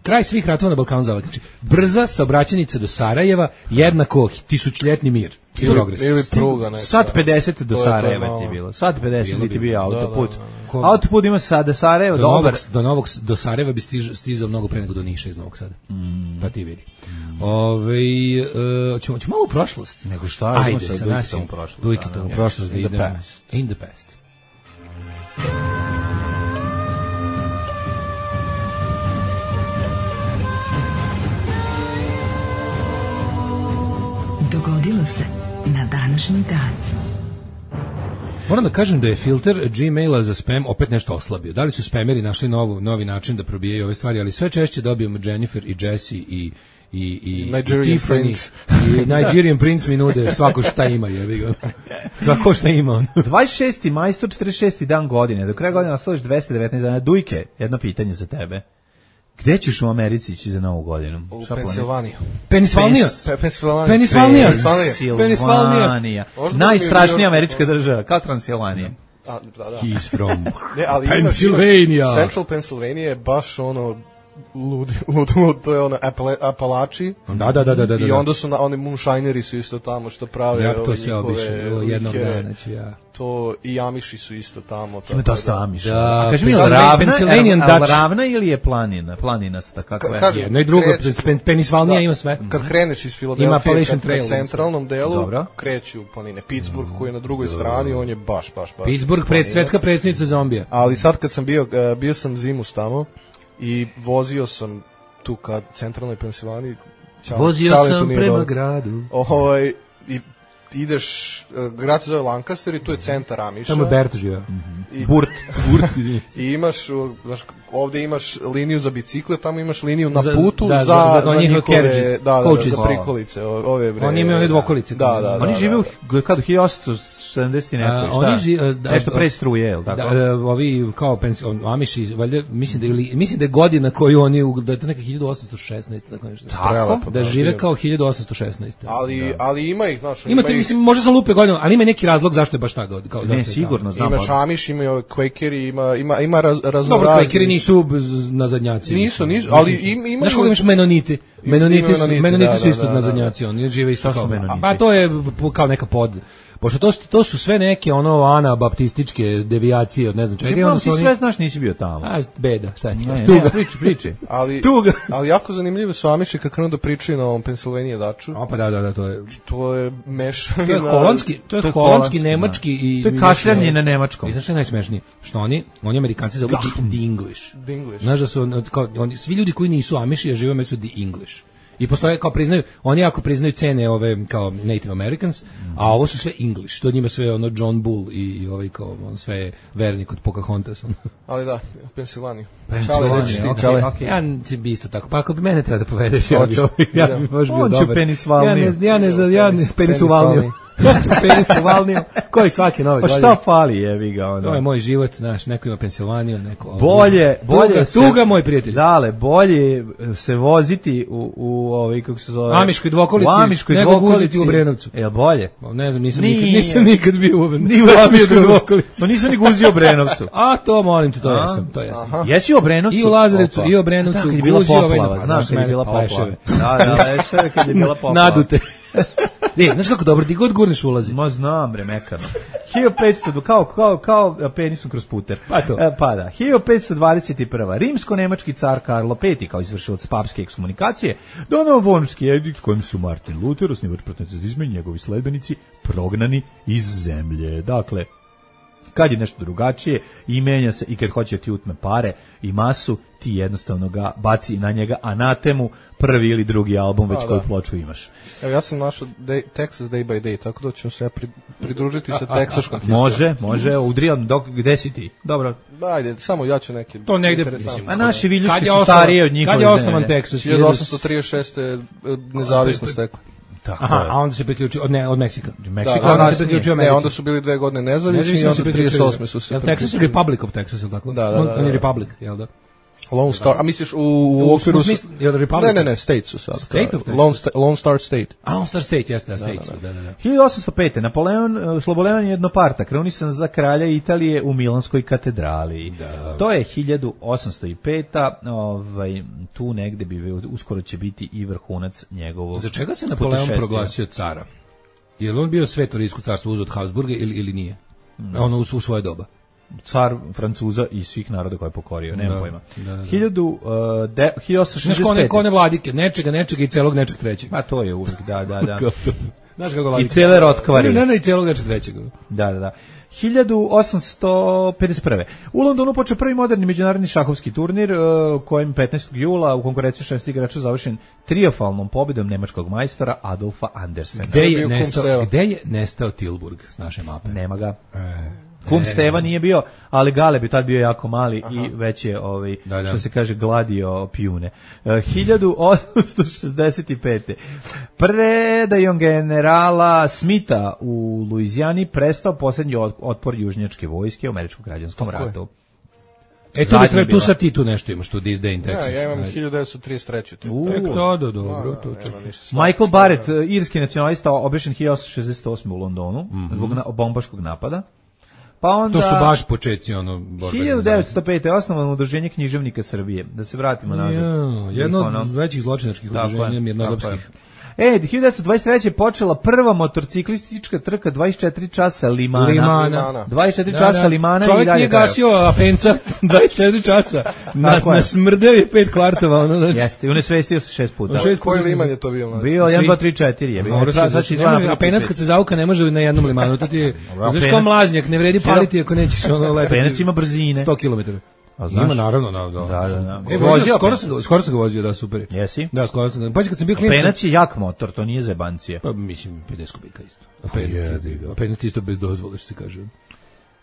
Kraj svih ratova na Balkanu zauvek. Znači, brza saobraćajnica do Sarajeva jednako tisućljetni mir i progres. Ili pruga neka. Sad pedeset do Sarajeva ti je bilo. Sad pedeset ti bio autoput. Autoput ima sada Sarajevo do dobar. Do Novog do Sarajeva bi stiž, stizao mnogo pre nego do Niša iz Novog Sada. Mm. Pa ti vidi. Mm. Ovaj uh, ćemo ćemo malo u prošlost. Nego šta? Ajde sa našim prošlost. Dujke u prošlost da idemo. In the past. Dogodilo se na današnji dan. Moram da kažem da je filter Gmaila za spam opet nešto oslabio. Da li su spameri našli novu, novi način da probijaju ove stvari, ali sve češće dobijemo Jennifer i Jesse i i i Nigerian Tiffany Prince. i Nigerian Prince mi nude svako šta ima, jebi ga. Svako šta ima on. dvadeset šesti maj, sto četrdeset šesti dan godine. Do kraja godine ostalo još dvesta devetnaest dana. Dujke, jedno pitanje za tebe. Gde ćeš u Americi ići za novu godinu? U Pensilvaniju. Pensilvanija. Pensilvanija. Pensilvanija. Pensilvanija. Najstrašnija američka država, kao Transilvanija. A, da, da. He's from ne, ali Pennsylvania. Imaš, Central Pennsylvania je baš ono lud, lud, lud, to je ono Apala, Apalači. Da, da, da, da, da. I onda su na, oni moonshineri su isto tamo što prave ja to ove sve njihove obišao jednog likere. dana, znači ja. To i Amiši su isto tamo. Ima dosta Amiša. Da, a kaži mi, Pennsylvania- ravna, Pennsylvanian al Dutch. ravna ili je planina? Planinasta, kakva je? Kažem, Jedno i drugo, kreću- Pen- Pennsylvania da, ima sve. Kad kreneš iz Ima Filadelfije, Appalachian kad, kad Trail. centralnom delu, Dobro. kreću planine. Pittsburgh koji je na drugoj strani, on je baš, baš, baš. Pittsburgh, pred, planina. svetska predsjednica zombija. Ali sad kad sam bio, eh, bio sam zimus tamo i vozio sam tu kad centralnoj Pensilvaniji. Čale- Vozio čale tu sam nije prema dobro. gradu. Ovaj, i ideš, eh, grad se zove Lancaster i tu je centar Amiša. Tamo je Bert živio. I, Burt. Burt. I imaš, uh, znaš, ovde imaš liniju za bicikle, tamo imaš liniju na Za- putu da, za, za- za, za njihove njihove, carriages, da, da, coaches. za prikolice, o- ove bre. Oni imaju one dvokolice. Da, da, da. Oni da, žive u da. kad u hiljadu osamsto sedamdeset i A, neko, šta? oni ži- da, Nešto da, pre struje, jel tako? Da, da, ovi kao pens, on, Amiši, valjda, mislim da, je ili, mislim da je godina koju oni, u- da je to neka hiljadu osamsto šesnaesta, tako nešto. Prelepo, Da da, žive bio. kao hiljadu osamsto šesnaesta. Ali, ali ima ih, znaš, Ima ti, ih- mislim, možda sam lupio godinu, ali ima neki razlog zašto je baš ta godina. Kao, zašto Ne, je sigurno, znam. imaš pa- Amish, imaju ove Quakeri, ima, ima, ima raz, Dobro, raznorazni. Quakeri nisu z- nazadnjaci. Nisu, mislim. nisu, ali im- imaju- Znaš kako imaš Menoniti? Menoniti su, Menoniti, menoniti da, su da, isto da, da. nazadnjaci, oni žive isto Šta su kao. Menoniti? Pa to je p- kao neka pod. Pošto to, su- to su sve neke ono anabaptističke devijacije od ne znam čega. i Ja, onda ti su oni, sve znaš, nisi bio tamo. a, beda, šta ti? Ne, Tuga. ne, priči, priči. Ali, Tuga. ali jako zanimljivo su Amiši kad krenu da pričaju na ovom Pennsylvania Daču. O, pa da, da, da, to je. To je mešavina. To je holandski, to je, To je holandski, holandski, nemački i To je kašljanje na nemačkom. I znaš što je najsmešnije? Što oni, oni Amerikanci zovu the English. The English. Znaš da su on- kao, oni, svi ljudi koji nisu Amiši, a žive među su the English. I postoje kao priznaju, oni jako priznaju cene ove kao Native Americans, a ovo su sve English. To njima sve ono John Bull i, i ovaj kao on sve je vernik od Pocahontas. Ali da, Pensilvaniju. Pensilvaniju, Čale, reći ti, okej, Čale. okej. Ja bi isto tako. Pa ako bi mene treba da povedeš, ja bi, Hoću, ja idem. bi baš bio Hoću dobar. Penisvalniju. Ja ne, ja ne, za- ja ne, Penis- penisuvalniju. Hoću penisuvalniju. Koji svaki novi. Pa šta fali, jebi ga, ono. To je moj život, znaš, neko ima Pensilvaniju, neko... Bolje, bolje tuga, se, tuga, moj prijatelj. Dale, bolje se voziti u u ovaj kako se zove Amiškoj dvokolici, u Amiškoj nego dvokolici. guziti u Obrenovcu. Jel bolje? Pa ne znam, nisam Nije. nikad, nisam nikad bio u Ni u Amiškoj dvokolici. Pa nisam ni guzio u Obrenovcu. A to molim te, to A? jesam, to jesam. Jesi u Obrenovcu? I u Lazarevcu, Opa. i u Obrenovcu, Da, kad je bila guzio ovaj poplava, na- znaš kad je bila pa poplava. leševe. Da, da, leševe kad je bila poplava. Nadute. Ne, znaš kako dobro, ti god gurneš ulazi. Ma znam, bre, mekano. hiljadu petsto, kao, kao, kao penisom kroz puter. Pa to. E, pa da, hiljadu petsto dvadeset prva. Rimsko-nemački car Karlo peti, kao izvršilac papske ekskomunikacije, donao Wormski edikt kojim su Martin Luther, osnivač protestantizma i njegovi sledbenici, prognani iz zemlje. Dakle, kad je nešto drugačije i menja se i kad hoće da ti utme pare i masu, ti jednostavno ga baci na njega anatemu, prvi ili drugi album, već Da, koju da. ploču imaš. Evo, ja sam našao day, Texas Day by Day, tako da ću se ja pri, pridružiti sa teksaškom historijom. Može, može, udrijan, dok, gde si ti? Dobro. Da, ajde, samo ja ću neke... To negde, interesantne. mislim, A naši viljuški Kad je su osnovan- stariji od njihove Kad je osnovan zemlje. Texas? hiljadu osamsto trideset šeste. nezavisno stekla. Tako Aha, je. a onda se priključio, od, ne, od Meksika. Meksiko Da, onda onda se se priključio Ne, onda su bili dve godine nezavisni i Nezavisno onda se trideset osme su se Jel Texas je priključili. Republic of Texas, ili tako? Da, da, da, On, on je da. Republic, jel da? Lone Star, a misliš u, u U okviru... smislu- jel Republic? Ne, ne, ne, State su sad. State of Texas? Lone, sta, Lone Star State. A, on Star State, jeste, da, State su, da, da, da. hiljadu osamsto pete. Napoleon uh, Sloboleon Jednoparta, krunisan za kralja Italije u Milanskoj katedrali. To je hiljadu osamsto peta. Ovaj, tu negde bi uskoro će biti i vrhunac njegovog Za čega se Napoleon putešestvija. proglasio cara? Je li on bio sveto rijsko carstvo uz od Habsburga ili, ili nije? Ono u, u svoje doba. Car Francuza i svih naroda koje je pokorio, nema Da, pojma. da, da. hiljadu, uh, de, hiljadu osamsto Znaš šezdeset ko ne, pete. ko ne vladike, nečega, nečega i celog nečeg trećeg. Ma to je uvijek, da, da, da. Znaš kako I vladike? cele rotkvari. Ne, ne, i celog nečeg trećeg. Da, da, da. hiljadu osamsto pedeset prve. U Londonu počeo prvi moderni međunarodni šahovski turnir, uh, kojem petnaestog jula u konkurenciji šest igrača završen trijumfalnom pobedom nemačkog majstora Adolfa Andersena. Gde je, bio nestao, Kum Steva. gde je nestao Tilburg s naše mape? Nema ga. E, Kum e, Steva nije bio, ali Galeb je tad bio jako mali i već je, ovaj, Da, da. što se kaže, gladio pijune. Uh, hiljadu osamsto šezdeset pete. Predajom generala Smitha u Luizijani prestao posljednji od- otpor južnjačke vojske u američkom građanskom Tako je. ratu. E, tu, Zadnja bi treba, tu bila. sad ti tu nešto imaš, tu This Day in Texas. Ja, ja imam Ajde. hiljadu devetsto trideset treće. To, U, Tek to, da, dobro, to, to. Evo, ništa slabo. Michael Barrett, irski nacionalista, obešen hiljadu osamsto šezdeset osme u Londonu Mhm. zbog na, bombaškog napada. Pa onda, to su baš početci ono hiljadu devetsto pete. osnovano udruženje književnika Srbije. Da se vratimo nazad. Ja, jedno od većih zločinačkih udruženja mirnodopskih. E, hiljadu devetsto dvadeset treće počela prva motorciklistička trka dvadeset četiri časa Limana. Limana. dvadeset četiri da, časa da. Limana. Čovjek i dalje nije gasio Apenca dvadeset četiri časa. Na, na smrdeo je pet kvartova. Ono, znači. Jeste, i unesvestio se šest puta. Šest Koji Liman je to bio? Znači? Bio jedan, dva, tri, četiri je. Bio. Apenac kad se zauka ne može na jednom Limanu. To ti je, znaš kao mlaznjak, ne vredi paliti ako nećeš ono letati. Apenac ima brzine. sto kilometara. A znaš? Ima naravno, da, da. Da, da, da. E, vozio, skoro sam skoro sam ga vozio, da, super. Jesi? Da, skoro sam. Pa kad sam bio klinac. Apenac je jak motor, to nije zebancija. Pa mislim pedeset kubika isto. Apenac isto bez dozvole, što se kaže.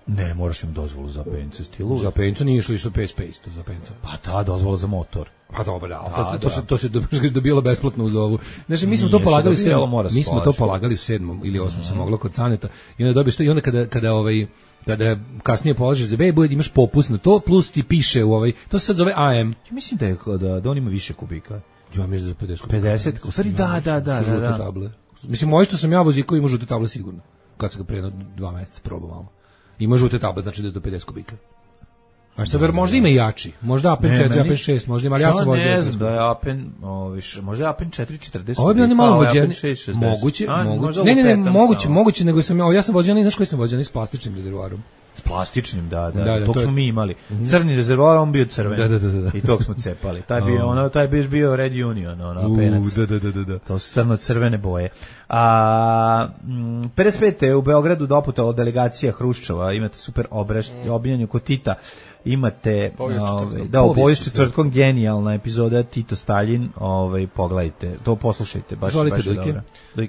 Ne, moraš im dozvolu za Apenca, stilu. Za Apenca nije išlo isto P S P isto za Apenca. Pa da, dozvola za motor. Pa dobro, da, a, to, to, to se to se dobilo besplatno uz ovu. Znači mi smo to polagali sve, mi smo to polagali u sedmom ili osmom se moglo kod Saneta. I onda dobiješ to i onda kada kada ovaj kada kasnije polažeš za B, bude imaš popust na to, plus ti piše u ovaj, to se sad zove A M. Ja mislim da je da, da on ima više kubika. Ja mislim da pedeset. pedeset, u stvari da, da, da, da, da. Table. Mislim, moj što sam ja vozio koji ima žute table sigurno. Kad sam ga pre dva meseca probao malo. Ima žute table, znači da je do pedeset kubika. A što ver možda ima i jači. Možda A P N četiri, A P N šest, možda ima, ali ja sam vozio. Ne znam da je A P N, oviš, možda je A P N četiri četrdeset. Ovo je bio malo mođeni. Moguće, moguće. Ne, ne, ne, moguće, moguće, nego sam ja, ja sam vozio, ne znaš koji sam vozio, s plastičnim rezervoarom. S plastičnim, da, da, da, da to smo mi imali. Crni rezervoar, on bio crven. Da, da, da, da. I tog smo cepali. Taj bio, ono, taj biš bio Red Union, ono, Apenac. Da, da, da, da. To su crno-crvene boje. A pedeset pete u Beogradu doputala delegacija Hruščova, imate super obraš, obiljenje kod Tita. Imate ovaj da u povijest četvrtkom genijalna epizoda Tito Stalin, ovaj pogledajte, to poslušajte, baš Zvolite, baš dobro.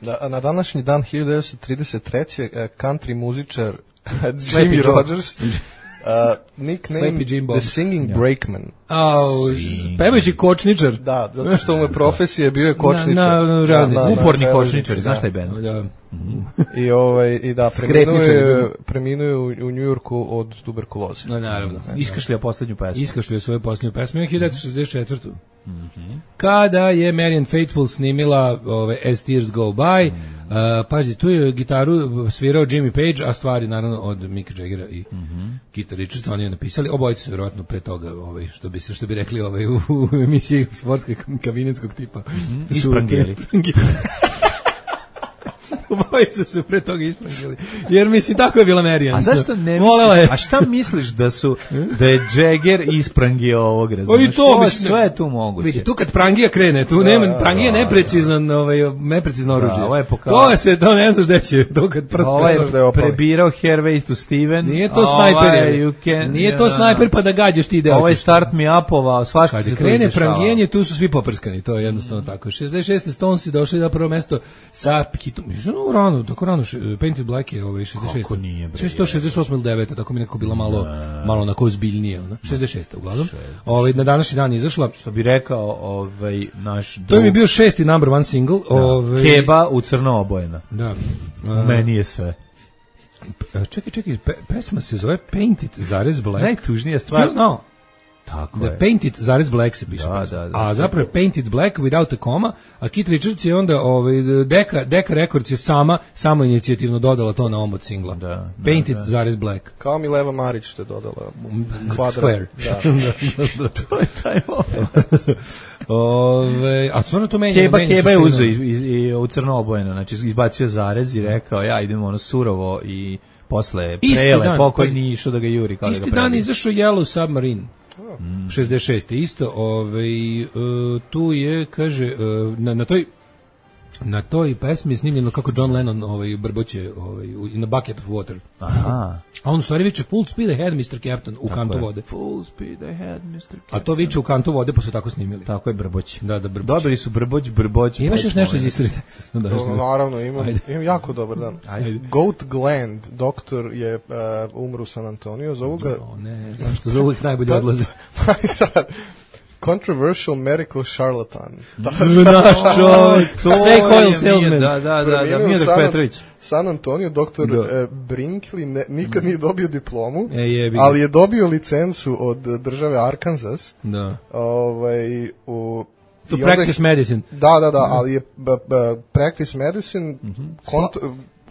Da, na današnji dan hiljadu devetsto trideset treće country muzičar Jimmy Rogers, uh, nickname The Singing yeah. Breakman. Oh, pevajući kočničar. Da, zato što mu je profesija bio je kočničar. Na, na, na, na, uporni kočničar, znaš taj bend? Da. I ovaj i da preminuo preminuo u, u Njujorku od tuberkuloze. No, naravno. Iskašljao poslednju pesmu. Iskašljao svoju poslednju pesmu hiljadu devetsto šezdeset četvrte. Mhm. Kada je Marian Faithfull snimila ove As Tears Go By, mm. uh, pazi, tu je gitaru svirao Jimmy Page, a stvari naravno od Micka Jaggera i mm-hmm. Keitha Richardsa, oni je napisali, obojice su vjerojatno pre toga, ovaj, što bi se što bi rekli ovaj, u, u emisiji sportske kabinetskog tipa. Mm-hmm. Isprangeli. Obojice su pre toga isprangeli. Jer mislim, tako je bila Marijan. A zašto ne misliš, a šta misliš da su, da je Jagger isprangio ovog razumiješ? I to, mislim, sve je tu moguće. Vidi, tu kad prangija krene, tu da, nema, prangija je neprecizan, ovaj, neprecizno oruđe. Da, ovo je pokal... To se, to ne znaš gde će, to kad prst... Ovo je prebirao Hairways to Steven. Nije to snajper, je. Nije to snajper pa da gađaš ti deo. Ovo je Start Me Up-ova, svašta se tu krene prangijenje, tu su svi poprskani, to je jednostavno tako. šezdeset šeste Stonesi došli na prvo mesto sa hitom. No, rano, tako rano, Painted Black je ovaj šezdeset šeste. Kako nije, bre. Sve sto šezdeset osam ili devete, tako mi neko bilo malo, ne. malo onako ozbiljnije. Ona. šezdeset šeste uglavnom. Ovaj, na današnji dan izašla. Što bi rekao ovaj, naš... To je bio šesti number one single. Da. Ovaj, Keba u crno obojena. Da. A, meni je sve. Čekaj, čekaj, pe, pesma se zove Painted zarez Black. Najtužnija stvar. No. Tako The je. Painted zarez Black se piše. Da, da, da, a zapravo je Painted Black without a comma, a Keith Richards je onda ovaj Deka Deka Records je sama samo inicijativno dodala to na omot singla. Da, Painted da, da. zarez Black. Kao Mileva Marić što je dodala kvadrat. Square. Da. da, da, to je taj Ove, a stvarno to menja. Keba, Keba je uzeo i, i, i u crno obojeno, znači izbacio zarez i rekao ja idemo ono surovo i posle prele pokojni išao da ga juri kao da ga prebi. Isti dan izašao Yellow Submarine. Mm. šezdeset šeste isto, ovaj uh, tu je kaže uh, na, na toj na toj pesmi je snimljeno kako John Lennon ovaj brboće ovaj in a bucket of water. Aha. A on u stvari viče full speed ahead mister Captain u tako kantu je. Vode. Full speed ahead mister Captain. A to viče u kantu vode pa su tako snimili. Tako je brboć. Da, da brboć. Dobili su brboć, brboć. Imaš još nešto iz istorije? Da, naravno, imam, imam jako dobar dan. Ajde. Goat Gland, doktor je uh, umru u San Antonio, zovu ga... No, ne, zašto za uvijek najbolje odlaze. Controversial medical charlatan. Naš čovjek, snake oil salesman. Da, da, da, da, Miodrag Petrović. San Antonio, doktor uh, Brinkley, ne, nikad nije dobio diplomu, e, je, ali je dobio licencu od države Arkansas. Da. Ovaj, u... To practice medicine. Da, da, da, ali je b, b, practice medicine, mm-hmm. kont,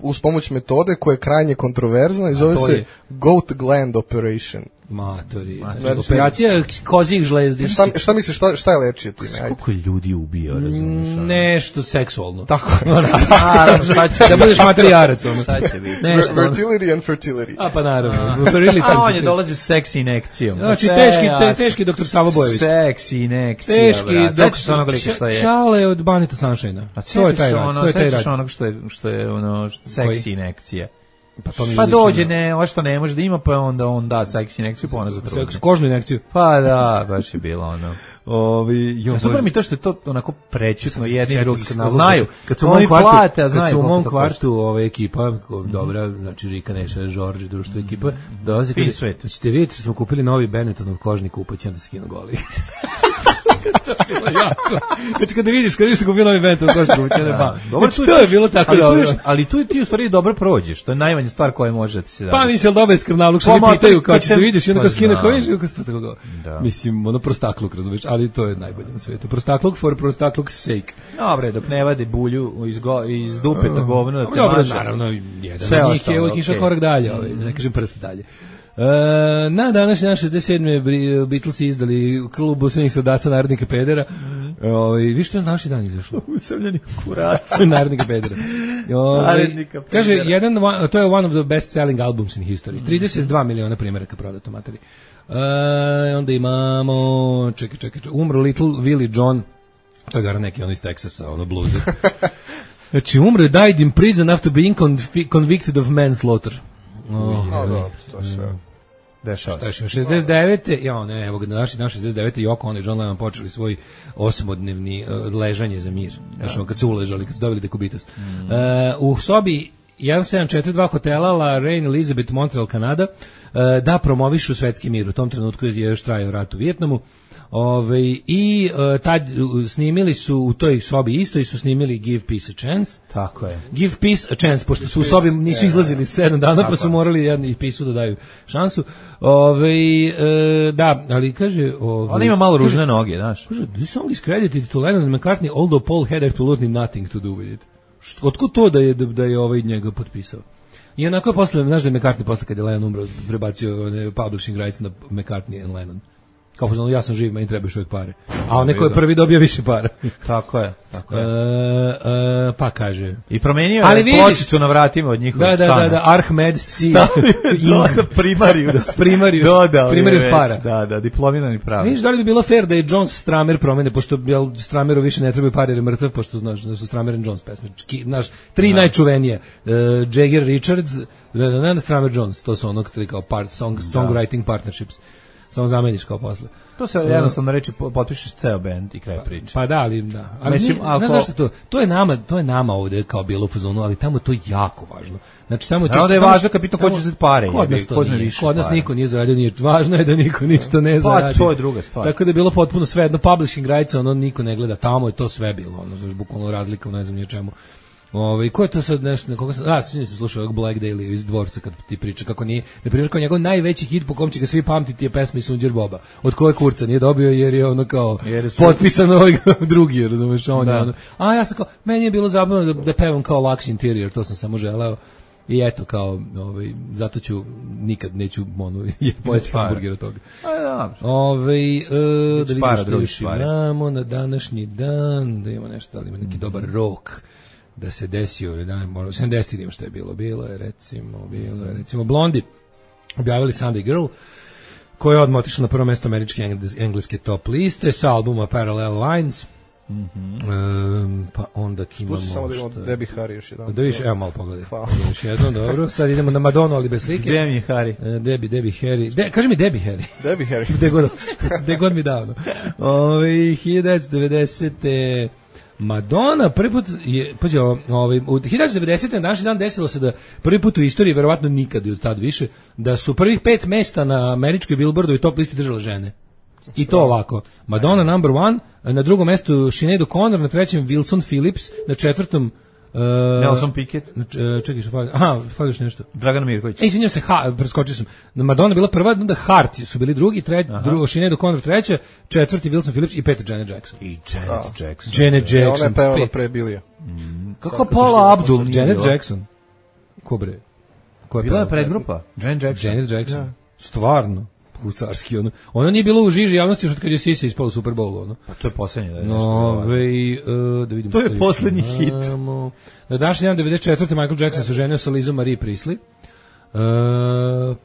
uz pomoć metode koja je krajnje kontroverzna i zove se je... Goat Gland Operation. Matori. Znači, operacija kozih žlezdi. Šta, šta misliš, šta, šta je lečije time? Koliko ljudi ubio, razumiješ? Nešto seksualno. Tako je. Naravno, šta će da budeš materijarac. Ono. Šta će biti? Fertility and fertility. A pa naravno. A on je dolazi s seksi inekcijom. Znači, teški, te, teški doktor Savo Bojević. Seksi inekcija, teški doktor sa onog lika što je. Šale od Baneta Sunshine. To je taj rad. To je taj rad. Onog što je, što je ono, seksi inekcija. Pa, to mi pa dođe, ne, ovo što ne može da ima, pa onda on da seksi inekciju, pa ona zatrudne. Seks, kožnu inekciju. Pa da, baš je bilo ono. Ovi, jo, ja, super mi to što je to onako prećutno jedni i drugi znaju. Kad su u mom kvartu, plate, a znaju kad su u mom kvartu ove ekipa, dobra, znači Žika, Neša, Žorđe, društvo ekipa, dolazi kaže, ćete vidjeti što smo kupili novi Benettonov kožni kupac, onda se skinu goli. Znači kada vidiš, kada vidiš kupio novi Benetton kožni kupac, onda ba. Znači to je bilo tako dobro. Ali tu ti u stvari dobro prođeš, to je najmanja stvar koja može da ti se da. Pa mislim, dobar je skrnavluk, što mi pitaju kao ćeš da vidiš, i onda kao skine, kao vidiš, kako se tako go. Mislim, ono prostakluk, razumiješ, ali to je najbolje na svijetu. Prostakluk for prostakluk's sake. Dobre, dok ne vade bulju iz, go, iz dupeta govna da te dobro, maže. Naravno, jedan sve od njih je uvijek išao korak dalje, ovaj, ne kažem prst dalje. Uh, na današnji dan šezdeset sedme Beatlesi izdali klubu svih soldaca narodnika pedera. Mm. Ovaj vi što je naši dan izašlo? Usamljeni kurac narodnika pedera. Ovaj kaže jedan to je one of the best selling albums in history. Mm. trideset dva miliona primjeraka prodato materi. Uh, onda imamo čekaj čekaj umro Little Willie John. To je gara neki on iz Teksasa, ono blues. Znači umro died in prison after being conv- convicted of manslaughter. Oh, no, no, to sve. Dešava se. šezdeset devete Ja, ne, evo ga, na naši, na šezdeset devete Yoko Ono i John Lennon počeli svoj osmodnevni uh, ležanje za mir. Znači, ja. Kad su uležali, kad su dobili dekubitus. Mm. Uh, u sobi jedan sedam četiri dva hotela La Reine Elizabeth, Montreal, Kanada, uh, da promovišu svetski mir. U tom trenutku je još trajao rat u Vijetnamu. Ove, i uh, tad uh, snimili su u toj sobi isto i su snimili Give Peace a Chance. Tako je. Give Peace a Chance, pošto su u sobi nisu izlazili sedam dana, tako, pa su morali jedni pisu da daju šansu. Ove, uh, da, ali kaže... Ove, on ima malo ružne noge, znaš. Kaže, this song is credited to Lennon and McCartney, although Paul had absolutely nothing to do with it. Otkud to da je, da je ovaj njega potpisao? I onako je posle, znaš da je McCartney posle kad je Lennon umro, prebacio ne, publishing rights na McCartney and Lennon. Kao poznano, ja sam živ, meni treba još uvijek pare. A on neko je prvi dobio više para. Tako je, tako je. E, e, pa kaže. I promenio je pločicu na vratima od njihovog da, da, stana. Da, da, da, Arhmed C. Primarius. Primarius. Dodao Primarius para. Da, da, diplomirani pravnik. Viš, da li bi bilo fair da je Jones Stramer promene, pošto jel, Strameru više ne trebaju pare jer je mrtav, pošto znaš da su Stramer and Jones pesme. Znaš, tri da. Najčuvenije. Uh, Jagger Richards, da, da, da, Stramer Jones, to su onog tri kao part, song, songwriting partnerships. Samo zameniš kao posle. To se jednostavno reći, potpišeš ceo bend i kraj priče. Pa da, ali da. Ali mislim, ne, ne zašto to? To je nama, to je nama ovde kao bilo u fazonu, ali tamo to jako važno. Znači tamo to. Da je važno kad pitao ko će uzeti pare. Kod nas, to nije, kod nas niko nije zaradio, nije važno je da niko ništa ne zaradi. Pa to je druga stvar. Tako da je bilo potpuno sve jedno publishing rights, ono niko ne gleda, tamo je to sve bilo, ono znači bukvalno razlika, ne znam ni o čemu. Ovaj ko je to sad nešto na koga sam a sinoć sam slušao Black Daily iz Dvorca kad ti priča kako nije na primjer kao njegov najveći hit po kom će ga svi pamtiti je pesma Sunđer Boba od koje kurca nije dobio jer je ono kao su... potpisan ovaj drugi, razumeš, on je ono a ja sam kao meni je bilo zabavno da, da pevam kao Lux Interior, to sam samo želeo i eto kao ovaj zato ću nikad neću ono pojesti hamburger od toga. A da. Ovaj e, da vidimo što još imamo na današnji dan, da ima nešto, da li ima neki dobar rok da se desio, da možda sedamdesetih što je bilo, bilo je recimo, bilo je recimo Blondie objavili Sunday Girl, koja je odmah otišla na prvo mjesto američke engleske top liste sa albuma Parallel Lines. Mm-hmm. Um, pa onda imamo Spusti samo da imamo Debbie Harry još jedan. Da viš, evo malo pogledaj. Još jedno, dobro. Sad idemo na Madonu, ali bez slike. Gde mi je Harry? Uh, Debbie, Debbie Harry. De, kaži mi Debbie Harry. Debbie Harry. Gde god, gde god mi davno. Ove, hiljadu devetsto devedesete Madonna prvi put je, pađe, ovaj, u hiljadu devetsto devedesete na naš dan desilo se da prvi put u istoriji, verovatno nikad i od tad više, da su prvih pet mesta na američkoj Billboardu i top listi držale žene. I to ovako. Madonna number one, na drugom mestu Sinead O'Connor, na trećem Wilson Phillips, na četvrtom Uh, Nelson Piquet. Uh, čekaj što fali. Aha, fališ nešto. Dragan Mirković. E, izvinjam se, ha, preskočio sam. Madonna bila prva, onda Hart su bili drugi, treći, drugo Sinead O'Connor treća, četvrti Wilson Phillips i peti Janet Jackson. I Janet oh. Jackson. Janet Jackson. E, ona je pevala pre Bilija. Mm. Kako Paula Abdul? Janet Jackson. Ko bre? Ko je bila je predgrupa? Janet Jackson. Janet Jackson. Ja. Stvarno. Carski, ono. Ono nije bilo u žiži javnosti još od kad je Sisa ispala u Super Bowlu, ono. Pa to je poslednje da je nešto. No, vej, uh, da vidimo. To je poslednji hit. Na današnji dan devedeset četvrte Michael Jackson se ženio sa Lizom Marie Priestley. Uh,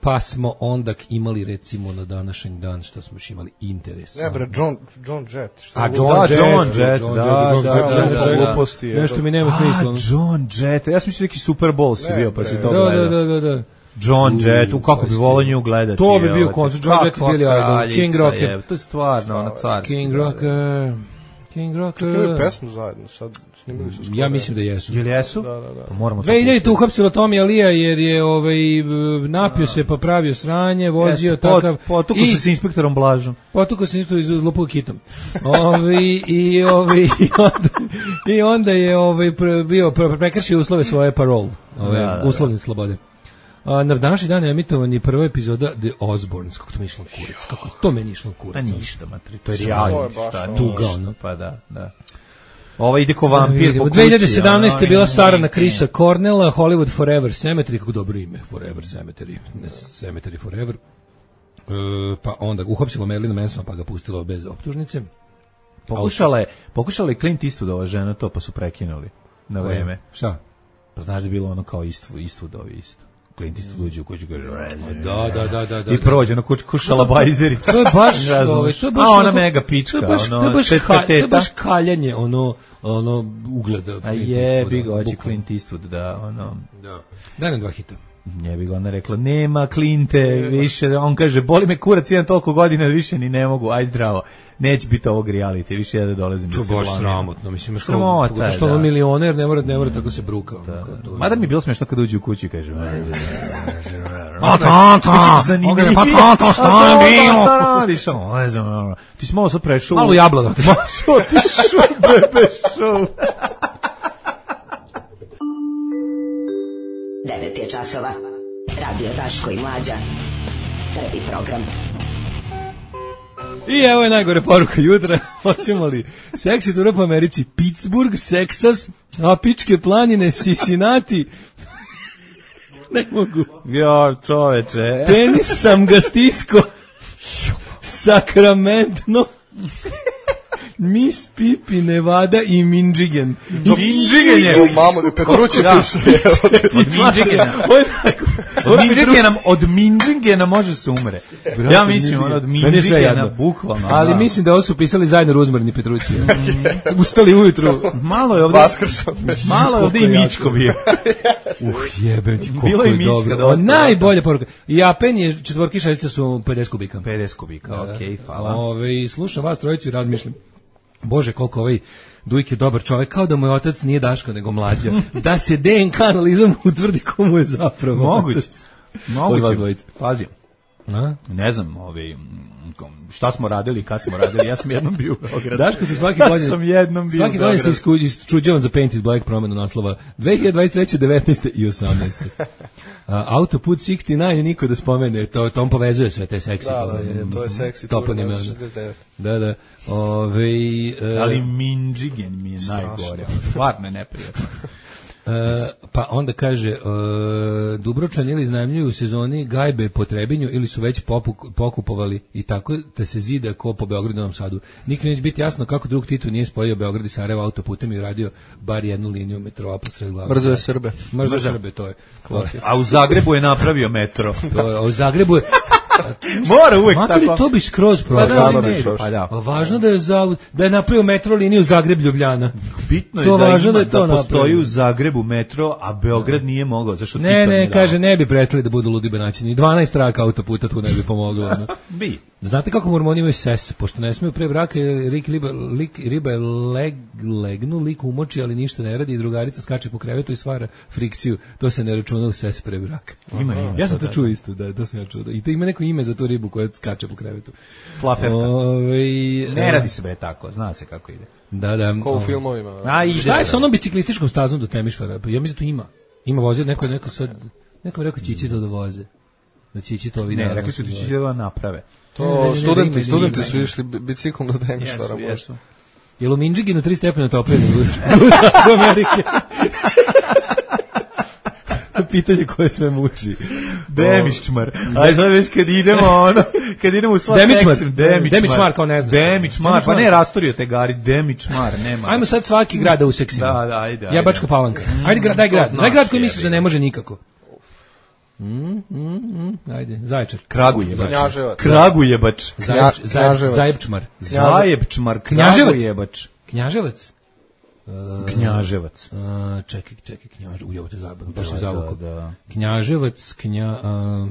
pa smo onda imali recimo na današnji dan što smo još imali interes. Ne bre, John, John Jett. A John Jett, John Jett, da, da, da. Nešto mi nema smisla. A, John Jett, ja sam mislio neki Super Bowl si bio, pa si to gledao. Da, da, da, da. John Jett, u kako bi volao nju gledati. To bi bio koncert, John Jett bili idol, King Rocker. To je stvarno, ono carski. King Rocker, King Rocker. Čekaj, pesmu zajedno, sad snimili su skoro. Ja mislim da jesu. Jel jesu? Da, da, da. Pa moramo dve hiljadite uhapsilo Tommy Alija jer je ovaj, napio se pa pravio sranje, vozio Jeste, takav. Potuko se s inspektorom Blažom. Potuko se inspektorom iz Lupog kitom. Ovi, i, ovi, i, onda, I onda je ovaj, bio prekršio uslove svoje parole, ove, da, da, da. uslovne slobode. A, na današnji dan je emitovan i prva epizoda The Osbournes, kako to mi išlo kurac, kako to meni išlo kurac. A ništa, matri, to je realno. Tuga, ono. Pa da, da. Ova ide ko vampir po kući. dve hiljade sedamnaeste je bila Sarana Chrisa Cornella, Hollywood Forever Cemetery, kako dobro ime, Forever Cemetery, ne Cemetery Forever. E, pa onda uhapsilo Marilyn Mansona pa ga pustilo bez optužnice. Pokušala je, pokušala je Clint Eastwood ova žena to, pa su prekinuli na vreme. Šta? Pa znaš da je bilo ono kao Eastwood, Eastwoodovi isto. Clint Eastwood uđe u kuću i kaže da, da, da, da, da. I prođe na kuću kušala bajzerica. To je baš, ovaj, to je baš, a ona mega pička, to je baš, ono, to je baš, ka, to je baš kaljanje, ono, ono, ugleda. A jebi ga, hoće Clint Eastwood, da, ono. Da. Daj nam dva hita. Jebi ga, ona rekla, nema Clint-e, više, on kaže, boli me kurac, jedan toliko godina, više ni ne mogu, aj zdravo. Neće biti ovog reality, više ja da dolazim. To je baš sramotno, mislim, što, što ono milioner, ne mora, ne mora tako se bruka. Mada mi je bilo smiješno kad uđe u kuću i kaže, a tata, pa tata, šta je bilo? Šta radiš, ono, ne znam, ti si malo sad prešao. Malo jablana. Malo ti šup, bebe, šup. devet je časova. Radio Daško i Mlađa. Prvi program. I evo je najgore poruka jutra. Hoćemo li seksi tura po Americi? Pittsburgh, Texas, Apičke planine, Cincinnati. Ne mogu. Jo, čoveče. Penis sam ga stisko. Sacramento. Miss Pipi, Nevada i Minjigen. Minjigen je. Mamo, Petrući piše. Od Minjigena. Od Minjigena, od Minjigena može se umre. Ja mislim, ono od Minjigena, bukvalno. Ali mislim da ovo su pisali zajedno Ruzmarni Petrući. Ustali ujutru. Malo je ovde. Malo je ovde i Mičko bio. Uh, jebe ti, koliko je dobro. Najbolja poruka. Japen je četvorki šestice su pedeset kubika. pedeset kubika, okej, hvala. Ove, slušam vas trojicu i razmišljam. Bože, koliko ovaj Dujk je dobar čovjek, kao da moj otac nije Daško, nego Mlađa. Da se D N K analizom utvrdi komu je zapravo moguće. Moguće. Pazi. A? Ne znam, ovaj, šta smo radili, kad smo radili, ja sam jednom bio u Beogradu. Daško se svaki godin, sam jednom bio svaki godin se isčuđavan za Painted Black promenu naslova dve hiljade dvadeset treće, devetnaeste i osamnaeste Uh, autoput šezdeset devet niko da spomene, to, to on povezuje sve te seksi. Da, da, to je seksi. Toponime. Da, da. Ove, uh, ali Minjigen mi je najgore. Stvarno je neprijatno. Uh, pa onda kaže uh, Dubrovčani ili iznajmljuju u sezoni gajbe po Trebinju ili su već popuk, pokupovali i tako da se zida ko po Beogradu i Novom Sadu. Nikad neće biti jasno kako drug Tito nije spojio Beograd i Sarajevo autoputem i uradio bar jednu liniju metroa posred glave. Mrzo je Srbe. Mrzo je Srbe, to je. Klasika. A u Zagrebu je napravio metro. To je, a u Zagrebu je mora uvek Maturi, tako. To bi skroz pa da, pa da. Važno da je za, da je napravio metro liniju Zagreb Ljubljana. Bitno je to da, važno ima, da, je to da postoji u Zagrebu metro, a Beograd nije mogao. Zašto ne, ne, kaže ne bi prestali da budu ludi benaćini. dvanaest traka autoputa tu ne bi pomoglo. Ono. Bi. Znate kako mormoni imaju ses, pošto ne smiju pre braka, lik riba, lik, riba je leg, legnu, lik umoči, ali ništa ne radi i drugarica skače po krevetu i stvara frikciju. To se ne računa u ses pre braka. Ima, ima. Ja sam to čuo isto, da, to sam ja čuo. I to ima neko ime za tu ribu koja skače po krevetu. Flaferka. Ove, ne radi se bre tako, zna se kako ide. Da, da. Ko u filmovima. A, ide, šta je sa onom biciklističkom stazom do Temišvara? Ja mislim da tu ima. Ima vozio, neko, neko sad, neko rekao će ići to da voze. Da će ići to vidi. Ne, rekli su da će da naprave. To studenti, studenti su išli biciklom do Temišvara. Jesu, Jel u Minjiginu tri stepena toplije u Amerike? pitanje koje sve muči. Demičmar. Aj sad već kad idemo ono, kad idemo u sva sekciju. Demičmar kao ne znam. Demičmar, pa ne rastorio te gari, Demičmar, nema. Ajmo sad svaki grad da useksimo. Da, da, ajde. Ja Bačka Palanka. Ajde, daj grad. Daj grad koji misliš da ne može nikako. Mm, mm, mm, ajde, Zaječar. Kragujevac. Kragujevac. Zajebčmar. Zajebčmar. Kragujevac. Knjaževac. Knjaževac. Uh, čekaj, čekaj, Knjaževac. Ujebote zabavno, baš sam zavukao. Knjaževac, knja... Uh,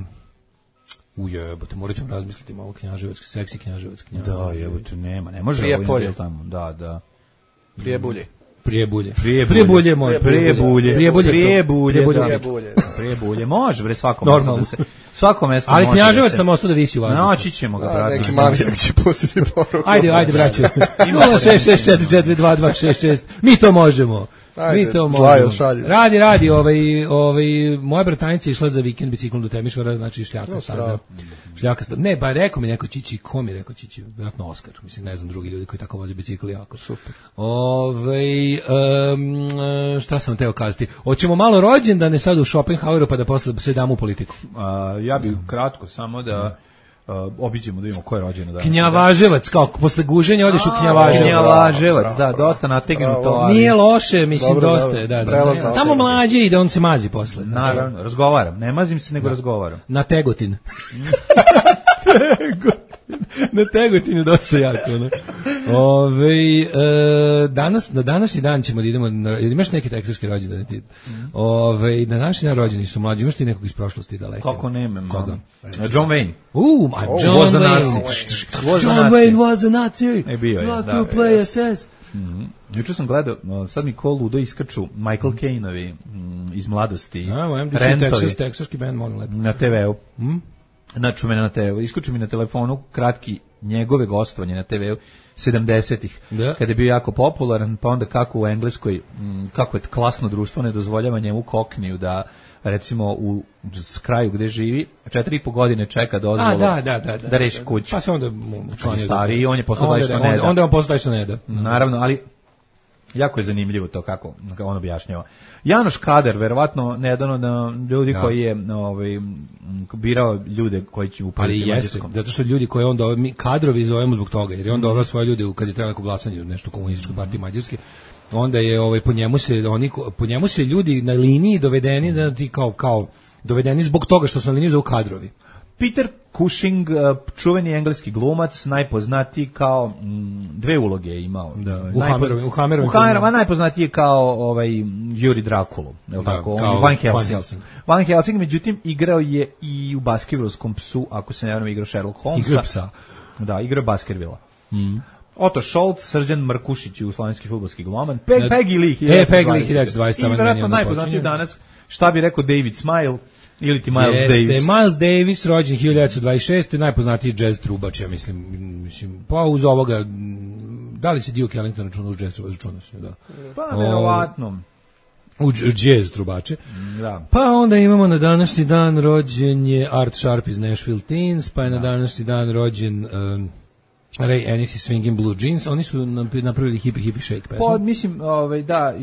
ujebote, morat ćemo razmisliti malo Knjaževac, seksi Knjaževac. Da, jebote, nema, ne može. Prijepolje. Tamo. Da, da. Prijebulje. Prijebulje. Prijebulje može. Prijebulje. Prijebulje. Prijebulje. Prijebulje. Prijebulje. Može, bre, svako mesto da se... Svako mesto ali Knjaževac sam ostao da visi u vazduhu. Naći ćemo ga, brate. Neki manijak će pustiti poruku. Ajde, ajde, braćo. nula šest šest četiri četiri dva dva šest šest. Mi to možemo. Ajde, mi to možemo. Radi, radi, ovaj, ovaj, moja bratanica je išla za vikend biciklom do Temišvara, znači šljaka no, staza. Šljaka staza. Ne, ba rekao mi neko Čići, ko mi rekao Čići, vjerojatno Oskar, mislim, ne znam, drugi ljudi koji tako voze bicikli jako. Super. Ovaj, um, šta sam teo kazati? Hoćemo malo rođendane sad u Schopenhaueru pa da posle sve damo u politiku. A, ja bih kratko samo da Uh, obiđemo da vidimo ko je rođeno danas. Knjavaževac, kao posle guženja odeš u Knjavaževac. Knjavaževac, da, dosta nategnuto. Ali... Nije loše, mislim, dobro, dosta je, da, da. da. Tamo mlađe ide, on se mazi posle. Naravno, razgovaram, ne mazim se, nego da. razgovaram. Na Tegotin. Na Tegotinu dosta jako, ne? Ove, e, danas, na današnji dan ćemo da idemo, na, imaš neki teksaški rođendan ti? Ove, na današnji dan rođeni su mlađi, imaš ti nekog iz prošlosti daleko? Kako nema? Koga? John Wayne. Uh, ma John was Wayne. Was John Wayne was a Nazi. E, bio je, da. da. Play S S. Mm-hmm. Juče sam gledao, sad mi ko ludo iskrču Michael Caine-ovi mm, iz mladosti. A, M D C Texas, teksaški band, molim lepo. Na te ve u. Mm? Znači, mene na te ve u. Iskuču mi na telefonu kratki njegove gostovanje na te ve u sedamdesetih, da. Kada je bio jako popularan, pa onda kako u Engleskoj, m, kako je klasno društvo ne dozvoljava njemu kokniju da recimo u kraju gde živi četiri i po godine čeka dozvolu da, da, da, da, da reši kuću. Pa se onda učlanio stari i on je postao taj što ne da. Onda on postao taj što ne da. Naravno, ali jako je zanimljivo to kako, kako on objašnjava. Janoš Kader, verovatno jedan od ljudi ja. koji je ovaj, birao ljude koji će upraviti mađarskom. Zato što ljudi koji onda, mi kadrovi zovemo zbog toga, jer je on doveo svoje ljude kad je trebalo neko glasanje u nešto komunističkoj partiji Mađarske, onda je ovaj, po, njemu se, oni, po njemu se ljudi na liniji dovedeni, da ti kao, kao dovedeni zbog toga što su na liniji zovu kadrovi. Peter Cushing, čuveni engleski glumac, najpoznatiji kao m, dve uloge je imao. Da, u Hammerovim, u Hammerovim. U Hammerovim, najpoznatiji je kao ovaj Juri Drakulu, je li tako? Van Helsing. Van Helsing. Van Helsing, međutim, igrao je i u Baskervilskom psu, ako se ne varam, igrao Sherlock Holmesa. Igrao psa. Da, igrao Baskervilla. Mm. Otto Scholz, Srđan Markušić, jugoslovenski fudbalski gloman. Peg, Peggy Lee, e, Peggy Lee, hiljadu dvadeset. I vjerojatno najpoznatiji danas, šta bi rekao David Smile, ili ti Miles Jeste, Davis. Miles Davis, rođen hiljadu dvadeset šeste, najpoznatiji jazz trubač, ja mislim, mislim, pa uz ovoga, da li se Duke Ellington računa uz jazz trubač, računa se, da. Pa, verovatno. U jazz trubače. Da. Pa onda imamo na današnji dan rođen je Art Sharp iz Nashville Teens, pa je da. na današnji dan rođen um, Ray Ennis i Swingin' Blue Jeans, oni su napravili Hippie Hippie Shake pesmu. Pa mislim, ovaj da,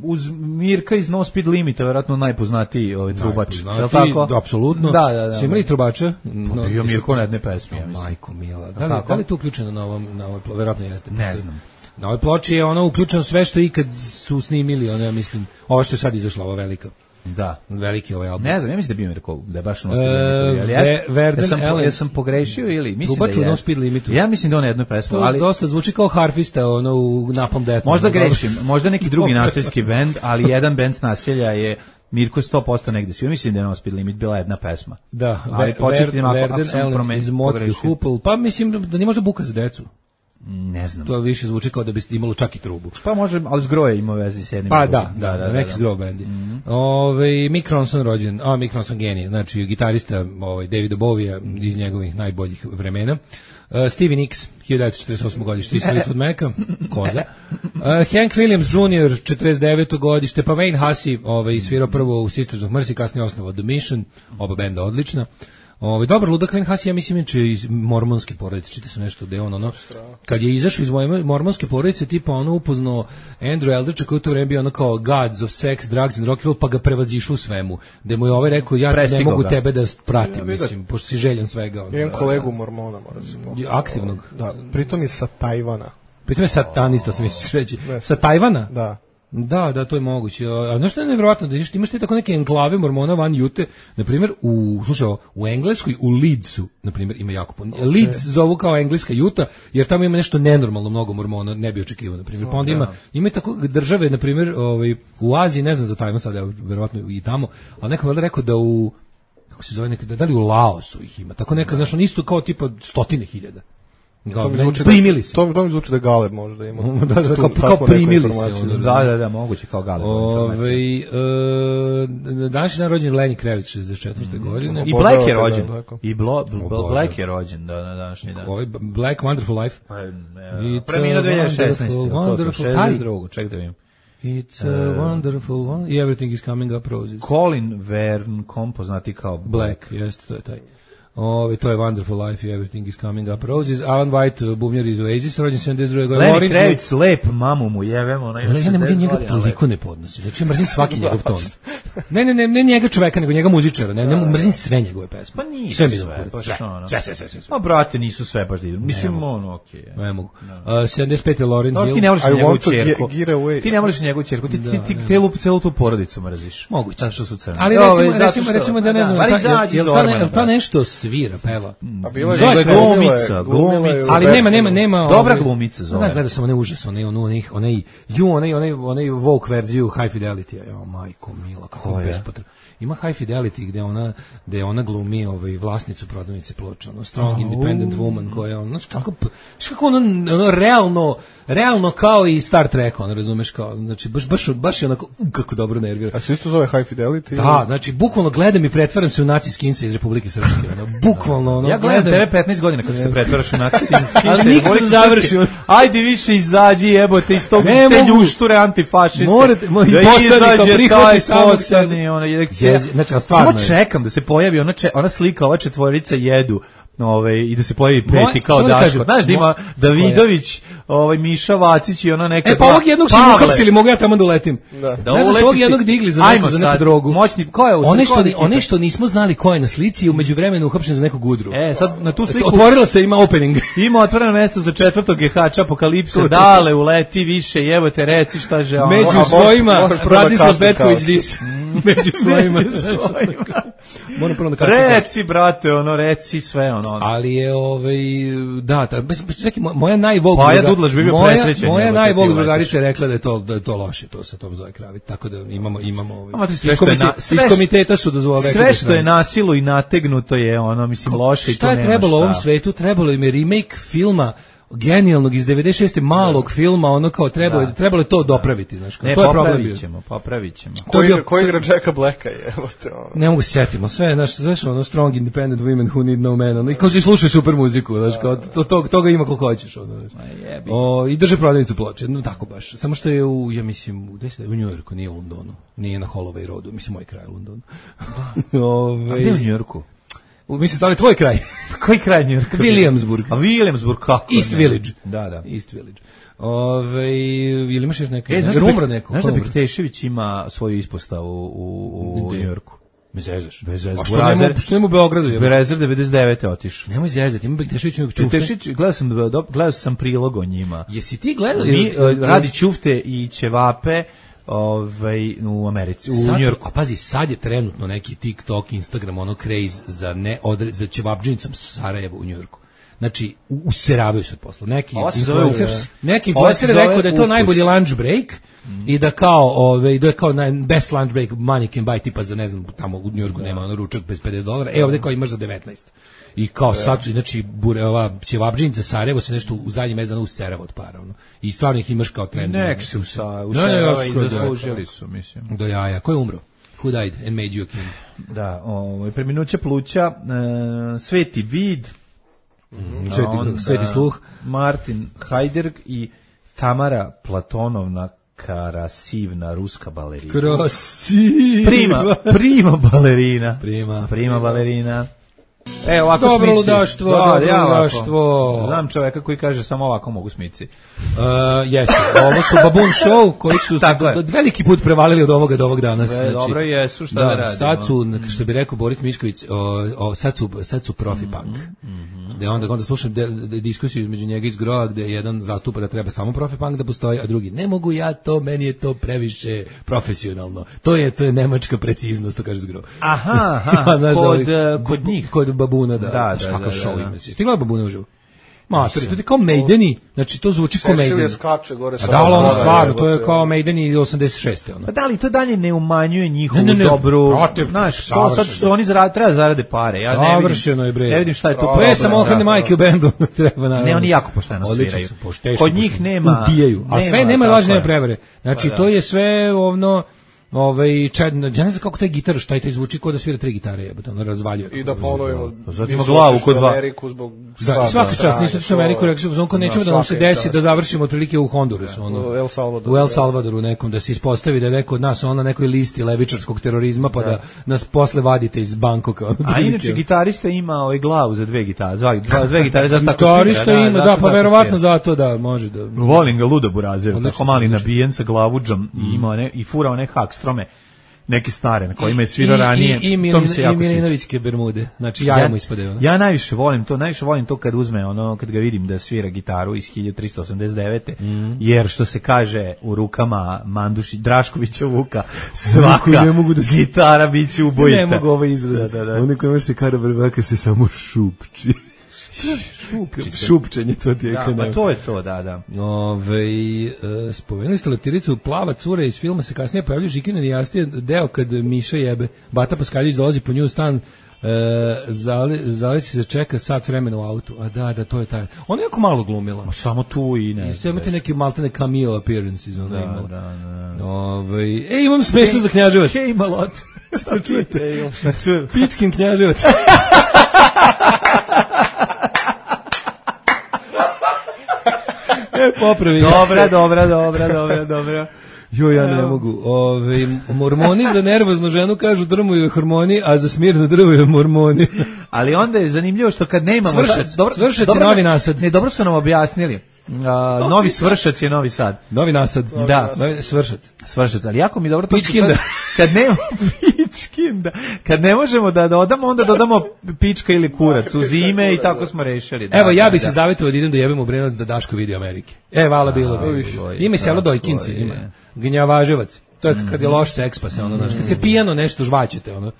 uz Mirka iz No Speed Limita, verovatno najpoznatiji ovaj trubač. Je li tako? Da, apsolutno. Da, da, da. Si imali trubača? No, bio Mirko na jedne pesme, ja mislim. Majko mila. Da li, da li je to uključeno na ovom, na ovoj, verovatno jeste. Ne znam. Na ovoj ploči je ono uključeno sve što ikad su snimili, ono ja mislim, ovo što je sad izašla, ova velika. Da, veliki ovaj album. Ne znam, ja mislim da bi mi rekao da je baš No Speed Limit, ali ja, ja, sam, ja sam pogrešio ili mislim Trubač da je. No Speed Limitu. Ja mislim da on je jedno pesmu, ali dosta zvuči kao harfista ono u Napalm Death. Možda grešim, možda neki drugi naseljski bend, ali jedan bend s naselja je Mirko sto posto negde svi. Mislim da je No Speed Limit bila jedna pesma. Da, ali početnim ako sam promenio Hoople, pa mislim da nije možda buka za decu. Ne znam. To više zvuči kao da biste imalo čak i trubu. Pa može, ali zgroje ima vezi s jednim. Pa da, da, da, da, neki zgro bendi. Mm-hmm. Ove, Mick Ronson rođen, a Mick Ronson genije, znači gitarista ovaj, Davida Bowie iz njegovih najboljih vremena. Uh, Stevie Nicks, hiljadu devetsto četrdeset osme godište, iz Fleetwood Maca, koza. Uh, Hank Williams junior, četrdeset deveto godište, pa Wayne Hussey, ovaj, svirao prvo u Sisters of Mercy, kasnije osnovao The Mission, oba benda odlična. Ovaj dobar ludak Wayne Hussey, ja mislim inače iz mormonske porodice, čita se nešto da je on ono kad je izašao iz moje mormonske porodice, tipa ono upoznao Andrew Eldridge koji u to vreme bio ono kao gods of sex, drugs and rock and roll, pa ga prevazišao u svemu. Da mu je ovaj rekao ja Prestigo ne mogu ga. tebe da pratim, ja, mislim, pošto si željan svega. Ono, jedan kolegu mormona mora se pohvaliti. Aktivnog. Da, pritom je sa Tajvana. Pritom je satanista, sam misliš reći. Sa Tajvana? Da. Da, da, to je moguće. A znaš što je nevjerojatno? Da imaš ti tako neke enklave mormona van Jute, na primjer, u, slušaj, u Engleskoj, u Leedsu, na primjer, ima jako puno. Okay. Leeds zovu kao engleska Juta, jer tamo ima nešto nenormalno mnogo mormona, ne bi očekivao, na primjer. Pa onda ima, ima tako države, na primjer, ovaj, u Aziji, ne znam za Tajvan sad, verovatno i tamo, ali neko je rekao da u, kako se zove, neka, da li u Laosu ih ima, tako neka, znaš, on isto kao tipa stotine hiljada. To mi zvuči primili se. To, to mi zvuči da Galeb možda ima. da, da, kao, kao primili se. Da, da, da, moguće kao Galeb. Ove, e, danas je dan rođen Lenny Kravitz, šezdeset četvrte Mm. godine. I Black je rođen. I Blo, Blo, Black je rođen da, na današnji dan. Ovaj Black Wonderful Life. Preminuo dve hiljade šesnaeste. Wonderful, šezdeset drugo ček da vidim. It's a wonderful one. Everything is coming up roses. Colin Verne, poznati kao Black, jeste, to je taj. Ove, to je Wonderful Life, Everything is Coming Up Roses. Alan White, bubnjar iz Oasis, rođen sedamdeset druge godine. Lenny Kravitz, lep, mamu mu jevemo. Ona ima ja ne mogu njega toliko ne podnosi. Znači, mrzim svaki njegov ton. Ne, ne, ne, ne njega čoveka, nego njega muzičara. Ne, ne mrzim sve njegove pesme. Pa nisu sve. Sve, sve, sve, sve, sve, sve. Pa, brate, nisu sve baš divno. Mislim, ono, okej. Okay, ne mogu. Uh, sedamdeset pete Lauryn Hill. Ti ne voliš njegovu ćerku. Ti ne voliš njegovu ćerku. Ti, ti, ti celu, celu tu porodicu mrziš. Moguće. Zato što su crni. Ali recimo, recimo, recimo da ne znam, jel ta nešto svira, peva? A bila je glumica, glumica. Ali nema, nema, nema. Dobra glumica zove. Da, gleda sam onaj užas, onaj, onaj, onaj, ju, onaj, onaj, onaj Vogue verziju High Fidelity. Jo, majko mila, kako bespotrebno. Ima High Fidelity gde ona, gde ona glumi ovaj vlasnicu prodavnice ploča, ono strong independent woman koja on, znači kako, kako ono, ono realno, realno kao i Star Trek, on razumeš kao, znači baš baš baš je onako uh, kako dobro nervira. A se isto zove High Fidelity? Da, znači bukvalno gledam i pretvaram se u naci skinsa iz Republike Srpske, ono, bukvalno ono. Ja gledam tebe petnaest godina kako se pretvaraš u naci skinsa. Ali nikad ne završim. Ajde više izađi, jebote iz tog te ljušture antifašiste. Morate, moj poslanik prihvati samog sebe. Ona je znači stvarno čekam da se pojavi ona če, ona slika ova četvorica jedu ovaj i da se pojavi peti kao Daško. Znaš da ima Davidović, ovaj Miša Vacić i ona neka. E pa ovog jednog su uhapsili, mogu ja tamo da uletim. Da, da ovog jednog digli za neku, za neku drogu. Moćni, ko je u one što one što nismo znali ko je na slici, u međuvremenu uhapšen za neku gudru. E sad na tu sliku otvorilo se, ima opening. Ima otvoreno mesto za četvrtog G H Apokalipse. Dale uleti više, jebote reci šta že ono. Među svojima Bradislav Betković dis. Među svojima. Moram prvo da kažem. Reci brate, ono reci sve ono. Ali je ovaj da, ta čekaj, moja najvog pa ja Dudlaš bi bio presrećen. Moja najvog drugarica je rekla da je to da je to loše, to sa tom zove Kravit. Tako da imamo imamo ovaj sve što je na, iz komiteta su dozvolili sve što je nasilo i nategnuto je ono mislim loše i to nema. Šta je trebalo u ovom svetu? Trebalo im je remake filma genijalnog iz devedeset šeste malog da. filma, ono kao trebalo da. trebalo je to dopraviti, znači to je problem bio. Ćemo, popravit ćemo. Ko igra, ko igra Jacka Blacka je, evo te ono. Ne mogu se setimo, sve, znaš, znaš, ono strong independent women who need no man, ono, i kao si slušaj super muziku, znaš, kao to, to, toga ima koliko hoćeš, ono, znaš. O, i drže prodavnicu ploče, no tako baš, samo što je u, ja mislim, u, gde u New Yorku, nije u Londonu, nije na Holloway Roadu, mislim, moj kraj u Londonu. Ove, a gde u New Yorku? Mislim, da li tvoj kraj? Koji kraj New Yorka? Williamsburg. A Williamsburg, kako? East ne? Village. Da, da. East Village. Ove, ili imaš još neka? E, znaš da, umro neko? Znaš da Bektešević ima svoju ispostavu u, u New Yorku? Me zezaš. Bez zezaš. A što nema, što nema u Beogradu? Berezer devedeset devete otišao. Nemoj zezati, ima Bektešević nekog čufte. Bektešević, gledao sam, gledao sam prilog o njima. Jesi ti gledao? Mi, radi čufte i ćevape, ovaj u Americi, u sad, New Yorku. A pazi, sad je trenutno neki TikTok, Instagram, ono craze za ne odred za ćevabdžinicom Sarajevo u New Yorku. Znači, useravaju se od posla. Neki influencers, neki influencer je rekao da je to najbolji lunch break mm. i da kao, ove, da je kao naj, best lunch break money can buy, tipa za, ne znam, tamo u New Yorku da. nema ono ručak bez pedeset dolara, e ovde kao imaš za devetnaest. I kao sad su, znači, bure, ova ćevabdžinica Sarajevo se nešto u zadnji mesec dana userava od para, ono. I stvarno ih imaš kao trend. Nek se userava i zaslužili su, mislim. Do jaja. Ko je umro? Who died and made you a king? Da, ovo, preminuće pluća, e, Sveti vid, Mm, sveti, onda, sveti sluh, Martin Hajderg i Tamara Platonovna Karasivna, ruska balerina. Krasiva. Prima, prima balerina. Prima. Prima balerina. E, ovako dobro smici. ludaštvo, Da, dobro ja ludaštvo. Znam čoveka koji kaže samo ovako mogu smici. Uh, jeste, ovo su Baboon Show koji su do, do, veliki put prevalili od ovoga do ovog danas. Znači, dobro jesu, šta da, da radimo. Sad su, što bi rekao Boris Mišković, o, o, sad su, sad su profi punk. Mm -hmm. Da onda, onda slušam de, de, diskusiju između njega iz Groa gde jedan zastupa da treba samo profi punk da postoji, a drugi ne mogu ja to, meni je to previše profesionalno. To je to je nemačka preciznost, to kaže iz Groa. Aha, aha, ja, kod, da, kod njih. Kod Babuna, da. Da, da, kako da, show da, ima. Stigla Babuna uživo. Ma, to je kao Maideni, znači to zvuči kao Maideni. Skače gore sa. Da, ali ono stvarno, to je kao Maideni osamdeset šeste ono. Pa da li to dalje ne umanjuje njihovu ne, ne, ne, dobru, protiv, znaš, to sad što oni zarade, treba zarade pare. Ja ne vidim. Savršeno je bre. Ne vidim šta je to. To je samo ohradne majke u bendu, treba naravno. Ne, oni jako pošteno sviraju. Pošteno, kod njih nema, ubijaju, a sve nema lažne nema prevare. Znači pa, to je sve ono ovaj čed, ja ne znam kako taj gitar šta taj zvuči kao da svira tri gitare, jebote, ono razvaljuje. I da ponovimo, zato ima glavu kod dva. Ameriku zbog da, svaki čas nisam otišao u Ameriku, rekao sam, nećemo da nam se desi da završimo otprilike u Hondurasu, ono. U El Salvadoru. U El Salvadoru nekom da se ispostavi da je neko od nas ona nekoj listi levičarskog terorizma pa da nas posle vadite iz Bankoka. A inače gitarista ima ovaj glavu za dve gitare, dva, dva dve gitare za tako. Gitarista ima, da, pa verovatno zato da može da. Volim ga ludo burazer, tako mali nabijen sa glavudžom i ima ne i fura one hakstrome. Neke stare na kojima je svirao ranije. I, i, i, to mi se jako sviđa. I Milinovićke bermude. Znači ja, ja mu ispade. Ja najviše volim to, najviše volim to kad uzme ono, kad ga vidim da svira gitaru iz hiljadu trista osamdeset devete Mm. Jer što se kaže u rukama Manduši Draškovića Vuka, svaka ne mogu da gitara biće ubojita. Ne mogu ovaj izraz. Da, da, da. Oni koji može se kada brbaka se samo šupči. Šupčenje, to ti je da, pa to je to, da, da. Ove, e, spomenuli ste leptiricu Plava cura iz filma se kasnije pojavlja Žikina Dijastija, deo kad Miša jebe. Bata Paskaljić dolazi po nju u stan, e, zali, zali se čeka sat vremena u autu. A da, da, to je taj. Ona je jako malo glumila. O, samo tu i ne. I sve imate neki maltene cameo appearances. Ona da, imala. da, da. Ove, e, imam smešno za Knjaževac. Hej, malot. Šta čujete? Pičkin Knjaževac. E, popravi. Dobra, dobra, dobra, dobra, dobra. Jo, ja ne mogu. Ove, mormoni za nervoznu ženu kažu drmuju hormoni, a za smirno drmuju mormoni. Ali onda je zanimljivo što kad nemamo... Svršac, dobro, svršac dobro, je novi nasad. Ne, dobro su nam objasnili. Uh, novi Svršac je Novi Sad. Novi nasad. Novi da, nasad. Svršac. Svršac, ali jako mi dobro to Pičkinda. Kad nema pičkinda. Kad ne možemo da dodamo, onda dodamo pička ili kurac uz ime i tako smo rešili. Da, evo, ja bih da, se zavetovao da idem da jebem u Brenovac da Daško vidi Amerike. E, vala bilo bi. Ima selo Dojkinci, ima. Gnjavaževac. To je kad je loš seks, pa se ono, znaš, kad se pijano nešto žvaćete, ono.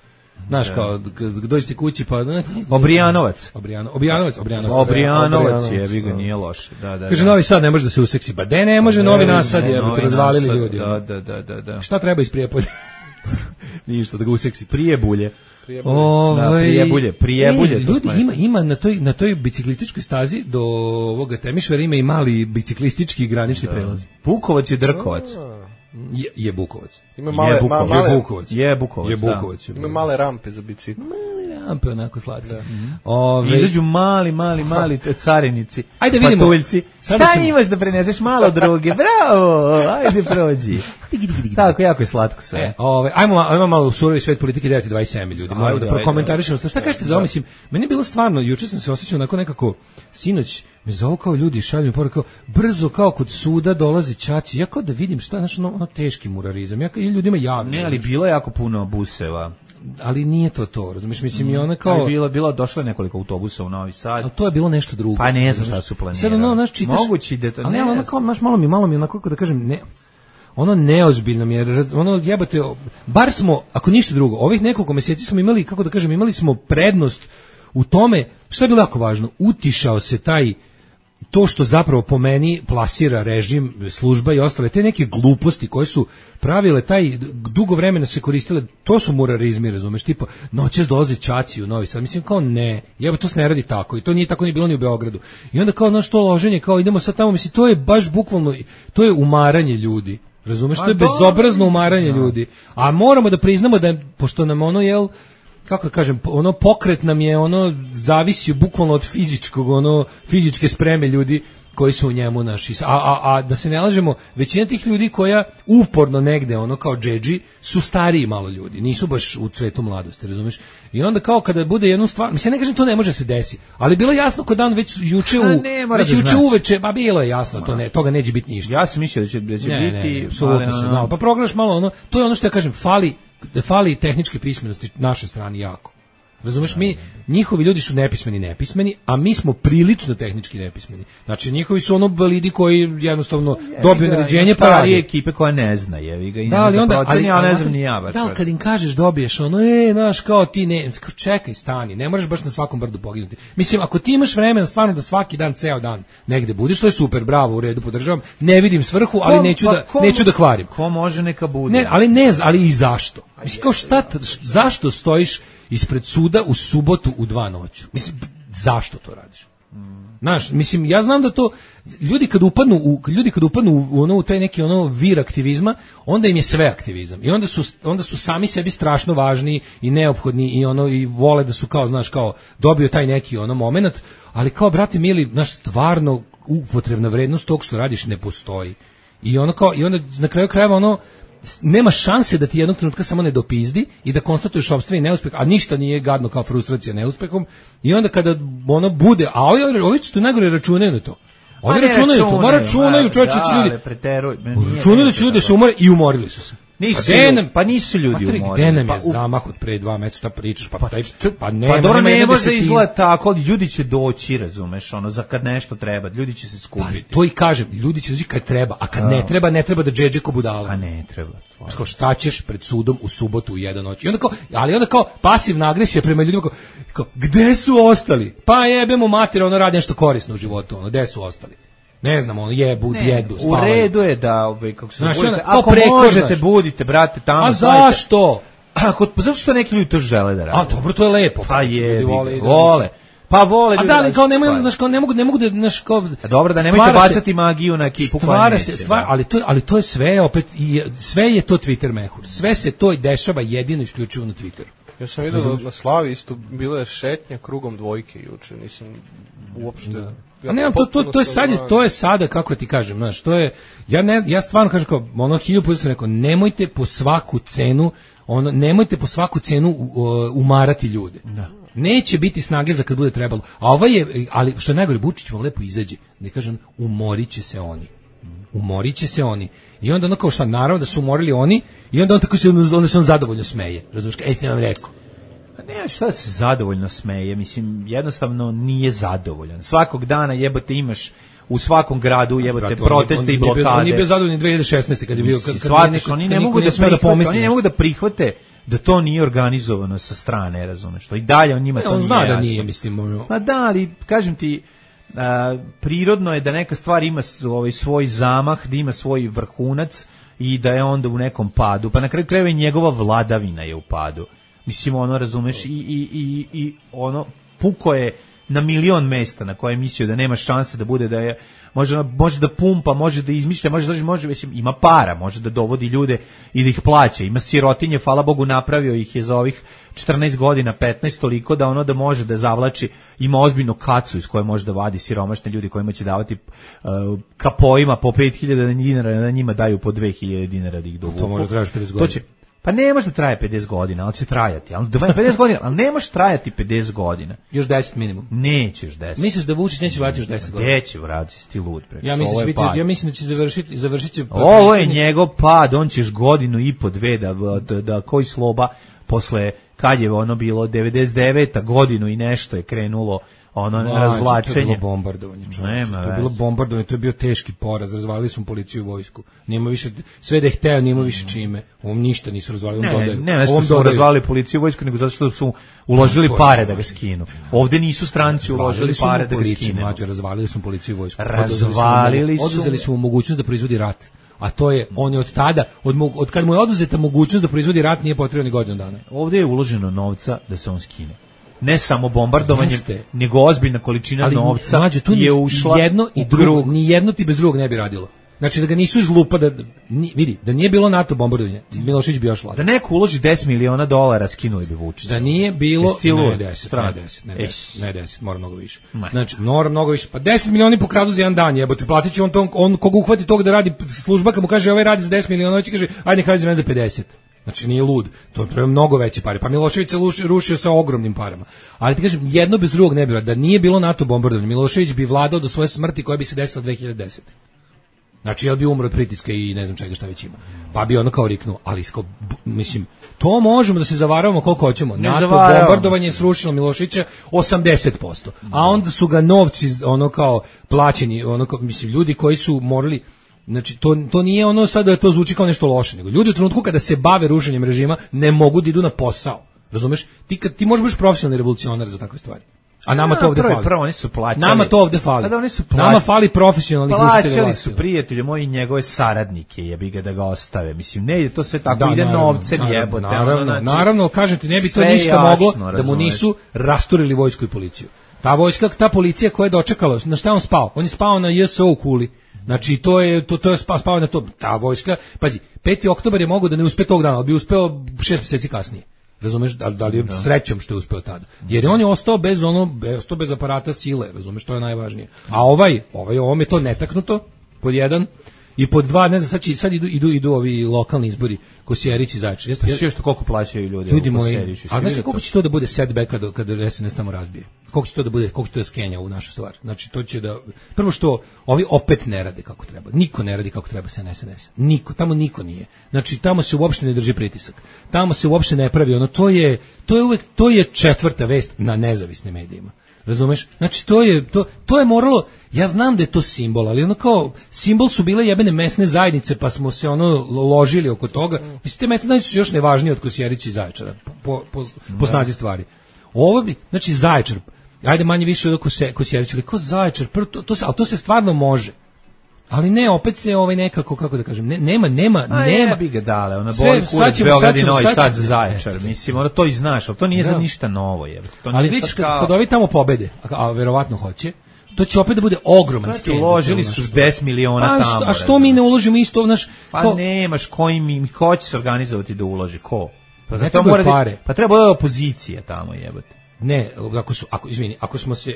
Znaš, kao, kad dođete kući, pa... Obrijanovac. Obrijano, Obrijanovac, Obrijanovac. Obrijanovac je, vi ga nije loše. Da, da, kaže, Novi Sad ne može da se useksi. Ba de ne može, Novi Nasad je, bi razvalili ljudi. Da, da, da, da, da. Šta treba iz Prijepolja? Ništa, da ga useksi. Prijebulje. Ovaj, da, prijebulje, prijebulje. E, ljudi, ima, ima na toj, na toj biciklističkoj stazi do ovoga Temišvara ima i mali biciklistički granični da. prelaz. Bukovac je Drkovac. Je, je Bukovac. Ima male, je Bukovac. Ma, male, je Bukovac. Je Bukovac, je Bukovac da. Ima male rampe za bicikl. Male rampe, onako slatke. Da. Mm-hmm. Ove, izađu mali, mali, mali carinici. Ajde vidimo. Patuljci. Šta ćemo... imaš da preneseš malo druge? Bravo, ajde prođi. Tako, jako je slatko sve. E, ove, ajmo, ajmo malo u surovi svet politike devet dvadeset sedam ljudi. Moramo da prokomentarišemo. Šta kažete za ovo? Mislim, meni je bilo stvarno, juče sam se osjećao onako nekako, sinoć, me zovu kao ljudi, šalju mi poruku, brzo kao kod suda dolazi ćaći. Ja kao da vidim šta, znaš, ono, ono teški murarizam. Ja kao ljudima javno. Ne, ali bilo je jako puno buseva. Ali nije to to, razumiješ, mislim i ona kao... Ali bilo, bilo, došlo je nekoliko autobusa u Novi Sad. Ali to je bilo nešto drugo. Pa ne znam šta su planirali. Sad ono, znaš, čitaš... Mogući da to... Ali ne, ono kao, znaš, malo mi, malo mi, onako, kako da kažem, ne... Ono neozbiljno mi je, ono jebate, bar smo, ako ništa drugo, ovih nekoliko mjeseci smo imali, kako da kažem, imali smo prednost u tome, što je bilo jako važno, utišao se taj, to što zapravo po meni plasira režim, služba i ostale, te neke gluposti koje su pravile, taj dugo vremena se koristile, to su murarizmi, razumeš, tipa, noćas dolaze ćaci u Novi Sad, mislim, kao ne, jeba, to se ne radi tako, i to nije tako ni bilo ni u Beogradu, i onda kao, znaš, to loženje, kao idemo sad tamo, mislim, to je baš bukvalno, to je umaranje ljudi. Razumeš, to je bezobrazno umaranje ljudi. A moramo da priznamo da, pošto nam ono, jel, kako da kažem, ono pokret nam je, ono zavisi bukvalno od fizičkog, ono fizičke spreme ljudi koji su u njemu naši. A, a, a da se ne lažemo, većina tih ljudi koja uporno negde, ono kao džedži, su stariji malo ljudi, nisu baš u cvetu mladosti, razumeš? I onda kao kada bude jednu stvar, mislim, ja ne kažem to ne može se desi, ali bilo je jasno kod dan već juče u, već da juče znači. uveče, ba bilo je jasno, to ne, toga neće biti ništa. Ja sam mislio da će, da će ne, biti... Ne, apsolutno se znao. Pa progledaš malo ono, to je ono što ja kažem, fali, fali tehničke pismenosti naše strane jako. Razumeš, mi, njihovi ljudi su nepismeni, nepismeni, a mi smo prilično tehnički nepismeni. Znači, njihovi su ono balidi koji jednostavno dobiju naređenje pa radi. Ekipe koja ne zna, jevi ga, i da, ali onda, proceni, ali, ja ne znam ni ja baš. Da, ali kad im kažeš dobiješ ono, e, znaš, kao ti ne, čekaj, stani, ne moraš baš na svakom brdu poginuti. Mislim, ako ti imaš vremena stvarno da svaki dan, ceo dan negde budeš, to je super, bravo, u redu, podržavam, ne vidim svrhu, ali ko, neću, pa, da, ko, neću da kvarim. Ko može neka bude? Ne, ali ne, ali i zašto? Mislim, kao šta, zašto stojiš ispred suda u subotu u dva noću? Mislim, zašto to radiš? Znaš, mislim, ja znam da to ljudi kad upadnu u ljudi kad upadnu u ono u taj neki ono vir aktivizma, onda im je sve aktivizam. I onda su onda su sami sebi strašno važni i neophodni i ono i vole da su kao, znaš, kao dobio taj neki ono momenat, ali kao brate mili, znaš, stvarno upotrebna vrednost tog što radiš ne postoji. I ono kao i onda na kraju krajeva ono nema šanse da ti jednog trenutka samo ne dopizdi i da konstatuješ sopstveni neuspeh, a ništa nije gadno kao frustracija neuspehom. I onda kada ono bude, a ovi, ovi što najgore računaju na to. Oni računaju to, ma računaju, čovječe, će ljudi. Računaju da će ljudi se umore i umorili su se. Nisu, nam, pa nisu ljudi umorili. Gde nam je pa, zamah od pre dva meseca, šta pričaš, pa, pa, taj, pa nema, pa dobro, nema ne može da izgleda tako, ljudi će doći, razumeš, ono, za kad nešto treba, ljudi će se skupiti. Pa to i kažem, ljudi će doći kad treba, a kad a. ne treba, ne treba da džedže ko budala. A ne treba. Kao šta ćeš pred sudom u subotu u jedan noć. I onda kao, ali onda kao pasivna agresija prema ljudima, kao, kao gde su ostali? Pa jebemo mater, ono radi nešto korisno u životu, ono, gde su ostali? Ne znam, ono jebu, jedu, spavaju. U redu je da, ovaj, kako se znaš, budite, ako možete, budite, brate, tamo. A zašto? Ako, zato što neki ljudi to žele da rade. A dobro, to je lepo. Pa je, vole. vole. Pa vole ljudi. A da li kao nemaju, znaš, kao ne mogu, ne mogu da, znaš, kao. A dobro, da nemojte bacati magiju na ekipu koja neće. Se, stvar, ali to, ali to je sve opet i sve je to Twitter mehur. Sve se to dešava jedino isključivo na Twitteru. Ja sam vidio na Slavi isto bilo je šetnja krugom dvojke juče, nisam uopšte. Da. A ne, to, to, to je sad, to je sada, kako ti kažem, znaš, to je, ja ne, ja stvarno kažem kao, ono, hiljadu puta sam rekao, nemojte po svaku cenu, ono, nemojte po svaku cenu uh, umarati ljude. Da. Neće biti snage za kad bude trebalo. A ovaj je, ali što je najgore, Vučić vam lepo izađe, ne kažem, umorit će se oni. Umorit će se oni. I onda ono kao šta, naravno da su umorili oni, i onda on tako se, onda se on zadovoljno smeje. Razumiješ, ej, sam vam rekao. Ne, šta se zadovoljno smeje, mislim, jednostavno nije zadovoljan. Svakog dana jebote imaš u svakom gradu jebote proteste i blokade. On nije bio zadovoljan dve hiljade šesnaeste kad je bio, kad, kad neko, oni ne mogu da prihvate, oni ne mogu da prihvate da to nije organizovano sa strane, razumeš, što i dalje on njima ne, to on nije zna jasno. Da nije, mislim, ono. Pa da, ali kažem ti, a, prirodno je da neka stvar ima ovaj svoj zamah, da ima svoj vrhunac i da je onda u nekom padu, pa na kraju krajeva i njegova vladavina je u padu. Mislim, ono, razumeš, i, i, i, i ono, puko je na milion mesta na koje je mislio da nema šanse da bude, da je, može, može da pumpa, može da izmišlja, može da, može, mislim, ima para, može da dovodi ljude i da ih plaća, ima sirotinje, hvala Bogu, napravio ih je za ovih četrnaest godina, petnaest, toliko da ono da može da zavlači, ima ozbiljnu kacu iz koje može da vadi siromašne ljudi kojima će davati uh, kapojima po pet hiljada dinara, da njima daju po dve hiljade dinara da ih dovuku. To može tražiti pedeset godina. To će, pa ne može da traje pedeset godina, ali će trajati. Ali pedeset godina, ali ne može trajati pedeset godina. Još deset minimum. Nećeš deset. Misliš da Vučić neće vratiti još deset godina? Neće vratiti, ti lud. Preko. Ja mislim, biti, ja mislim da će završiti, završit će... Ovo je njegov pad, on ćeš godinu i po dve da, da, da koji sloba posle, kad je ono bilo, devedeset deveta godinu i nešto je krenulo ono no, razvlačenje. To je bilo bombardovanje, čovječe. To je bilo bombardovanje, to je bio teški poraz, razvalili su policiju i vojsku. Nima više, sve da je hteo, nima više čime. Ovom ništa nisu razvalili, ne, dodaju. Ne, ne, što su razvalili policiju i vojsku, nego zato što su uložili no, pare da ga skinu. Ovde nisu stranci uložili pare da ga skinu. Mlađe, razvalili su policiju i vojsku. Razvalili su. Oduzeli su mu mogućnost da proizvodi rat. A to je, on je od tada, od, od kad mu je oduzeta mogućnost da proizvodi rat, nije potrebno ni godinu dana. Ovde je uloženo novca da se on skine. Ne samo bombardovanje, nego ozbiljna količina ali, novca mlađe, tu je ušla jedno i drugo, ni jedno ti bez drugog ne bi radilo. Znači da ga nisu izlupa da ni, vidi, da nije bilo NATO bombardovanja, Milošević bi još vladao. Da neko uloži deset miliona dolara, skinuli bi Vučića. Da nije bilo ne deset, ne deset, ne deset, ne deset, mora mnogo više. Znači, mora mnogo više. Pa deset miliona pokradu za jedan dan, jebote, platiće on to, on koga uhvati tog da radi služba, kad mu kaže ovaj radi za deset miliona, on će kaže ajde nek radi za mene za pedeset. Znači nije lud, to treba mnogo veće pare. Pa Milošević se rušio, rušio sa ogromnim parama. Ali ti kažem, jedno bez drugog ne bi bilo. Da nije bilo NATO bombardovanja, Milošević bi vladao do svoje smrti koja bi se desila dve hiljade desete. Znači, jel bi umro od pritiska i ne znam čega šta već ima. Pa bi ono kao riknuo, ali sko, mislim, to možemo da se zavaravamo koliko hoćemo. Ne NATO bombardovanje je srušilo Miloševića osamdeset posto. A onda su ga novci ono kao plaćeni, ono kao, mislim, ljudi koji su morali. Znači, to, to nije ono sad da to zvuči kao nešto loše, nego ljudi u trenutku kada se bave rušenjem režima ne mogu da idu na posao. Razumeš? Ti, kad, ti možeš biti profesionalni revolucionar za takve stvari. A nama to ovde fali. Prvo, oni su plaćali. Nama to ovde fali. Da, oni su nama fali profesionalnih rušitelja. Plaćali su prijatelji moji njegove saradnike, jebi ga da ga ostave. Mislim, ne ide to sve tako, da, ide novcem jebote. Naravno, znači, naravno, kažem ti, ne bi to ništa jasno, moglo razumeš, da mu nisu rasturili vojsku i policiju. Ta vojska, ta policija koja je dočekala, na šta on spao? On je spao na J S O u Kuli. Znači to je to to je spao na to, ta vojska. Pazi, peti oktobar je mogao da ne uspe tog dana, ali bi uspeo šest mjeseci kasnije. Razumeš, da, da li je srećom što je uspeo tada. Jer je on je ostao bez ono, ostao bez aparata sile, razumeš, to je najvažnije. A ovaj, ovaj, ovom je to netaknuto, pod jedan, i pod dva, ne znam, sad, će, sad idu, idu, idu ovi lokalni izbori, Kosjerić i Zaječar. Jeste, pa što koliko plaćaju ljudi? Ljudi moji, a znači koliko će to da bude setback kada, kada S N S tamo razbije? Koliko će to da bude, koliko će to da skenja u našu stvar? Znači, to će da, prvo što, ovi opet ne rade kako treba. Niko ne radi kako treba sa S N S. Niko, tamo niko nije. Znači, tamo se uopšte ne drži pritisak. Tamo se uopšte ne pravi, ono, to je, to je uvek, to je četvrta vest na nezavisnim medijima. Razumeš? Znači to je to to je moralo, ja znam da je to simbol, ali ono kao simbol su bile jebene mesne zajednice, pa smo se ono ložili oko toga. Mislim te mesne zajednice su još nevažnije od Kosjerića i Zaječara po po po snazi stvari. Ovo bi, znači Zaječar, ajde manje više od Kosjerića, ali ko Zaječar, to to se, al to se stvarno može. Ali ne, opet se ovaj nekako, kako da kažem, ne, nema, nema, A nema. bi ga dale, ona boli kurac Beograd i Novi Sad za Zaječar, mislim, ono to i znaš, ali to nije za ništa novo, je. Ali vidiš, kad, kad ovi tamo pobede, a, a verovatno hoće, to će opet da bude ogroman skenz. Uložili su deset miliona a, tamo. A što mi ne uložimo isto, znaš? Pa ko, nemaš, koji mi, ko će se organizovati da uloži, ko? Pa, ne to mora pare. Pa treba da opozicija tamo, jebote. Ne, ako su, ako, izvini, ako smo se,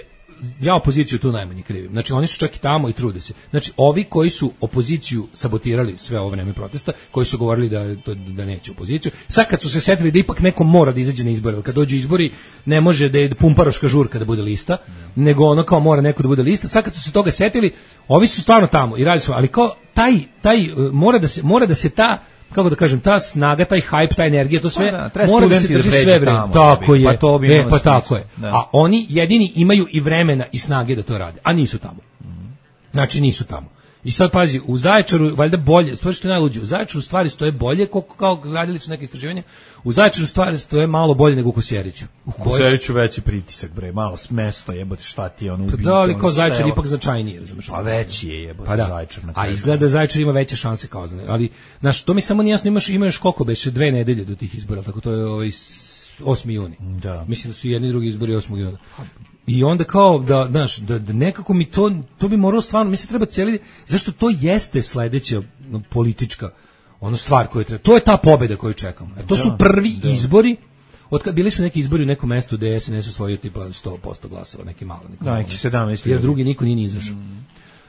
ja opoziciju tu najmanje krivim. Znači oni su čak i tamo i trude se. Znači ovi koji su opoziciju sabotirali sve ovo vreme protesta, koji su govorili da da neće opoziciju, sad kad su se setili da ipak neko mora da izađe na izbore, kad dođu izbori ne može da je pumparoška žurka da bude lista, nego ono kao mora neko da bude lista. Sad kad su se toga setili, ovi su stvarno tamo i radi su, ali kao taj taj mora da se mora da se ta, kako da kažem, ta snaga, taj hype, ta energija, to sve pa da, mora da se drži sve vreme. Tako je. Pa to bi e, pa tako je. Da. A oni jedini imaju i vremena i snage da to rade, a nisu tamo. Znači nisu tamo. I sad pazi, u Zaječaru valjda bolje, stvari što je najluđe, u Zaječaru stvari stoje bolje, kao, kao radili su neke istraživanja, u Zaječaru stvari stoje malo bolje nego u Kosjeriću. U Kosjeriću veći pritisak, bre, malo mesto, jebote, šta ti je ono ubiti. Da, ali kao Zaječar selo. Ipak značajnije, razumiješ? Pa veći je, jebote, pa da. Zaječar. Na a izgleda Zaječar ima veće šanse kao Zaječar, ali, znaš, to mi samo nijasno, imaš, imaš koliko beše, dve nedelje do tih izbora, tako to je ovaj osmi juni. Da. Mislim da su jedni i drugi izbori osmog juna. I onda kao da, znaš, da, da nekako mi to, to bi moralo stvarno, mislim treba cijeli, zašto to jeste sledeća politička ono stvar koju treba, to je ta pobjeda koju čekamo. E, to su prvi da. izbori, od kad bili su neki izbori u nekom mestu gde S N S osvojio tipa sto posto glasova, neki malo. Neki da, neki sedamnaest. Jer drugi niko nije ni izašao. Mm.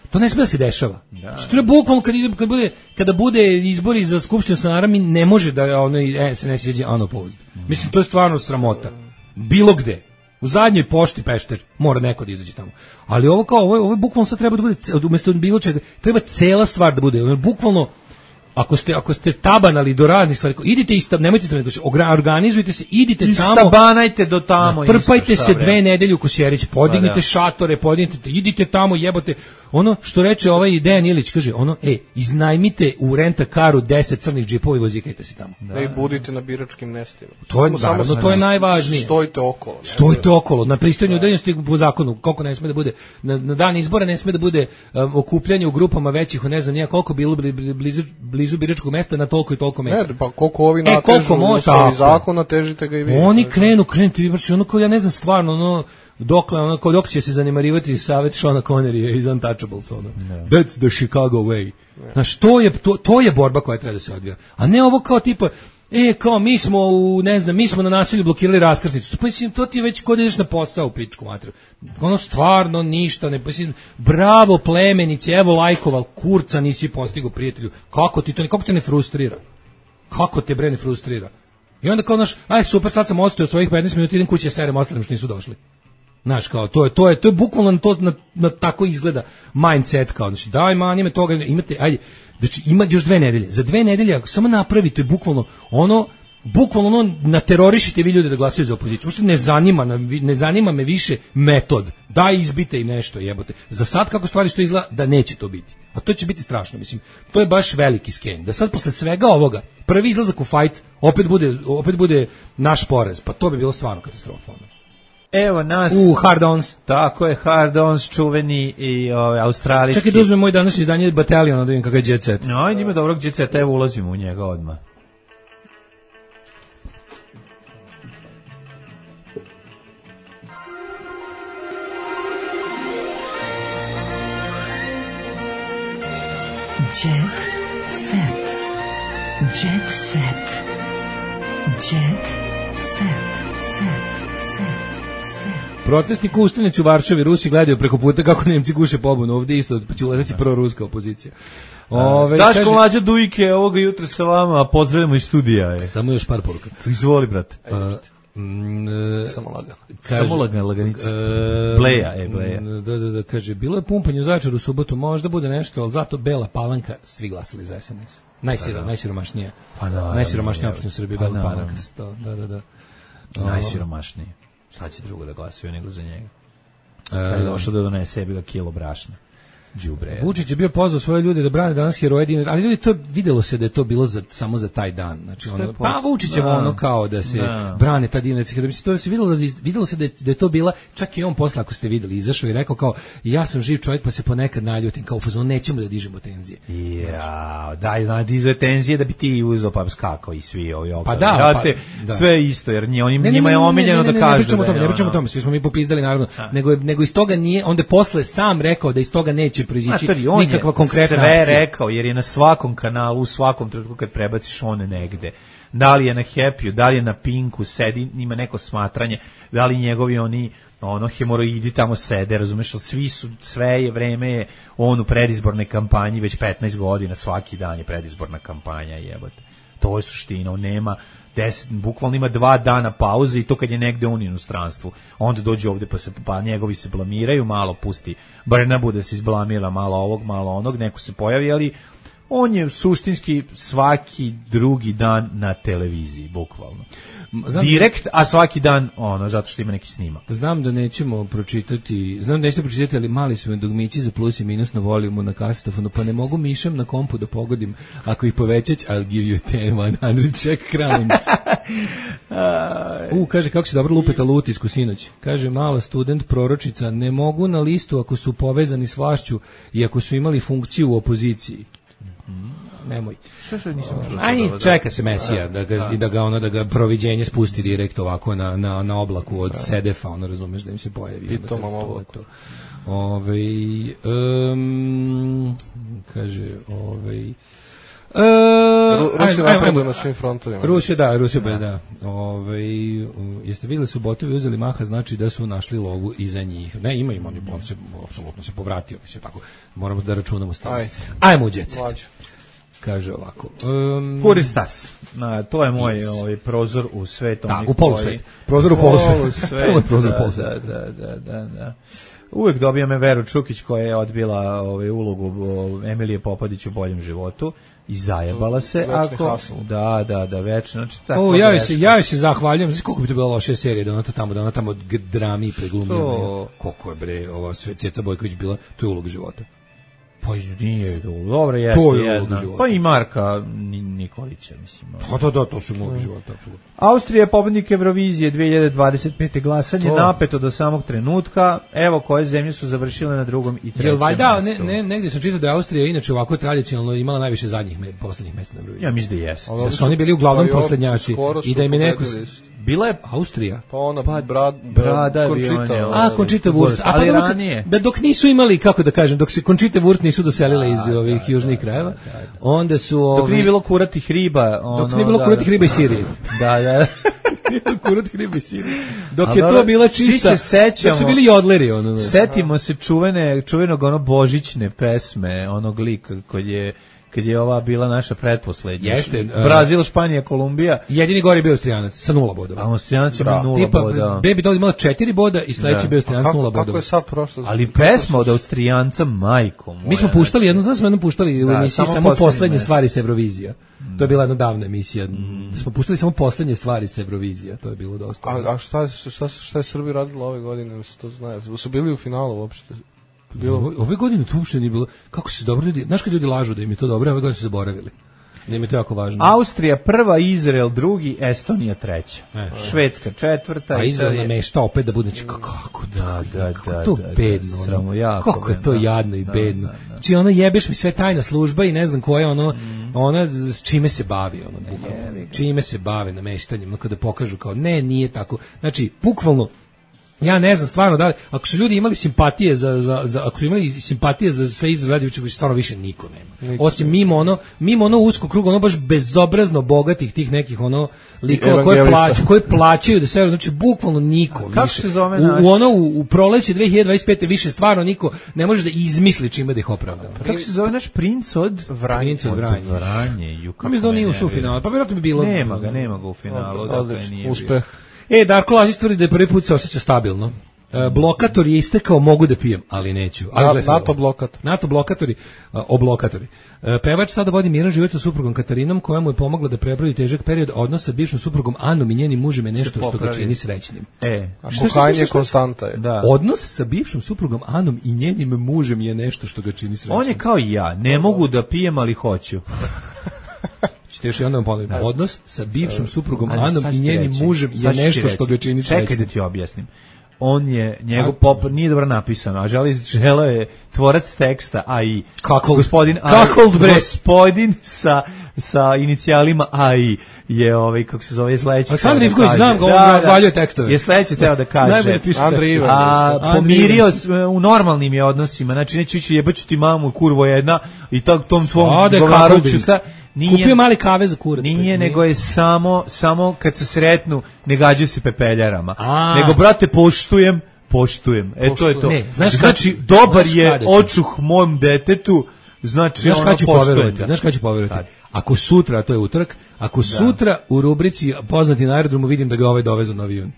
To ne sme da se dešava. Da. Što je bukvalno kad, kad bude, kada bude izbori za skupštinu stanara, mi ne može da ono, S N S izađe unopposed. Mm. Mislim, to je stvarno sramota. Bilo gde. U zadnjoj pošti Pešter mora neko da izađe tamo. Ali ovo kao, ovo, ovo bukvalno sad treba da bude, umjesto bilo čega, treba cela stvar da bude. Bukvalno, ako ste, ako ste tabanali do raznih stvari, idite istab, nemojte istabanati, organizujte se, idite tamo. Istabanajte do tamo. Trpajte se dve nedelje u Kosjerić, podignite pa da. šatore, podignite, idite tamo, jebote. Ono što reče ovaj Dejan Ilić, kaže, ono, ej, iznajmite u renta-karu deset crnih džipova i vozikajte se tamo. Da, i budite na biračkim mestima. To je, naravno, samo to je najvažnije. Stojite okolo. Ne? Stojite okolo, na pristojanju udaljenosti po zakonu, koliko ne sme da bude, na, na dan izbora ne sme da bude um, okupljanje u grupama većih, ne znam, nije koliko bilo blizu, blizu biračkog mesta, na toliko i toliko metara. Ne, pa koliko ovi natežu, e, koliko zakona, težite ga i vi. Oni krenu, krenu, ti znači, ono kao, ja ne znam, stvarno, ono, dokle ono, kao dok će se zanemarivati savjet Seana Connerya iz Untouchables, ono. Yeah. That's the Chicago way. Yeah. Znaš, to je, to, to je borba koja treba da se odvija. A ne ovo kao tipa, e, kao mi smo u, ne znam, mi smo na nasilju blokirali raskrsnicu. Pa mislim, to ti je već kod ideš na posao u pičku materiju. Ono stvarno ništa, ne, mislim, bravo plemenici, evo lajkoval, kurca nisi postigao prijatelju. Kako ti to, kako te ne frustrira? Kako te bre ne frustrira? I onda kao naš, aj super, sad sam ostao od svojih petnaest minuta, idem kući, ja serem ostalim što nisu došli. Znaš, kao, to je, to je, to je bukvalno to, na, na tako izgleda mindset, kao, znači, daj manje me toga, imate, ajde, znači, ima još dve nedelje, za dve nedelje, ako samo napravite bukvalno ono, bukvalno ono, naterorišite vi ljude da glasaju za opoziciju, uopšte ne zanima, ne zanima me više metod, daj izbite i nešto, jebote, za sad kako stvari što izgleda, da neće to biti, a to će biti strašno, mislim, to je baš veliki sken, da sad posle svega ovoga, prvi izlazak u fight, opet bude, opet bude naš porez, pa to bi bilo stvarno katastrofalno. Evo nas. U Hard Ons. Tako je, Hard Ons, čuveni i ovaj australijski. Čekaj da uzmem moj današnji izdanje Battalion, da vidim kakav je Jet Set. No, ajde ima dobrog Jet Seta, evo ulazimo u njega odmah. Jet Set. Jet Set. Jet Set. Protestnik ustanici u Varšavi, Rusi gledaju preko puta kako Nemci guše pobunu, ovdje isto, pa će uletati pro-ruska opozicija. Ove, Daško kaže, Mlađa Dujke, ovoga jutra sa vama, a pozdravljamo iz studija. Je. Samo još par poruka. Izvoli, brate. Uh, mm, uh, samo lagano. Samo lagano, laganica. Uh, Bleja, e, Bleja. Da, da, da, kaže, bilo je pumpanje u Zaječaru u subotu, možda bude nešto, ali zato Bela Palanka, svi glasali za S N S. Najsiro, najsiromašnije. Pa da, najsiromašnije opštine u Srbiji, Bela Palanka. Da, da, da. Najsiromašnije. Sad će drugo da glasaju nego za njega. Kad je došao da donese sebi ga kilo brašna. Đubre. Vučić je bio pozvao svoje ljude da brane danas heroje dinara, ali ljudi to videlo se da je to bilo za, samo za taj dan. Znači ono, pa Vučićevo ono kao da se da. brane ta dinarska heroja. Mislim to se videlo da videlo se da je, da je to bila, čak i on posle ako ste videli izašao i rekao kao ja sam živ čovjek pa se ponekad naljutim kao fazon nećemo da dižemo tenzije. Ja, daj da diže tenzije da bi ti uzeo pa skakao i svi ovi okolo. Pa da, pa, da. Sve isto jer njima ne, njima je omiljeno da kažu. Ne pričamo o tome, ne pričamo o tome, svi smo mi popizdali naravno, nego nego iz toga nije, onda posle sam rekao da iz toga neće proizići nikakva konkretna sve akcija. Rekao, jer je na svakom kanalu, u svakom trenutku kad prebaciš one negde, da li je na Happy-u, da li je na Pinku, sedi, ima neko smatranje, da li njegovi oni ono hemoroidi tamo sede, razumeš, ali svi su, sve je vreme je on u predizbornoj kampanji, već petnaest godina, svaki dan je predizborna kampanja, jebote. To je suština, on nema deset, bukvalno ima dva dana pauze i to kad je negde on u inostranstvu. Onda dođe ovde pa se pa njegovi se blamiraju, malo pusti Brnabu da se izblamira, malo ovog, malo onog, neko se pojavi, ali on je suštinski svaki drugi dan na televiziji, bukvalno. Znam direkt, a svaki dan ono, zato što ima neki snimak. Znam da nećemo pročitati, znam da nećete pročitati, ali mali su me dugmići za plus i minus na volijumu na kasetofonu, pa ne mogu mišem na kompu da pogodim. Ako ih povećać, I'll give you ten, one hundred check crowns. U, kaže, kako se dobro lupeta lutisku sinoć. Kaže, mala student, proročica, ne mogu na listu ako su povezani s vlašću i ako su imali funkciju u opoziciji. Nemoj. Što što nisam čuo? Aj, čeka se Mesija da ga i da ga ono da ga proviđenje spusti direkt ovako na na na oblaku od Sedefa, ono razumeš da im se pojavi. I to mam oblaku. Ovaj um, kaže, ovaj Uh, Rusija napreduje na svim frontovima. Rusija, da, Rusija, da. da. Ove, jeste vidjeli subotovi uzeli maha, znači da su našli lovu iza njih. Ne, ima im oni, on se, apsolutno se povratio, mislim, tako, moramo da računamo stavno. Ajde. Ajmo u djece. Kaže ovako. Um, Puristas. Na, to je moj ovaj prozor u svet. Da, u polusvet. Prozor u polusvet. Polu prozor u polusvet. Da, da, da, da. Uvijek dobijam me Veru Čukić koja je odbila ovaj ulogu Emilije Popadić u Boljem životu. I zajebala se, ako... Da, da, da, večno. Znači, o, ja se, ja se zahvaljujem. Znači, koliko bi to bila loša serija, da ona to tamo, da ona tamo drami preglumljena. Koliko je, bre, ova Ceca Bojković bila, to je ulog života. Pa nije, dobro, jeste jedna. Pa i Marka Nikolića, mislim. Pa da, da, to su ulog života, apsolutno. Austrija je pobednik Eurovizije dve hiljade dvadeset pete glasanje, to napeto do samog trenutka. Evo koje zemlje su završile na drugom i trećem. Jel valjda, ne, ne, negdje sam čitao da je Austrija inače ovako tradicionalno imala najviše zadnjih me, poslednjih mesta na Euroviziji. Ja mislim da jeste. Da su oni bili uglavnom poslednjači i da im je neko Bila je Austrija. Pa ona pa, brad, brada Conchita. A, Conchita Wurst. A pa ali dok, ranije. da dok nisu imali, kako da kažem, dok se Conchita Wurst nisu doselile iz da, ovih da, južnih da, krajeva, da, da, da. onda su... Dok ovi, nije bilo kuratih riba. Ono, dok nije bilo da, kuratih da. riba i Sirije. Da, da. kuratih riba i Sirije. Dok A je dobro, to bila svi čista... se sećamo. Dok su bili jodleri. Ono, Setimo se čuvene, čuvenog ono božićne pesme, onog lika koji je kad je ova bila naša pretposlednja. Jeste. Uh, Brazil, Španija, Kolumbija. Jedini gori je bio Austrijanac sa nula bodova. A Austrijanac ima nula Tipa, boda. Baby Doll imala četiri boda i sledeći Da. bio Austrijanac nula bodova. Kako je sad prošlo? Ali pesma od Austrijanca, majko moja. Mi smo puštali, jedno znam smo jednom puštali u Da, emisiji samo samo poslednje poslednje mesto. stvari sa Eurovizija. To je bila jedna davna emisija. Mm. Smo puštali samo poslednje stvari sa Eurovizija. To je bilo dosta. A, a šta, šta, šta je Srbija radila ove godine? Se to zna. Su bili u finalu uopšte? Bilo... Ove, ove godine to uopšte nije bilo. Kako se dobro ljudi, znaš kad ljudi lažu da im je to dobro, ove godine su zaboravili. Da im je to jako važno. Austrija prva, Izrael drugi, Estonija treća. E. Švedska četvrta. A Izrael Italija- namešta opet da bude, znači, kako Da, da, kako da, to da, da, bedno, ono. samo jako kako je bedno, to da. jadno i Da, bedno. da, da. Znači ono jebeš mi sve tajna služba i ne znam koja ono, ona s čime se bavi ono, bukvalno. Čime se bave nameštanjem, ono kada pokažu kao ne, nije tako. Znači, bukvalno ja ne znam stvarno da li, ako su ljudi imali simpatije za, za, za ako su imali simpatije za sve Izraeljeviće koji stvarno više niko nema. Niko. Osim mimo ono, mimo ono usko krug, ono baš bezobrazno bogatih tih nekih ono likova koji Evangelista. plaćaju, koji plaćaju da se, znači bukvalno niko kako više. se zove u, naš? u ono u, u proleće dve hiljade dvadeset pete više stvarno niko ne može da izmisli čime da ih opravda. Kako se zove naš princ od Vranje. Princ od Vranje. Vranje? Ju, Pa mi da on nije me ušao u nervira. finalu, pa vjerojatno bi bilo. Nema ga, nema ga u finalu. Od- dakle, odlično, nije bio. uspeh. E, Darko Lazić tvrdi da je prvi put se osjeća stabilno. E, blokator je istekao, mogu da pijem, ali neću. Ali Na- gledaj sad NATO ovo. blokator. NATO blokatori, a, oblokatori. E, pevač sada vodi miran život sa suprugom Katarinom, koja mu je pomogla da prebrodi težak period odnosa sa bivšom suprugom Anom i njenim mužem je nešto što ga popravi. čini srećnim. E, A Šta, šta, šta, kokain je šta? konstanta je. da. Odnos sa bivšom suprugom Anom i njenim mužem je nešto što ga čini srećnim. On je kao i ja, ne mogu da pijem, ali hoću. Ćete još jednom ponoviti. Odnos sa bivšom suprugom Ali Anom sad i ću ti njenim reći, mužem je sad ću ti nešto reći. što ga čini Čekaj srećnim. da ti objasnim. On je, njegov A- pop nije dobro napisano, a želi, želeo je tvorac teksta, a i Kako? gospodin, a, Kako, bre? gospodin sa, sa inicijalima A I je ovaj, kako se zove, je sledeći. Aleksandar teo da Ivković, kaže- znam ga, on razvaljuje tekstove. Je sledeći teo da kaže. Najbolje piše Andrej tekstove. Ivan. A Andrej pomirio Ivan. s- u normalnim je odnosima, znači neću ići jebaću ti mamu, kurvo jedna i tog tom tvom Ode govaru kako bi. ću šta. Nije, Kupio mali kave za kurac. nije, nego je samo, samo kad se sretnu, ne gađaju se pepeljarama. A. Nego, brate, poštujem, poštujem. E, to je to. Ne, znaš kad- znači, dobar znaš je kada ću? očuh mom detetu, znači, Znaš ono, kada ću poštujem poverovati? ga. Znaš kada ću poverovati? Kad? Ako sutra, a to je utorak, ako sutra u rubrici poznati na aerodromu vidim da ga ovaj dovezu na avion.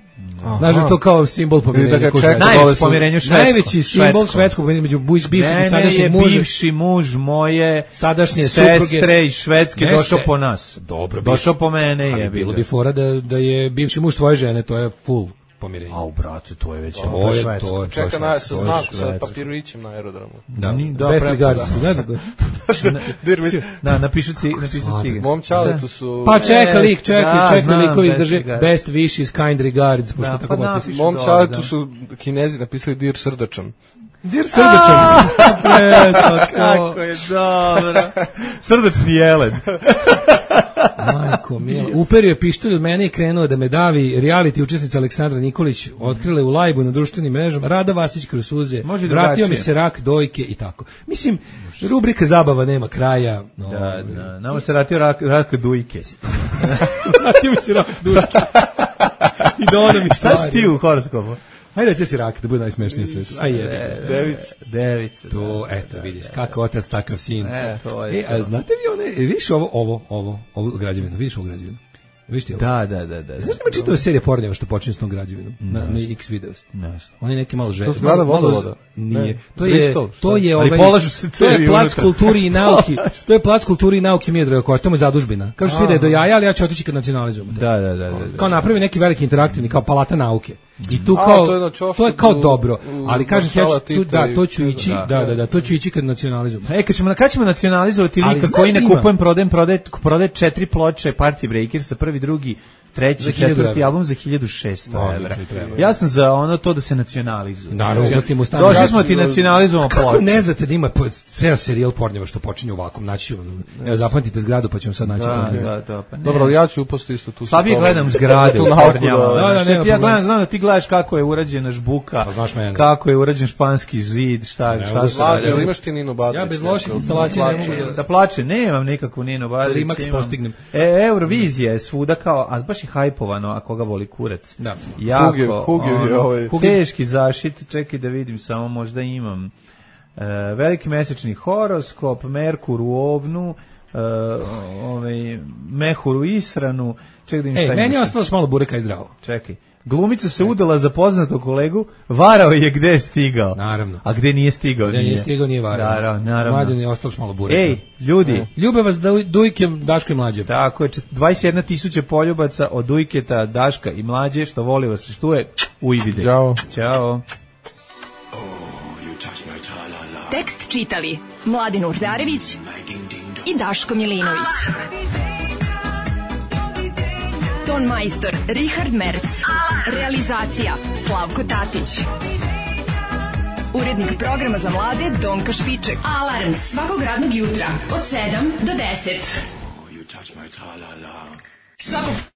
Znaš da je to kao simbol I da pomirenja. ga ko čeka Švedska. Najveće dole su- pomirenje švedsko. Najveći simbol švedskog pomirenja među buj- bivšim i Mene sadašnjim je mužem. bivši muž moje Sadašnje sestre supruge. iz Švedske Ne došao se- po nas. Dobro, Došao po mene Ali je bilo bi fora da, da je bivši muž tvoje žene, to je full pomirenje. Au, brate, to je već To je- švedsko. to je- to je Čeka na, sa švedsko, znak, to je sa švedsko. papirićem na aerodromu. Da, Ni- da, Best pre- regards, da. znaš da to? Dir mi- Da, napišu ci, napišu cige. Mom čaletu su... Pa čeka Best, lik, čeka, da, čeka znam, likovi best drže regards. best wishes, kind regards, pošto Da, tako pa potpišu. napišu. Mom Dobro, čaletu da. su Kinezi napisali dir srdačan. Dir srdačan. E, tako. Kako je dobro. Srdačni jelen. Majko mila. Uperio je pištolj od mene i krenuo da me davi. Reality učesnica Aleksandra Nikolić otkrile u lajbu na društvenim mrežama. Rada Vasić kroz suze. Može i Vratio drugačije. mi se rak, dojke i tako. Mislim, rubrika zabava nema kraja. No, Da, da. Nama se ratio rak, rak dujke. Vratio mi se rak, dojke. I da ono mi Šta si ti u horoskopu? Hajde reći si rak, da bude najsmešniji svijet. Aj jebi. Devica. Devica. To, eto, vidiš, kako otac, takav sin. E, to je E, to. a znate vi one, e, vidiš ovo, ovo, ovo, ovo građevinu, vidiš ovo građevinu? Vidiš ti ovo? Da, da, da, da. Znaš da ima čitava serija pornjeva što počinje s tom građevinom? Na, na X videos. Ne. On je neki malo žene. To su zgrada vodovoda? Nije. Ne. To je, Bristol, šta? to je, Ali ovaj, polažu se to je cevi plac unutra. kulturi i nauki. To je plac kulturi i nauki Miodraga Kovača, to mu je zadužbina. Kažu svi da je do jaja, ali ja ću otići kad nacionalizujemo to. Da, da, da, da. da. Kao napravi neki veliki interaktivni, kao palata nauke. I tu A, kao, to je na ćošku to je kao u- dobro, u ali kažem ti, ja ću maršala tu, Tita da, i- to ću ići, Da. da, da, da, to ću ići kad nacionalizujemo. E, kad ćemo, kad ćemo nacionalizovati Ali lika znaš koji ne ima? kupujem, prodajem, prodaje, prodaje četiri ploče Party Breakers sa prvi, drugi, treći, četvrti album za hiljadu šesto evra. Ja sam za ono to da se nacionalizuje. Naravno, došli smo ti nacionalizujemo ploče. Kako ne znate da ima ceo serijal pornjeva što počinje ovako, naći evo zapamtite zgradu pa ćemo sad naći. Da, da, da, pa dobro, ali ja ću upasti isto tu. Slabije gledam zgrade u pornjama. Da, da, ja gledam, znam da ti gledaš kako je urađena žbuka, kako je urađen španski zid, šta šta se radi. Jel imaš ti Nino Badrić? Ja bez loših instalacija ne mogu da plače, nemam nikakvu Nino Badrić. Klimax postignem. E, Eurovizija je svuda kao, a baš je hajpovano, a koga voli kurac. Da. Jako, Huge, huge, ono, ovaj. teški zašit, čekaj da vidim, samo možda imam. E, veliki mesečni horoskop, Merkur u ovnu, e, ovaj, Mehur u isranu, čekaj da im šta ima. E, meni je ostalo malo bureka i zdravo. Čekaj. Glumica se udala za poznatog kolegu, varao je gde je stigao. Naravno. A gde nije stigao? Gde nije stigao, nije varao. Naravno, naravno. Mladen je ostalo malo bureka. Ej, ljudi. E. Ljube vas Dujke, Daško i Mlađe. Tako je, dvadeset jedna tisuća poljubaca od Dujketa, Daška i Mlađe, što voli vas, što je ujvide. Ćao. Ćao. Tekst čitali Mladen Urdarević i Daško Milinović. Ton majstor Richard Merc. Realizacija Slavko Tatić. Urednik programa za mlade Donka Špiček. Alarms svakog radnog jutra od sedam do deset. Svakog